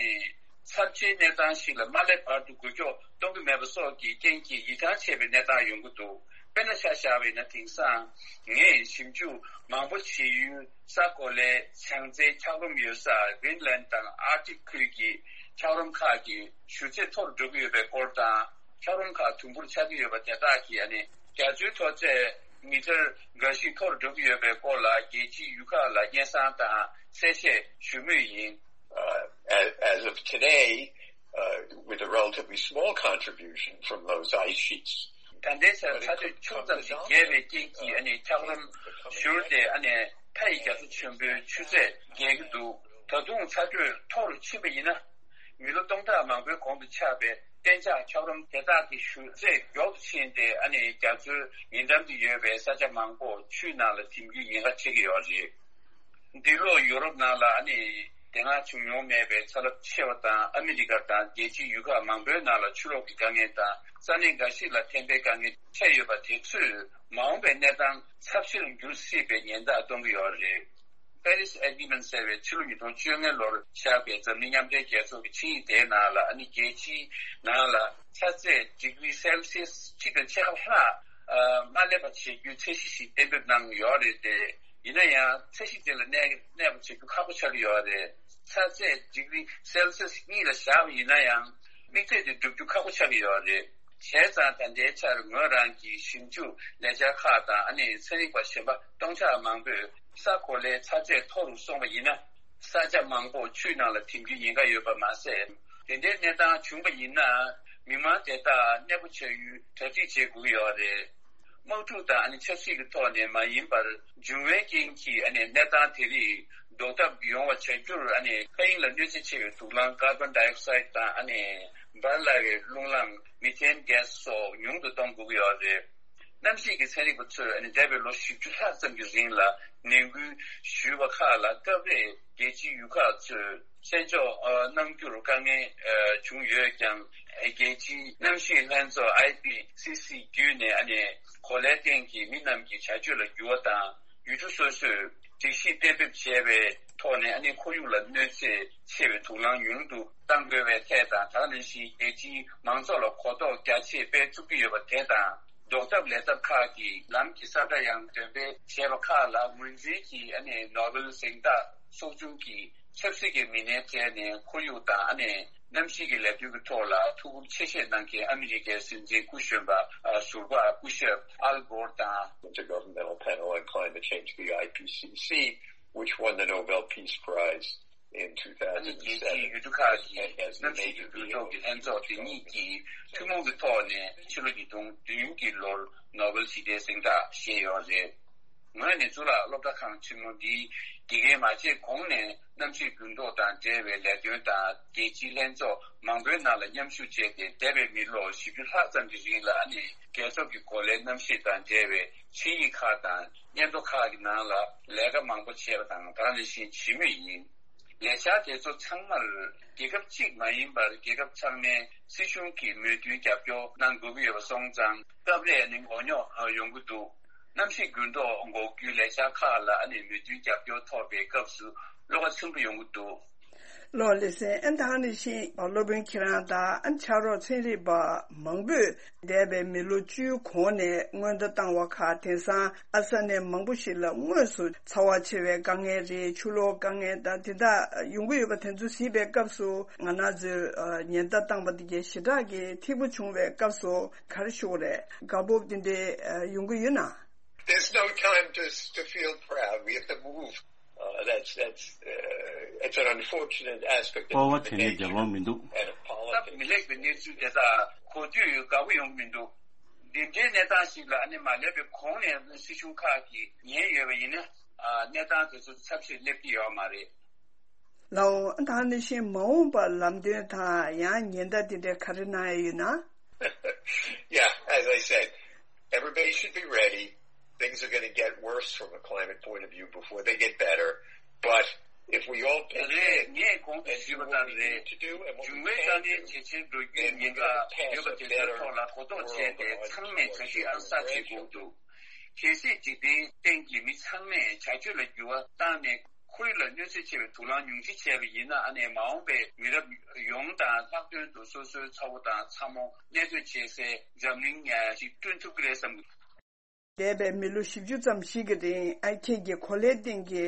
ཚབས་ཆེའི་གནས་སྟངས་ཤིག་ལ་མ་སླེབས་བར་དུ་འགུལ་སྐྱོད་གཏོང་གི་མེད་པ་སོགས་ཀྱི་རྐྱེན་གྱིས་ཡིད་ཐང་ཆད་པའི་གནས་སྟངས་ཡོང་གི་འདུག་དཔེར་ན་ཆ་བཞག་པ་ཡིན་ན། དེང་སང་ངས་ཞིབ་འཇུག་མང་པོ་བྱེད་ཡུལ་ས་གོ་ལའི་བྱང་རྩེའི་འཁྱགས་རོམ་ཡོད་ས་Greenland དང་Arctic ཁུལ་གྱི་འཁྱགས་རོམ་ཁག་གི་ཆུ་ཚད་མཐོ་རུ་འགྲོ་གི་ཡོད་པའི་སྐོར་དང་། འཁྱགས་རོམ་ཁག་དུམ་བུར་ཆགས་ཀྱི་ཡོད་པ་དེ་དག་གིས་ཨ་ནི་རྒྱ་མཚོའི་མཐོ་ཚད་མི་ཊར་འགའ་ཞིག་མཐོ་རུ་འགྲོ་གི་ཡོད་པའི་སྐོར་ལ་རྒྱལ་སྤྱིའི་ཡུལ་ཁག་ལ་སྙན་སེང་དང་གསལ་བཤད་ཞུ་མུས་ཡིན། Uh, as, as of today, uh, with a relatively small contribution from those ice sheets. ད་ལྟའི་ཆར་ཚ་དྲོད་ཆུང་ཙམ་ཞིག་རྒྱས་པའི་རྐྱེན་གྱིས་ཨ་ནི་འཁྱགས་རོམ་བཞུར་ཏེ་ཨ་ནི་མཐའ་ཡི་རྒྱ་མཚོ་ཆེན་པོའི་ཆུ་ཚད་རྒྱས་ཀྱི་འདུག་ད་དུང་ཚ་དྲོད་མཐོ་རུ་ཕྱིན་པ་ཡིན་ན། མི་ལོ་སྟོང་ཕྲག་མང་པོའི་གོང་དུ་ཆགས་པའི་གཏན་འཇགས་འཁྱགས་རོམ་དེ་དག་གི་བཞུར་ཚད་མགྱོགས་སུ་ཕྱིན་ཏེ། ཨ་ནི་རྒྱ་མཚོའི་ཉེ་འགྲམ་དུ་ཡོད་པའི་ས་ཆ་མང་པོ་ཆུའི་ནང་ལ་འཐིམ་རྒྱུའི་ཉེན་ཁ་འཕྲད་ཀྱི་ཡོད་རེད། འདི་ལོ་ཡུ་རོབ་ནང་ལ་ཨ་ནི་དེ་སྔ་བྱུང་མྱོང་མེད་པའི་ཚ་རླབས་ཆེ་བ་དང་། ཨ་མི་རི་ཀ་དང་རྒྱལ་སྤྱིའི་ཡུལ་ཁག་མང་པོའི་ནང་ལ་ཆུ་ལོག་གི་དཀའ་ངལ་དང་། ས་གནས་འགའ་ཞིག་ལ་ཐན་པའི་དཀའ་ངལ་འཕྲད་ཡོད་པ་དེ་ཚོས་མ་འོངས་པའི་གནས་སྟངས་ཚབས་ཆེ་རུ་འགྱུར་སྲིད་པའི་ཉེན་བརྡ་གཏོང་གི་ཡོད་རེད། Paris Agreement ཟེར་བའི་ཕྱི་ལོ་ཉིས་སྟོང་བཅོ་ལྔ་ལོར་བཞག་པའི་འཛམ་གླིང་མཉམ་འབྲེལ་རྒྱལ་ཚོགས་ཀྱི་ཆིངས་ཡིག་དེའི་ནང་ལ། ཨ་ནི་རྒྱལ་སྤྱིའི་ནང་ལ་ཚ་ཚད་ཌི་གྷི་རི་སེལ་སི་ཡས་གཅིག་དང་ཕྱེད་ཀ་ལྷག་ཨ་མ་སླེབས་པ་བྱེད་རྒྱུའི་ཚད་གཞི་ཞིག་གཏན་འབེབས་གནང་ཡོད་རེད་དེ། ཡིན་ན་ཡང་ཚད་གཞི་དེ་ལ་གནས་གནས་པ་བྱེད་རྒྱུ་ཁག་པོ་ཆགས་ཀྱི་ཡོད་རེད། ཚ་ཚད་ཌི་གྷི་རི་སེལ་སི་ཡས་གཉིས་ལ་བཞག་པ་ཡིན་ན་ཡང་། དམིགས་ཚད་དེ་བསྒྲུབ་རྒྱུ་ཁག་པོ་ཆགས་ཀྱི་ཡོད་རེད། བྱས་ཙང་ད་ལྟའི་ཆར་ངོས་རང་གིས་ཞིབ་འཇུག་ལས་འཆར་ཁག་དང་། ཨ་ནི་ཚན་རིག་པ་གཞན་པ་སྟོང་ཕྲག་མང་པོས་ས་གོ་ལའི་ཚ་ཚད་མཐོ་རུ་སོང་བ་ཡིན་ན། ས་ཆ་མང་པོ་ཆུའི་ནང་ལ་འཐིམ་རྒྱུའི་ཉེན་ཁ་ཡོད་པ་མ་ཟད། དེ་འདྲའི་གནས་སྟངས་བྱུང་བ་ཡིན་ན། མི་མང་དེ་དག་གནས་སྤོ་བྱ་ཡུལ་གྲ་སྒྲིག་བྱེད་དགོས་ཀྱི་ཡོད་རེད། དམག་འཁྲུག་དང་ཨ་ནི་ཆབ་སྲིད་ཀྱི་ཐོག་ནས་མ་ཡིན་པར། འབྱུང་བའི་རྐྱེན་གྱིས་ཨ་ནི་གནས་སྟངས་དེ་རིགས་ཟློག་ཐབས་ཡོང་བ་བྱ་རྒྱུར། ཨ་ནི་མཁའ་དབྱིངས་ལ་གནོད་འཚེ་ཆེ་བའི་དུག་རླངས་ཀར་བོན་ཌའི་ཨོག་སའིད་དང་། ཨ་ནི་འབར་སླ་བའི་རླུང་རླངས་མི་ཐེན་གྷེ་སི་སོགས་ཉུང་དུ་གཏོང་དགོས་ཀྱི་ཡོད་རེད། གནམ་གཤིས་ཀྱི་ཚན་རིག་པ་ཚོས་ཨ་ནི་འདས་པའི་ལོ་བཞི་བཅུ་ལྷག་ཙམ་གྱི་རིང་ལ་ནན་སྐུལ་ཞུས་པ་ཁག་ལ། སྐབས་རེ་རྒྱལ་སྤྱིའི་ཡུལ་ཁག་ཚོས་གསན་འཇོག་གནང་རྒྱུར་དཀའ་ངལ་བྱུང་ཡོད་ཀྱང་། རྒྱལ་སྤྱིའི་གནམ་གཤིས་ལྷན་ཚོགས་ཨའི་པི་སི་སི་བརྒྱུད་ནས། ཨ་ནི་གོ་ལའི་སྟེང་གི་མི་རྣམས་ཀྱི་བྱ་སྤྱོད་ལ་འགྱུར་བ་དང་། ཡུལ་གྲུ་སོ་སོས་ སྒྲིག་གཞི་གཏན་འབེབས་བྱས་པའི་ཐོག་ནས་ཨ་ནི་ཁོར་ཡུག་ལ་གནོད་འཚེ་ཆེ་བའི་དུག་རླངས་ཉུང་དུ་གཏང་དགོས་པའི་ཐད་དང་། ད་ག་ནང་བཞིན་རྒྱལ་སྤྱིའི་མང་ཚོགས་ལ་གོ་རྟོགས་རྒྱ་ཆེ་སྤེལ་ཐུབ་ཀྱི་ཡོད་པ་དེ་དང་། ཟློག་ཐབས་ལས་ཐབས་ཁག་གི་ལམ་གྱི་ས་བཀྲ་ཡང་འདོན་སྤེལ་བྱས་པ་ཁག་ལ་ངོས་འཛིན་གྱིས་ཨ་ནི་ནོ་བེལ་གཟེངས་རྟགས་ཚོགས་ཆུང་གི་ཆབ་སྲིད་ཀྱི་མི་སྣའི་གྲས་ནས་ཁོར་ཡུག་དང་ཨ་ནི་གནམ་གཤིས་ཀྱི་ལས་དོན་གྱི་ཐོག་ལ་ཐུགས་ཁུར་ཆེ་བཞེས་གནང་མཁན་ཨ་མི་རི་ཀའི་སྲིད་འཛིན་སྐུ་གཞོན་པ་ཨ་ཟུར་པ་སྐུ་ཞབས་ཨལ་གྷོར་དང་། Intergovernmental Panel on Climate Change, the I P C C, which won the Nobel Peace Prize in ཨ་ནི་རྒྱལ་སྤྱིའི་ཡུལ་གྲུ་ཁག་གི་གནམ་གཤིས་ཀྱི་འགྱུར་ལྡོག་གི་ལྷན་ཚོགས་དེ་གཉིས་ཀྱིས་ཐུན་མོང་གི་ཐོག་ནས་ཕྱི་ལོ་ཉིས་སྟོང་བདུན་གྱི་ལོར་ནོ་བེལ་ཞི་བདེའི་གཟེངས་རྟགས་བཞེས་ཡོད་རེད། ངོས་ནས་གཙུག་ལག་སློབ་གྲྭ་ཁང་ཆེན་མོ་འདིའི་དགེ་རྒན་མ་བྱས་གོང་ནས་གནམ་གཤིས་འགྱུར་ལྡོག་དང་འབྲེལ་བའི་ལས་དོན་དང་རྒྱལ་སྤྱིའི་ལྷན་ཚོགས་མང་པོའི་ནང་ལ་མཉམ་ཞུགས་བྱས་ཏེ། འདས་པའི་མི་ལོ་བཞི་བཅུ་ལྷག་ཙམ་གྱི་རིང་ལ་ཨ་ནི་རྒྱལ་ཁབ་ཀྱི་གོ་ལའི་གནམ་གཤིས་དང་འབྲེལ་བའི་ཆིངས་ཡིག་ཁག་དང་སྙན་ཐོ་ཁག་གི་ནང་ལ་ལས་ཀ་མང་པོ་བྱས་པ་དང་། ད་ག་ནང་བཞིན་བྱེད་མུས་ཡིན། ལས་འཆར་དེ་ཚོ་ཚང་མར་རྒྱལ་ཁབ་གཅིག་མ་ཡིན་པར་རྒྱལ་ཁབ་ཚང་མའི་སྲིད་གཞུང་གིས་མོས་མཐུན་རྒྱབ་སྐྱོར་གནང་དགོས་ཀྱི་ཡོད་པ་སོང་ཙང་། སྐབས་རེ་ནི་མགོ་རྙོག་ཡོང་གི་འདུག་གནམ་གཤིས་འགྱུར་ལྡོག་འགོག་རྒྱུའི་ལས་འཆར་ཁག་ལ་ཨ་ནི་མོས་མཐུན་རྒྱབ་སྐྱོར་ཐོབ་པའི་སྐབས་སུ་བློ་ཁ་ཚིམ་པོ་ཡོང་གི་འདུག་ལགས་ལགས་སེ། ཨ་ནི་ད་ག་ནང་བཞིན་སློབ་དཔོན་ཁྱེད་རང་དང་ཨ་ནི་ཕྱག་རོགས་ཚན་རིག་པ་མང་པོས་འདས་པའི་མི་ལོ་བཅུའི་གོང་ནས་སྔོན་བརྡ་བཏང་བ་ཁག་དེང་སང་ཨ་ས་གནས་མང་པོ་ཞིག་ལ་དངོས་སུ་ཚ་བ་ཆེ་བའི་དཀའ་ངལ་རེད། ཆུ་ལོག་དཀའ་ངལ་དང་དེ་དག་ཡོང་གི་ཡོད་པ་དེ་ཚོ་གཟིགས་པའི་སྐབས་སུ། ང་རང་ཚོས་ཨ་ཉེན་བརྡ་བཏང་པ་དེ་གའི་ཞེ་དྲག་གི་འཐད་པོ་བྱུང་བའི་སྐབས་སུ་ག་རེ་ཞུ་དགོས་རེད། དགའ་སྤོབས་དེ་འདྲའི་ཨ་ཡོང་གི་ཡོད་ན། There's no time to, to feel proud. We have to move. Uh, that's, that's, uh, it's an unfortunate aspect of སྤོབས་པ་དྲན་ནས་རྒྱལ་བ་མི་འདུག and of སྟབས་མི་politics. ལེགས་པའི་གནས་ཚུལ་དེ་དག་གོ་དུས་དགའ་པོ་ཡོང་གི་མི་འདུག་འདི་འདྲའི་གནས་སྟངས་ཤིག་ལ་ཨ་ནི་མ་སླེབས་པའི་གོང་ནས་སྲིད་གཞུང་ཁག་གིས་ཉན་ཡོད་པ་ཡིན་ན། ཨ་གནས་སྟངས་དེ་ཚོ་ཚབས་ཆེར་སླེབས་ཀྱི་ཡོད་མ་རེད། ལགས་འོང་། ད་ནི་ཤིང་མ་འོངས་པར་ལམ་སྟོན་དང་ཡང་ཉེན་བརྡ་དེ་འདྲ་ག་རེ་གནང་ཡ་ཡོད་ན། Yeah, as I said, everybody should be ready. Things are going to get worse from a climate point of view before they get better. But if we all pitch རེད། in ངས་གོང་དུ་and do ཞུས་པ་what ལྟར་we རེད། need to do and what we འབྱུང་བའི་དཀའ་ངལ་ཇེ་ཆེར་འགྲོ་རྒྱུའི་ཉེན་ཁ་ཡོད་པ་དེ་ཚོའི་ཐོག་ལ་གོ་རྟོགས་བྱས་ཏེ། ཚང་མས་བྱ་གཞི་ཨང་གསར་བྱེད་དགོས་འདུག་གལ་སྲིད་འཇིག་རྟེན་སྟེང་གི་མི་ཚང་མས་བྱ་སྤྱོད་ལ་འགྱུར་བ་བཏང་ནས། ཁོར་ཡུག་ལ་གནོད་འཚེ་ཆེ་བའི་དུག་རླངས་ཉུང་འཕྲི་བྱས་པ་ཡིན་ན། ཨ་ནི་མ་འོངས་པའི་མི་རབས་ཡོངས་དང་ལྷག་དོན་དུ་སོ་སོའི་ཚ་བོ་དང་ཚ་མོ་གནས་སྡོད་བྱེད་སའི་འཛམ་གླིང་ཞིག་བསྐྲུན་ཐུབ་ཀྱི་རེད་བསམ་གྱི། འདས་པའི་མི་ལོ་བཞི་བཅུ་ཙམ་ཞིག་གི་རིང་ཨ་ཁྱེད་ཀྱི་གོ་ལའི་སྟེང་གི་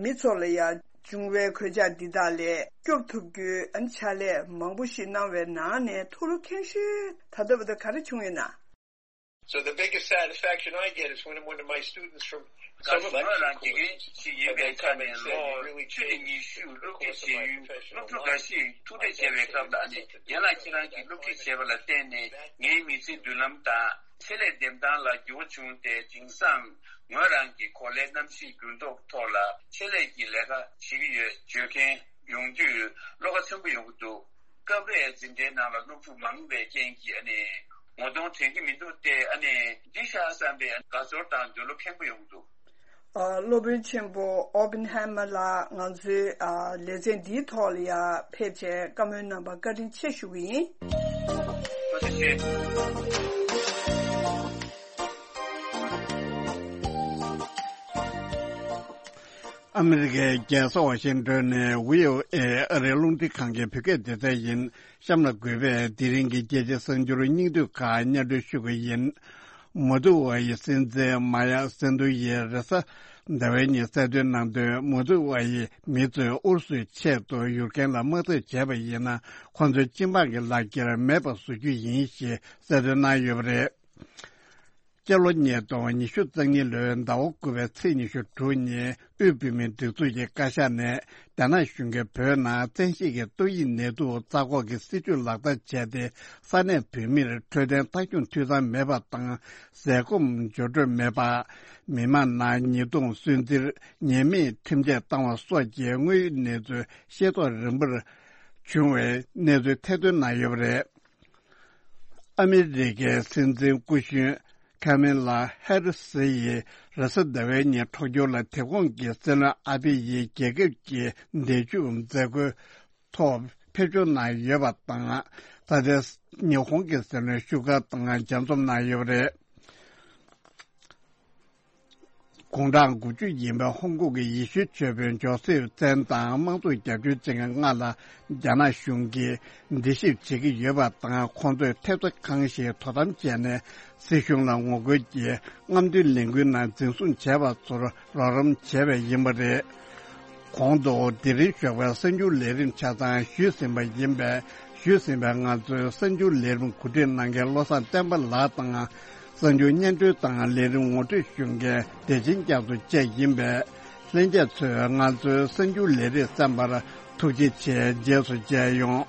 མི་ཚོ་ལ་ཡང་འབྱུང་བའི་གོད་ཆག་འདི་དག་ལས་སྐྱོབ་ཐུབ་རྒྱུའི་ཨ་ནི་ཕྱག་ལས་མང་པོ་ཞིག་གནང་བའི་ནང་ནས་ཐུགས་ལ་ཁེངས་ཤོས་ད་ལྟ་བར་དུ་ག་རེ་བྱུང་ཡོད་ན། So the biggest satisfaction I get is when one of my students from some of my ངོས་རང་དགེ་རྒན་ཞིག་ཡིན་པའི་ཆ་ནས་ལོ་བཅུ་ནས་ཉི་ཤུ་སློབ་ཁྲིད་བྱེད་ཡུལ་སློབ་ཕྲུག་འགའ་ཞིག་ཐུག་འཕྲད་བྱས་པའི་སྐབས་ལ་ནི། རྒན་ལགས་ཁྱེད་རང་གིས་སློབ་ཁྲིད་བྱས་པ་ལ་བརྟེན་ནས་ངའི་མི་ཚེའི་མདུན་ལམ་དང་ཆེད་ལས་འདེམས་སྟངས་ལ་འགྱུར་བ་བྱུང་སྟེ། དེང་སང་ངོས་རང་གིས་གོ་ལའི་གནམ་གཤིས་འགྱུར་ལྡོག་ཐོག་ལ་ཆེད་ལས་ཀྱི་ལས་ཀ་བྱེད་ཀྱི་ཡོད་བརྗོད་མཁན་ཡོང་དུས་བློ་ཁ་ཚིམ་པོ་ཡོང་གི་འདུག་སྐབས་རེ་འཛིན་གྲྭའི་ནང་ལ་སློབ་ཕྲུག་མང་བའི་རྐྱེན་གྱིས་ཨ་ནི་ངོ་གདོང་དྲན་གྱི་མི་འདུག་སྟེ། ཨ་ནི་འདི་ཤག་བསམ་པའི་དགའ་ཚོར་དང་འདོད་བློ་ཁེངས་པོ་ཡོང་གི་འདུག་ཨ། སློབ་དཔོན་ཆེན་པོ་ཨོ་པེན་ཧེ་མ་ལགས་ང་ཚོའི་ཨ་ལེ་ཚན་འདིའི་ཐོག་ལ་ཡང་ཕེབས་བྱས་བཀའ་མོལ་གནང་བར་བཀའ་དྲིན་ཆེ་ཞུ་གི་ཡིན། ཐུགས་རྗེ་ཆེ། ཨ་མི་རི་ཀའི་རྒྱལ་ས་ཝ་ཤིང་ཏོན་ནས་བྷི་ཨོ་ཨེ་ཨ་རིའི་རླུང་འཕྲིན་ཁང་གི་བོད་སྐད་སྡེ་ཚན་ཡིན། གཤམ་ལ་འགོད་པས་དེ་རིང་གི་རྒྱལ་སྤྱིའི་གསར་འགྱུར་སྙིང་བསྡུས་ཁག་སྙན་སྒྲོན་ཞུ་གི་ཡིན། མོལ་དུ་ཝ་ཡི་སྲིད་འཛིན་མ་ཡ་སན་དུ་ཡིས་རེས་གཟའ་ཟླ་བའི་ཉིན་གསལ་སྟོན་གནང་དོན། མོལ་དུ་ཝ་ཡི་མི་ཚོས་ཨུ་རུ་སུའི་ཆེད་དུ་ཡུཀ་རེན་ལ་དམག་འཐབ་བྱས་པ་ཡིན་ན། ཁོ་ཚོའི་སྤྱི་དམངས་ཀྱི་ལག་འཁྱེར་མེད་པ་བཟོ་རྒྱུ་ཡིན་ཞེས་གསལ་སྟོན་གནང་ཡོད་པ་རེད། སྤྱི་ལོ་ཉིས་སྟོང་ཉི་ཤུ་རྩ་གཉིས་ལོའི་ཟླ་བ་དགུ་པའི་ཚེས་ཉི་ཤུ་དྲུག་ཉིན། དབུས་བོད་མིའི་སྒྲིག་འཛུགས་ཀྱི་བཀའ་ཤག་ནས་རྒྱ་ནག་གཞུང་གིས་བོད་ནང་བཙན་ཤེད་ཀྱིས་ཏོག་དབྱིབས་ནད་དུག་རྩ་འགོག་གི་སྲིད་ཇུས་ལག་བསྟར་བྱས་ཏེ། ས་གནས་བོད་མིར་འཕྲོད་བསྟེན་ལྟ་སྐྱོང་འཐུས་ཚང་མེད་པ་དང་། ཟས་སྐོམ་འབྱོར་འཕྲོད་མེད་པ། མི་མང་ནང་ཉེས་རྡུང་སུན་གཙེར། ཉེས་མེད་ཁྲིམས་ཆད་བཏང་བ་སོགས་ཀྱི་དངོས་ཡོད་གནས་ཚུལ་ཤེས་རྟོགས་རིམ་པར་བྱུང་བའི་གནས་ཚུལ་ཐེར་འདོན་གནང་ཡོད་པ་རེད། ཨ་མི་རི་ཀའི་སྲིད་འཛིན་སྐུ་གཞོན་ཁ་མེ་ལ་ཧེ་རི་སི་ཡིས་རེས་གཟའ་ཟླ་བའི་ཉིན་འཕྲོག་འཁྱེར་ལ་དེ་གོང་གི་སྲིད་བློན་ཨ་བྷི་ཡིས་རྒྱལ་ཁབ་ཀྱི་འདས་མཆོད་མཛད་སྒོའི་ཐོག་ཕེབས་འབྱོར་གནང་ཡོད་པ་དང་། ད་ལྟའི་ཉི་ཧོང་གི་སྲིད་བློན་ཤུ་ག་དང་མཇལ་འཛོམས་གནང་ཡོད་པ་རེད། དགུང་གྲངས་དགུ་བཅུ་ཡིན་པའི་ཧོང་ཀོང་གི་ཡེ་ཤུའི་ཆོས་དཔོན་ཇོ་སེབ་ཙན་དང་དམངས་གཙོ་རྒྱབ་སྐྱོར་བྱེད་མཁན་ལྔ་ལ་རྒྱ་ནག་གཞུང་གིས་འདྲི་ཞིབ་བྱེད་ཀྱི་ཡོད་པ་དང་། ཁོང་ཚོས་ཐེབས་རྩ་གང་ཞིག་དོ་དམ་བྱས་ནས་སྲིད་གཞུང་ལ་ངོ་རྒོལ་གྱིས་རྔམ་སྟོན་ལས་འགུལ་ནང་འཛིན་བཟུང་བྱས་པ་ཚོར་རོགས་རམ་བྱས་པ་ཡིན་པ་རེད། གོང་དུ་དེ་རིང་ཞོགས་པའི་གསར་འགྱུར་ལས་རིམ་ཆ་ཚང་ཞུས་ཟིན་པ་ཡིན་པས། ཞུས་ཟིན་པའི་ང་ཚོའི་གསར་འགྱུར་ལས་རིམ་གོ་སྒྲིག་གནང་མཁན་བློ་བཟང་བསྟན་པ་ལགས་དང་། གསར་འགྱུར་སྙན་སྒྲོན་དང་ལས་རིམ་ངོ་སྤྲོད་ཞུ་མཁན་བདེ་ཆེན་རྒྱ་མཚོ་བཅས་ཡིན་པས། ལྷན་རྒྱས་ཚོས་ང་ཚོའི་གསར་འགྱུར་ལས་རིམ་གསན་པར་ཐུགས་རྗེ་ཆེ། རྗེས་སུ་མཇལ་ཡོང་།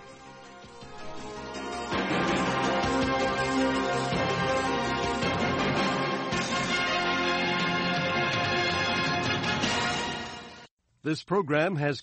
This program has come